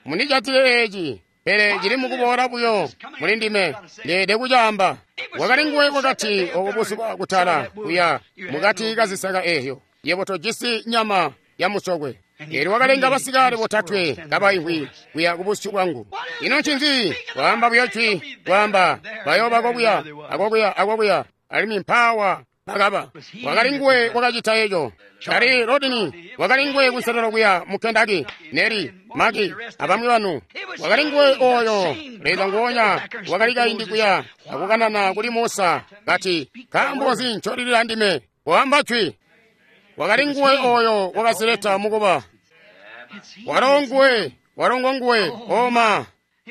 Mundijatile eeci, pele cili mukuboola buyo muli ndime, ndeelede kucaamba. Wakali nguwe wakati obo buzuba kutala kuya mukati kazisaka eeyo, yebo tojisi nyama ya musokwe. Eelyo wakalenga basikale botatwe kabaimvwi kuya kubusyu bwangu. Ino ncinzi? Kwaamba buyo jwi, kwaamba bayooba kokuya, akokuya, akokuya, alimwi mpaawa bakaba. Wakali nguwe wakacita eco. Tali Rodini, wakali nguwe kunselelo kuya mu Kentucky, Neri, Maki, abamwi banu. Wakali nguwe oyo Leza nguonya wakali kaindi kuya akukanana kuli Musa, kati, nkaambo nzi ncolilila ndime? Kwaamba jwi. Wakali nguwe oyo wakazileta mukuba. Walo nguwe, walo ngonguwe, oma.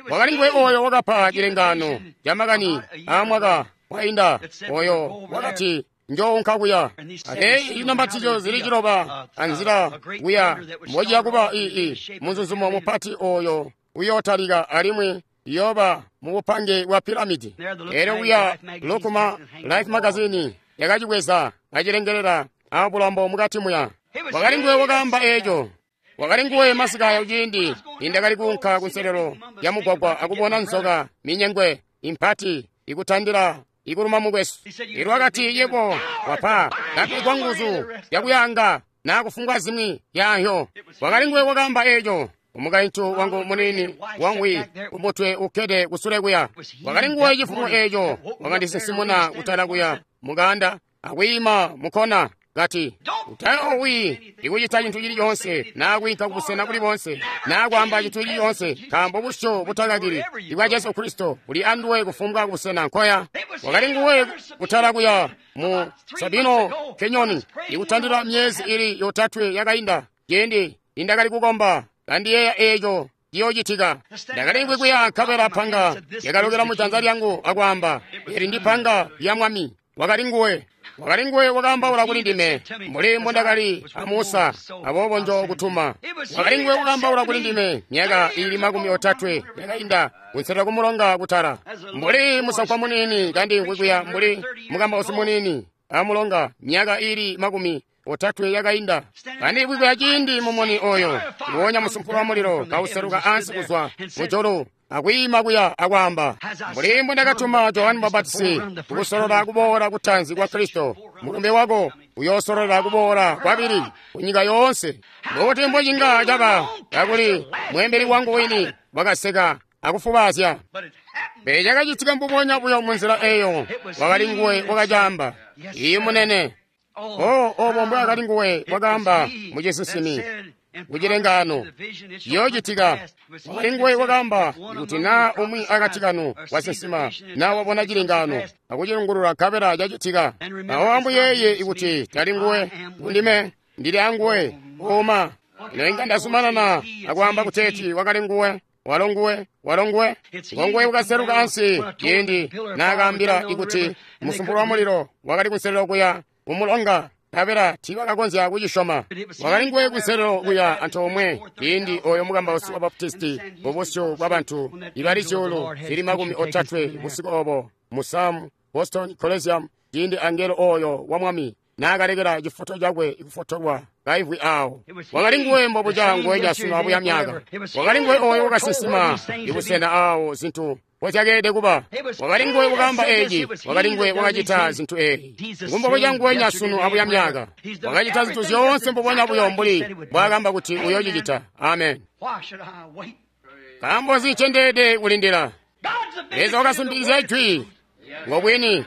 Wakali nguwe oyo wakapa cilengano ca makani aamwaka wainda, oyo wakati, njounka kuya. Eyi inambatizyo zili ciloba anzila kuya mbociya kuba ii muzuzumo mupati oyo uyootalika alimwi iyooba mu bupange bwa piramidi. Eelyo kuya Lukuma Life Magazine yakacibweza acilengelela abulambo mukati muya. Wakali nguwe wakaamba eeco. Wakali nguwe masika ayo ciindi nindakali kuunka kunselelo ya mugwagwa akubona nzoka minyengwe impati ikutandila ikuluma mukwesu. Elyo wakati, yebo wapa kapegwa nguzu yakuyanga naa kufumbwa zimwi yaanhyo. Wakali nguwe wakaamba eeco. Umukaintu wangu muniini wangwi kumutwe ukkede kusule kuya. Wakali nguwe cifumo eeco wakandisinsimuna kutala kuya mukanda akwiima mukona kati, utayoowi ikucita cintu cili coonse naa kwiinka kubusena buli boonse naa kwaamba cintu cili coonse, nkaambo busyu butakakili ibwa Jesu Kristo buli anduwe kufumbwa kubusena nkoya. Wakali nguwe kutala kuya mu Sabino Kenyoni ikutandila myezi ili yotatwe yakainda, ciindi nindakali kukomba kandiyeeya eeco ciyoocitika. Ndakali kuya nkabela panga yakalokela mujanza lyangu akwaamba, eli ndi panga lya Mwami. Wakali nguwe. Wakali nguwe wakaambaula kuli ndime mbuli mbondakali a Musa, aboobo njo kutuma. Wakali nguwe wakaambaula kuli ndime myaka ili 30 yakainda kunselelo kumulonga kutala, mbuli musankwa muniini kandimvwi kuya mbuli mukambausi muniini amulonga myaka ili 30 yakainda. Kandimvwi kuya ciindi mumuni oyo nguwonya musumpulo wa mulilo kauseluka ansi kuzwa mujulu akwiima kuya akwaamba, mbuli mbundakatuma Johani Mubapatisi kukusolola kuboola kutanzi kwa Kristo, mulumbe wako uyoosololela kuboola kwabili kunyika yoonse. Mbuti mbocinga caba kakuli mweembeli wangu wini wakaseka akufubaazya. Pele cakacitika mbubonya buyo munzila eyo. Wakali nguwe wakacaamba. Iyi munene. Oh, obo mbwaakali nguwe wakaamba mucisinsimi kucilengano yoocitika. Wakali nguwe wakaamba kuti naa umwi akati kanu wasinsima naa wabona cilengano akucilungulula nkabela cacitika. Awo ambuyeeye kuti tali nguwe, ndime ndili anguwe. Oma ino inga ndazumanana akwaamba kuteeti wakali nguwe. Walo nguwe, walo nguwe, ngonguwe wakaseluka ansi ciindi naakaambila ikuti musumpulu wa mulilo wakali kunselelo kuya kumulonga, nkabela tiibakakonzya kucisyoma. Wakali nguwe kunselelo kuya antoomwe ciindi oyo mukambausi wa Baptisti mubusyu bwa bantu ibali 330 busiku obo mu Sam Boston Coliseum, ciindi angelo oyo wa Mwami naakalekela cifoto cakwe ikufotolwa kaimvwi awo. Wakali nguwe mbobuca nguwenya sunu abuya myaka. Wakali nguwe oyo wakasinsima ibusena awo zintu mozyakeelede kuba. Wakali nguwe wakaamba eeci. Wakali nguwe wakacita zintu eezi. Ngumbobuca nguwenya sunu abuya myaka. Wakacita zintu zyoonse mbubonya buyo mbuli mbwaakamba kuti uyoocicita. Amen. Nkaambo nzi ncendeelede kulindila? Leza wakasimpikizya ijwi ngobwini.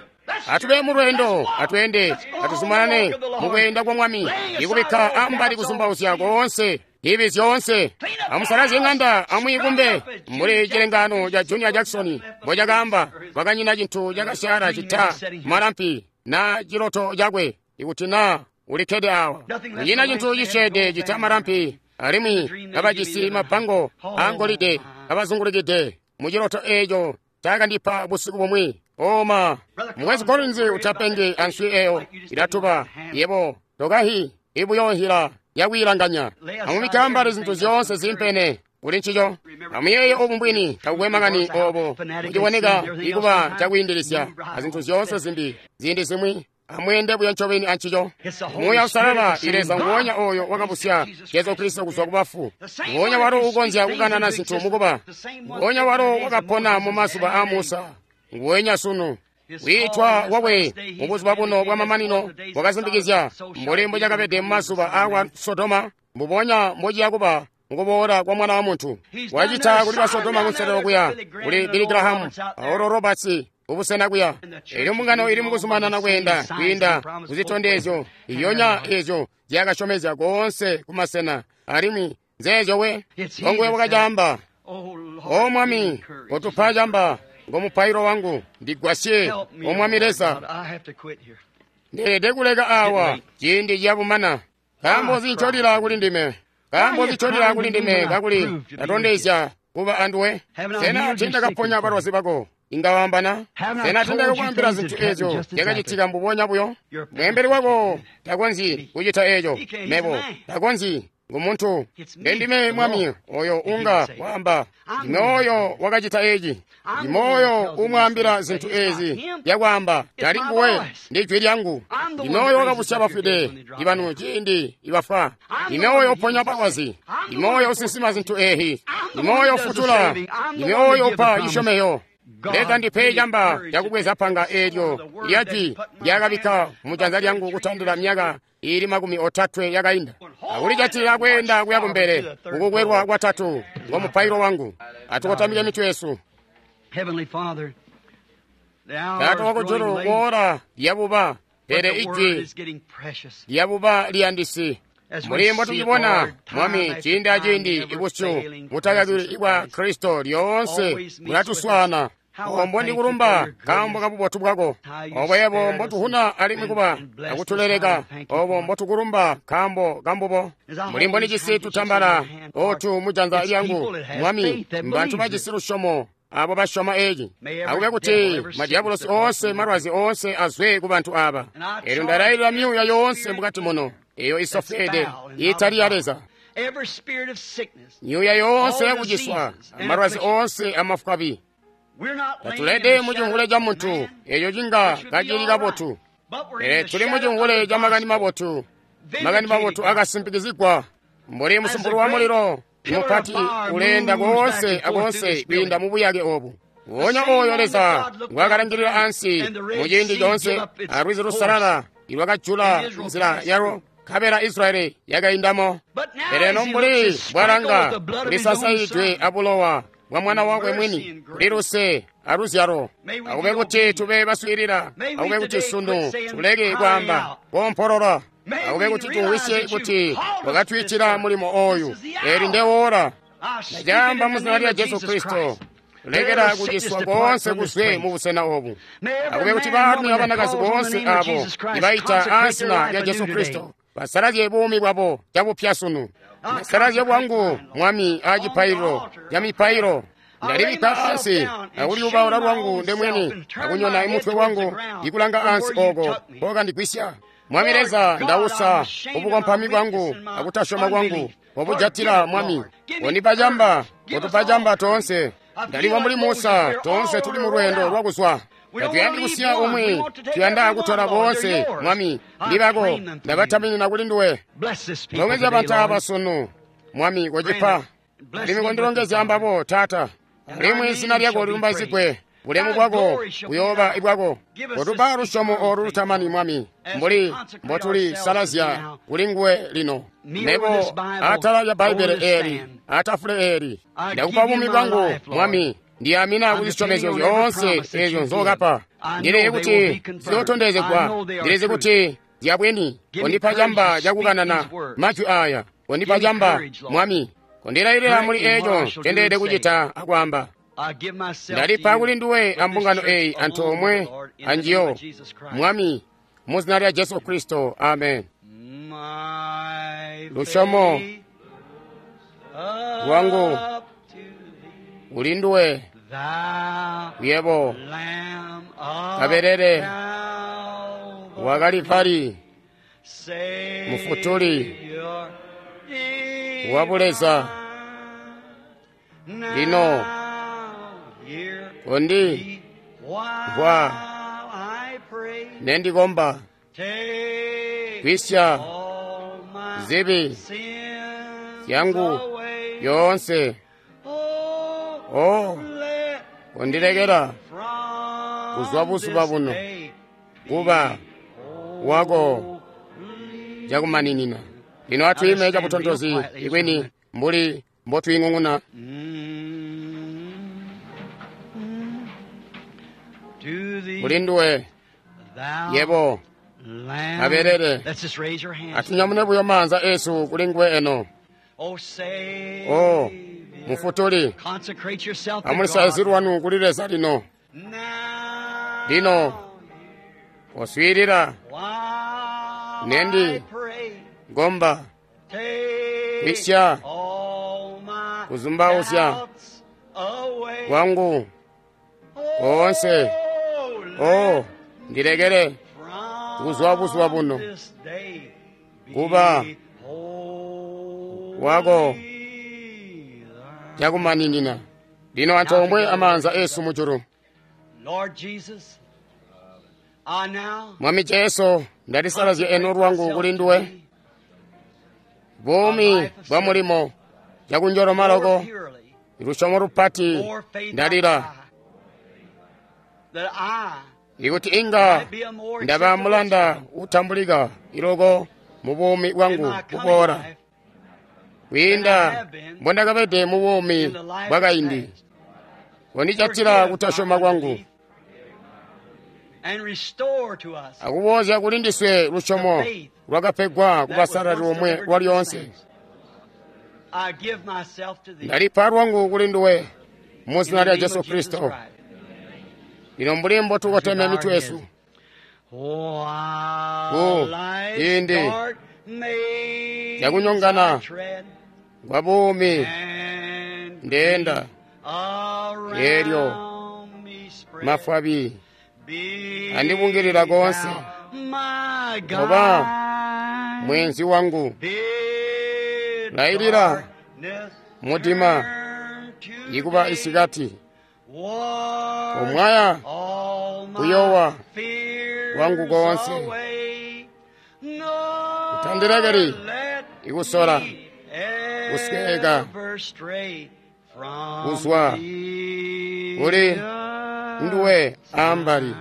Atube mulweendo, atweende, atuzumanane mukweenda kwa Mwami, ikubikka ambali kuzumbauzya koonse, ibi zyoonse. Amusalazye ŋanda, amwiikumbe mbuli cilengano ca Junior Jackson mbocakaamba, kwakanyina cintu cakasyaala cita malampi na ciloto cakwe, ikuti naa ulikkede awa. Kunyina cintu cisyeede cita malampi, alimwi kabajisi mabango aangolide kabazungulikide muciloto eeco cakandipa busiku bumwi. Oma, Mukwesu Collins utapengi answi eyo ilatuba yebo tokahi ibuyoohila yakwiilanganya. Amubike ambali zintu zyoonse zimpene kuli ncico. Amuyeeye obu mbwini takukwe makani obo kuciboneka ikuba cakwiindilisya azintu zyoonse zimbi ziindi zimwi. Amweende buyo ncobeni ancico. Muuya Uusalala Leza nguwonya oyo wakabusya Jesu Kristo kuzwa kubafu, nguwonya walo ukonzya kukanana zintu mukuba, nguwonya walo wakapona mu mazuba a Musa, nguwenya sunu. Wiitwa wakwe mubuzuba buno bwamamanino wakasimpikizya mbuli mbocakabede mumazuba aakwa Sodoma, mbubonya mbociya kuba mukuboola kwa Mwana wa Muntu. Wacita kuli ba Sodoma kunselelo kuya kuli Billy Graham a Oral Roberts kubusena kuya. Elyo mbungano ili mukuzumanana kweenda kwiinda kuzitondezyo iyonya ezyo zyakasyomezya koonse kumasena, alimwi nzeezyo we ngonguwe wakacaamba. O Mwami, kotupa camba, ngo mupailo wangu, ndigwasye, O Mwami Leza. Ndeelede kuleka awa ciindi ciyabumana. Nkaambo nzi ncolila kuli ndime? Nkaambo nzi ncolila kuli ndime kakuli ndatondezya kuba anduwe? Sena tiindakaponya balwazi bako? Inga waambana? Sena tiindakakwaambila zintu eezyo zyakacitika mbubonya buyo? Mweembeli wako takonzyi kucita eeco. Mebo takonzyi. Ngumuntu. Ndendime Mwami oyo unga waamba. Ndime oyo wakacita eeci. Ndime oyo umwaambila zintu eezi zyakwaamba. Tali nguwe, ndi jwi lyangu. Ndime oyo wakabusya bafwide ibanu ciindi ibafwa. Ndime oyo uponya balwazi. Ndime oyo usinsima zintu eezi. Ndime oyo ufutula. Ndime oyo upa cisyomeyo. Leza ndipe camba cakubweza panga eelyo lyajwi lyakabikka mujanza lyangu kutandila myaka iili 30 yakainda. Akulijatilila kweenda kuya kumbele kukukwelwa kwatatu ngo mupailo wangu. Atukotamike mitwe yesu. Taata wakujulu, woola lyabuba, pele ijwi lyabuba liyandisi. Mbuli mbotucibona, Mwami, ciindi aciindi ibusyu butakakilwi ibwa Kristo lyoonse bulatuswaana. Obo mbondikulumba nkaambo kabubotu bwako, obo yebo mbotuhuna alimwi kuba akutuleleka, obo mbotukulumba nkaambo kambubo. Mbuli mbondijisi tutambala otu mujanza lyangu, Mwami, mbantu bajisi lusyomo abo basyoma eeci. Akube kuti madiabulosi oonse malwazi oonse azwe ku bantu aba. Elyo ndalailila myuuya yoonse mukati muno eyo isofweede iitali ya Leza. Myuuya yoonse yakuciswa, amalwazi oonse amafwabi. Tatulede mucimvule ca muntu eco cinga kacili kabotu, pele tuli mucimvule ca makani mabotu. Makani mabotu akasimpikizigwa mbuli musumpulu wa mulilo mupati uleenda koonse akoonse kwiinda mubuyake obu. Wonya oyo Leza ngwakalangilila ansi muciindi coonse alwizi lusalala ilwakajula nzila yalo, nkabela Israyeli yakaindamo. Pele eno mbuli bwalanga kulisasaidwe abulowa bwa mwana wakwe mwini, kuli luse aluzyalo. Akube kuti tube baswiilila, akube kuti sunu tuleke kwaamba koompolola, akube kuti tumvwisye kuti wakatwiitila mulimo oyu. Eli ndewola ndacaamba mu zina lya Jesu Kristo, lekela kuciswa koonse kuzwe mu busena obu. Akube kuti baalumi abanakazi boonse abo ibaita aazina lya Jesu Kristo basalazye buumi bwabo cabupya sunu. Ndasalazye bwangu, Mwami, aacipaililo ca mipailo. Ndalibikka ansi akulyubaula lwangu ndemwini akunyona imutwe wangu ikulanga ansi oko kokandigwisya. Mwami Leza, ndausa ubukompami bwangu akutasyoma kwangu wabujatila, Mwami. Kondipa camba, kotupa camba toonse. Ndaliwa mbuli Musa, toonse tuli mu lweendo lwakuzwa. Tatuyandi kusiya umwi, tuyanda kutola boonse, Mwami. Ndibako, ndabataminina kuli nduwe. Longezya bantu aba sunu, Mwami, kocipa. Alimwi kondilongezya ambabo, Taata. Alimwi zina lyako lilumbaizigwe, bulemu bwako buyooba ibwako. Kotupa lusyomo olu lutamani, Mwami, mbuli mbotulisalazya kuli nguwe lino. Mebo atala lya Bbaibbele eli, atafule eli, ndakupa buumi bwangu, Mwami. Ndiyamina kuzisyomezyo zyoonse ezyo nzokapa. Ndilizi kuti ziyootondezegwa, ndilizi kuti zyabweni. Kondipa camba cakukanana majwi aya, kondipa camba, Mwami. Kondilailila muli eco ncendeelede kucita akwaamba. Ndalipa kuli nduwe ambungano eyi antoomwe anjiyo, Mwami, mu zina lya Jesu Kristo, amen. Lusyomo lwangu kuli nduwe, yebo kabelele wa Kalivali, mufutuli wa buleza. Lino kondi mvwa nendikomba, kwisya zibi zyangu yoonse. Oh, kondilekela kuzwa buzuba buno kuba wako cakumaninina. Lino atwiime cabutontozi ikwini mbuli mbotwiing'ung'una. Kuli nduwe, yebo kabelele. Atunyamune buyo maanza esu kuli nguwe eno. Oh, mufutuli, amulisalazye lwanu kuli Leza lino. Lino oswiilila nendi gomba kwisya kuzumbauzya kwangu koonse. Oh, ndilekele kuzwa buzuba buno kuba wako cakumaninina. Lino antoomwe amaanza esu mujulu. Mwami Jesu, ndalisalazya eno lwangu kuli nduwe. Buumi bwa mulimo cakunjoloma loko, lusyomo lupati ndalila ikuti inga ndaba mulanda utambulika iloko mu buumi bwangu buboola kwiinda mbondakabede mu buumi bwakaindi. Kondijatila kutasyoma kwangu akuboozya kuli ndiswe lusyomo lwakapegwa kubasalali omwe lwalyoonse. Ndalipa lwangu kuli nduwe mu zina lya Jesu Kristo. Lino mbuli mbotukoteme mitwe yesu ku ciindi cakunyongana kwa buumi ndeenda eelyo mafwabi andibungilila koonse, oba mwenzi wangu, lailila mudima ikuba isikati, omwaya kuyowa wangu koonse, utandilekeli ikusola kusweka kuzwa kuli nduwe ambali.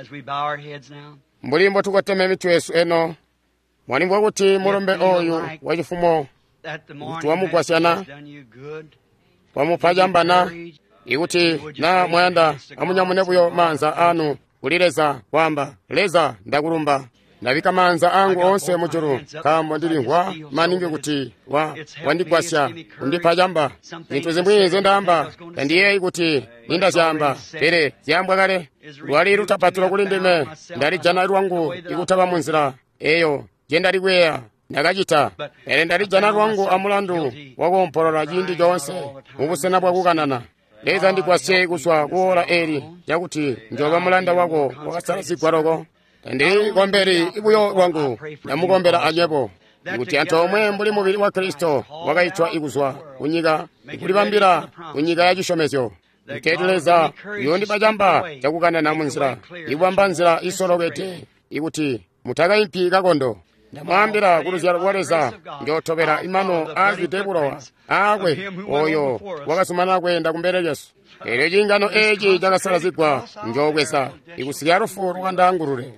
As we bow our heads now. Mbuli mbotukoteme mitwe yesu eno, mwalimvwa kuti mulumbe oyu wacifumo kuti wamugwasyana, wamupa cambana. Ikuti na mwayanda, amunyamune buyo maanza anu kuli Leza, kwaamba, Leza, ndakulumba. Ndabika maanza angu oonse mujulu, nkaambo ndilimvwa maningi kuti wandigwasya kundipa camba. Zintu zimwi nzendaamba tandiyeeyi kuti nindazyaamba, pele zyaambwa kale. Lwali lutapatilo kuli ndime, ndalijana lwangu ikutaba munzila eyo njendali kuyeeya ndakacita, pele ndalijana lwangu amulandu wakoompolola ciindi coonse mubusena bwakukanana. Leza ndigwasye kuzwa kuola eli cakuti njoba mulanda wako wakasalazigwa loko. Tandikombeli buyo lwangu, ndamukombela anywebo, kuti antoomwe mbuli mubili wa Kristo wakaitwa ikuzwa kunyika ikulibambila kunyika ya cisyomezyo. Nketu Leza yondipa camba cakukanana munzila, ikubamba nzila isolokede, ikuti mutakaimpi kakondo. Ndamwaambila kuluzyalo lwa Leza njootobela imano aazwide bulowa aakwe oyo wakazumanana kweenda kumbele lyesu. Eelyo ciingano eeci cakasalazigwa njoobweza ikusikila lufu lwakandaangulule.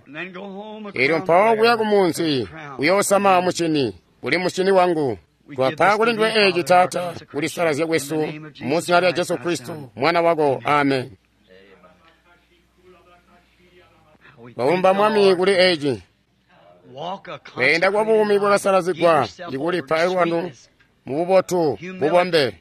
Eelyo mpawo kuya kumunzi uyoosama musyini, uli musyini wangu. Twapa kuli nduwe eeci Taata, kulisalazya kwesu mu zina lya Jesu Kristo mwana wako. Amen. Twalumba Mwami kuli eeci. Kweenda kwa buumi bwakasalazigwa ikulipa lwanu mububotu bubombe.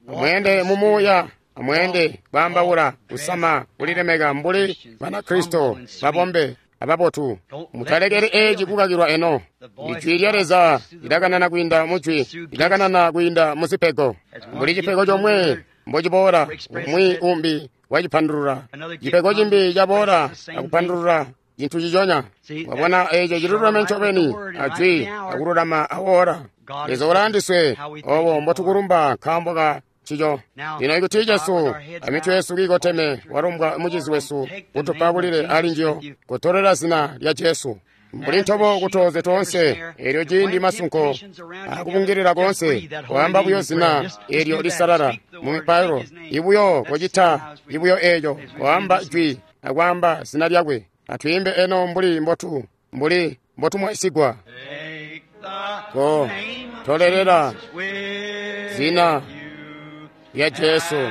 Amweende mumuuya, amweende kwaambaula, kusama, kulilemeka mbuli Banakristo babombe ababotu. Mutalekeli eeci kukakilwa eno. Ijwi lya Leza lilakanana kwiinda mujwi, lilakanana kwiinda muzipego. Mbuli cipego comwe mbociboola, umwi umbi wacipandulula. Cipego cimbi caboola akupandulula cintu ciconya. Wabona eeco ciluleme ncobeni ajwi akululama awoora. Leza ulaandiswe obo mbotukulumba nkaambo ka ncico. Lino ikuti Jesu amitwe yesu kiikoteme walumbwa mucizi wesu kutupa kulile ali njiyo, kutolela zina lya Jesu. Mbuli ntobo kutoze toonse, eelyo ciindi masunko akubungilila koonse, kwaamba buyo zina eelyo lisalala mu mipailo, ibuyo kocita ibuyo eeco, kwaamba jwi akwaamba zina lyakwe. Atwiimbe eno mbuli mbotumwaisigwa. Ko tolelela zina lya Jesu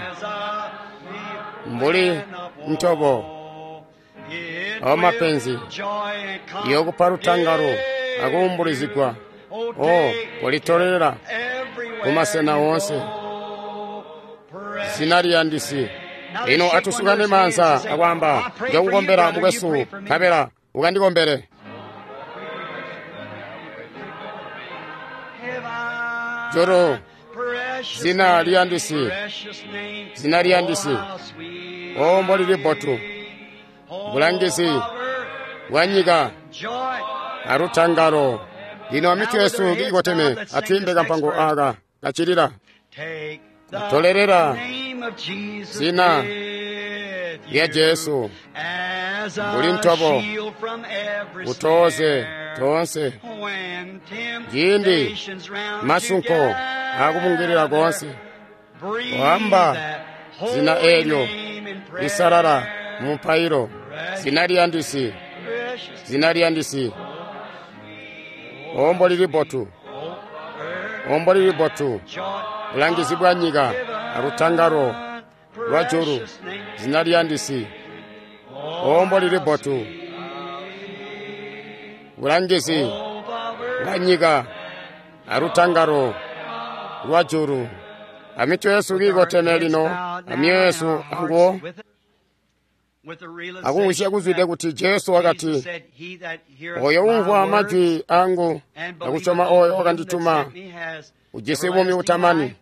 mbuli ntobo awo mapenzi yokupa lutangalo akuumbulizigwa. O kolitolelela kumasena woonse zina liyandisi. Lino atusukane maanza akwaamba, njokukombela mukwesu, nkabela ukandikombele. Joro zina liyandisi, zina liyandisi, o mbolili bbotu, bulangizi bwa nyika alutangalo. Lino amitwe yesu kiikoteme, atwiimbe kampango aka kacilila. Tolelela zina lya Jesu mbuli ntobo utoze toonse ciindi masunko akubungilila koonse, kwaamba zina eelyo lisalala mu mupailo, zina liyandisi, zina liyandisi. Ombo lili bbotu, ombo lili bbotu, bulangizi bwa nyika alutangalo lwa julu, zina liyandisi. Ombo lili bbotu, bulangizi bwa nyika alutangalo lwa julu. Amitwe yesu kiikoteme lino, amyoyo yesu anguwo akumvwisya kuzwide kuti Jesu wakati, oyo umvwa majwi angu akusyoma oyo wakandituma ujisi buumi butamani,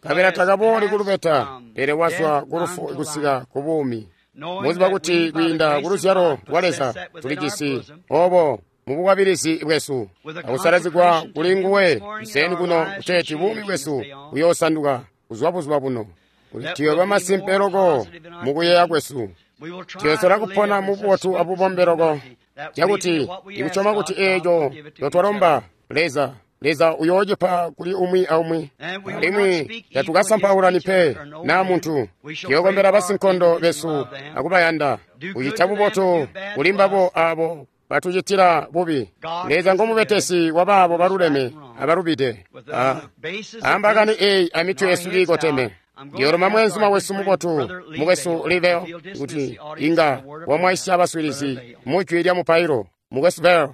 nkabela takabooli kulubeta, pele wazwa kulufu kusika ku buumi. Muziba kuti kwiinda kuluzyalo lwa Leza tulijisi obo mubukwabilizi bwesu akusalazigwa kuli nguwe kuseni kuno, kuteeti buumi bwesu buyoosanduka kuzwa buzuba buno, kuti tuyooba masimpe loko mukuyeeya kwesu. Tuyosola kupona mububotu abubombe loko, cakuti ikusyoma kuti eeco ncotwalomba Leza, Leza uyoocipa kuli umwi aumwi. Alimwi tatukasampaulani pe naa muntu. Tuyookombela basinkondo besu akubayanda, kucita bubotu kuli mbabo aabo batucitila bubi. Leza ngomubetesi wabaabo baluleme abalubide. Ambakani eeyi amitwe yesu kiikoteme. Ndiyoolomba mweenzuma wesu mubotu, mukwesu Liveo, kuti inga wamwaisya baswiilizi mujwi lya mupailo. Mukwesu Bell.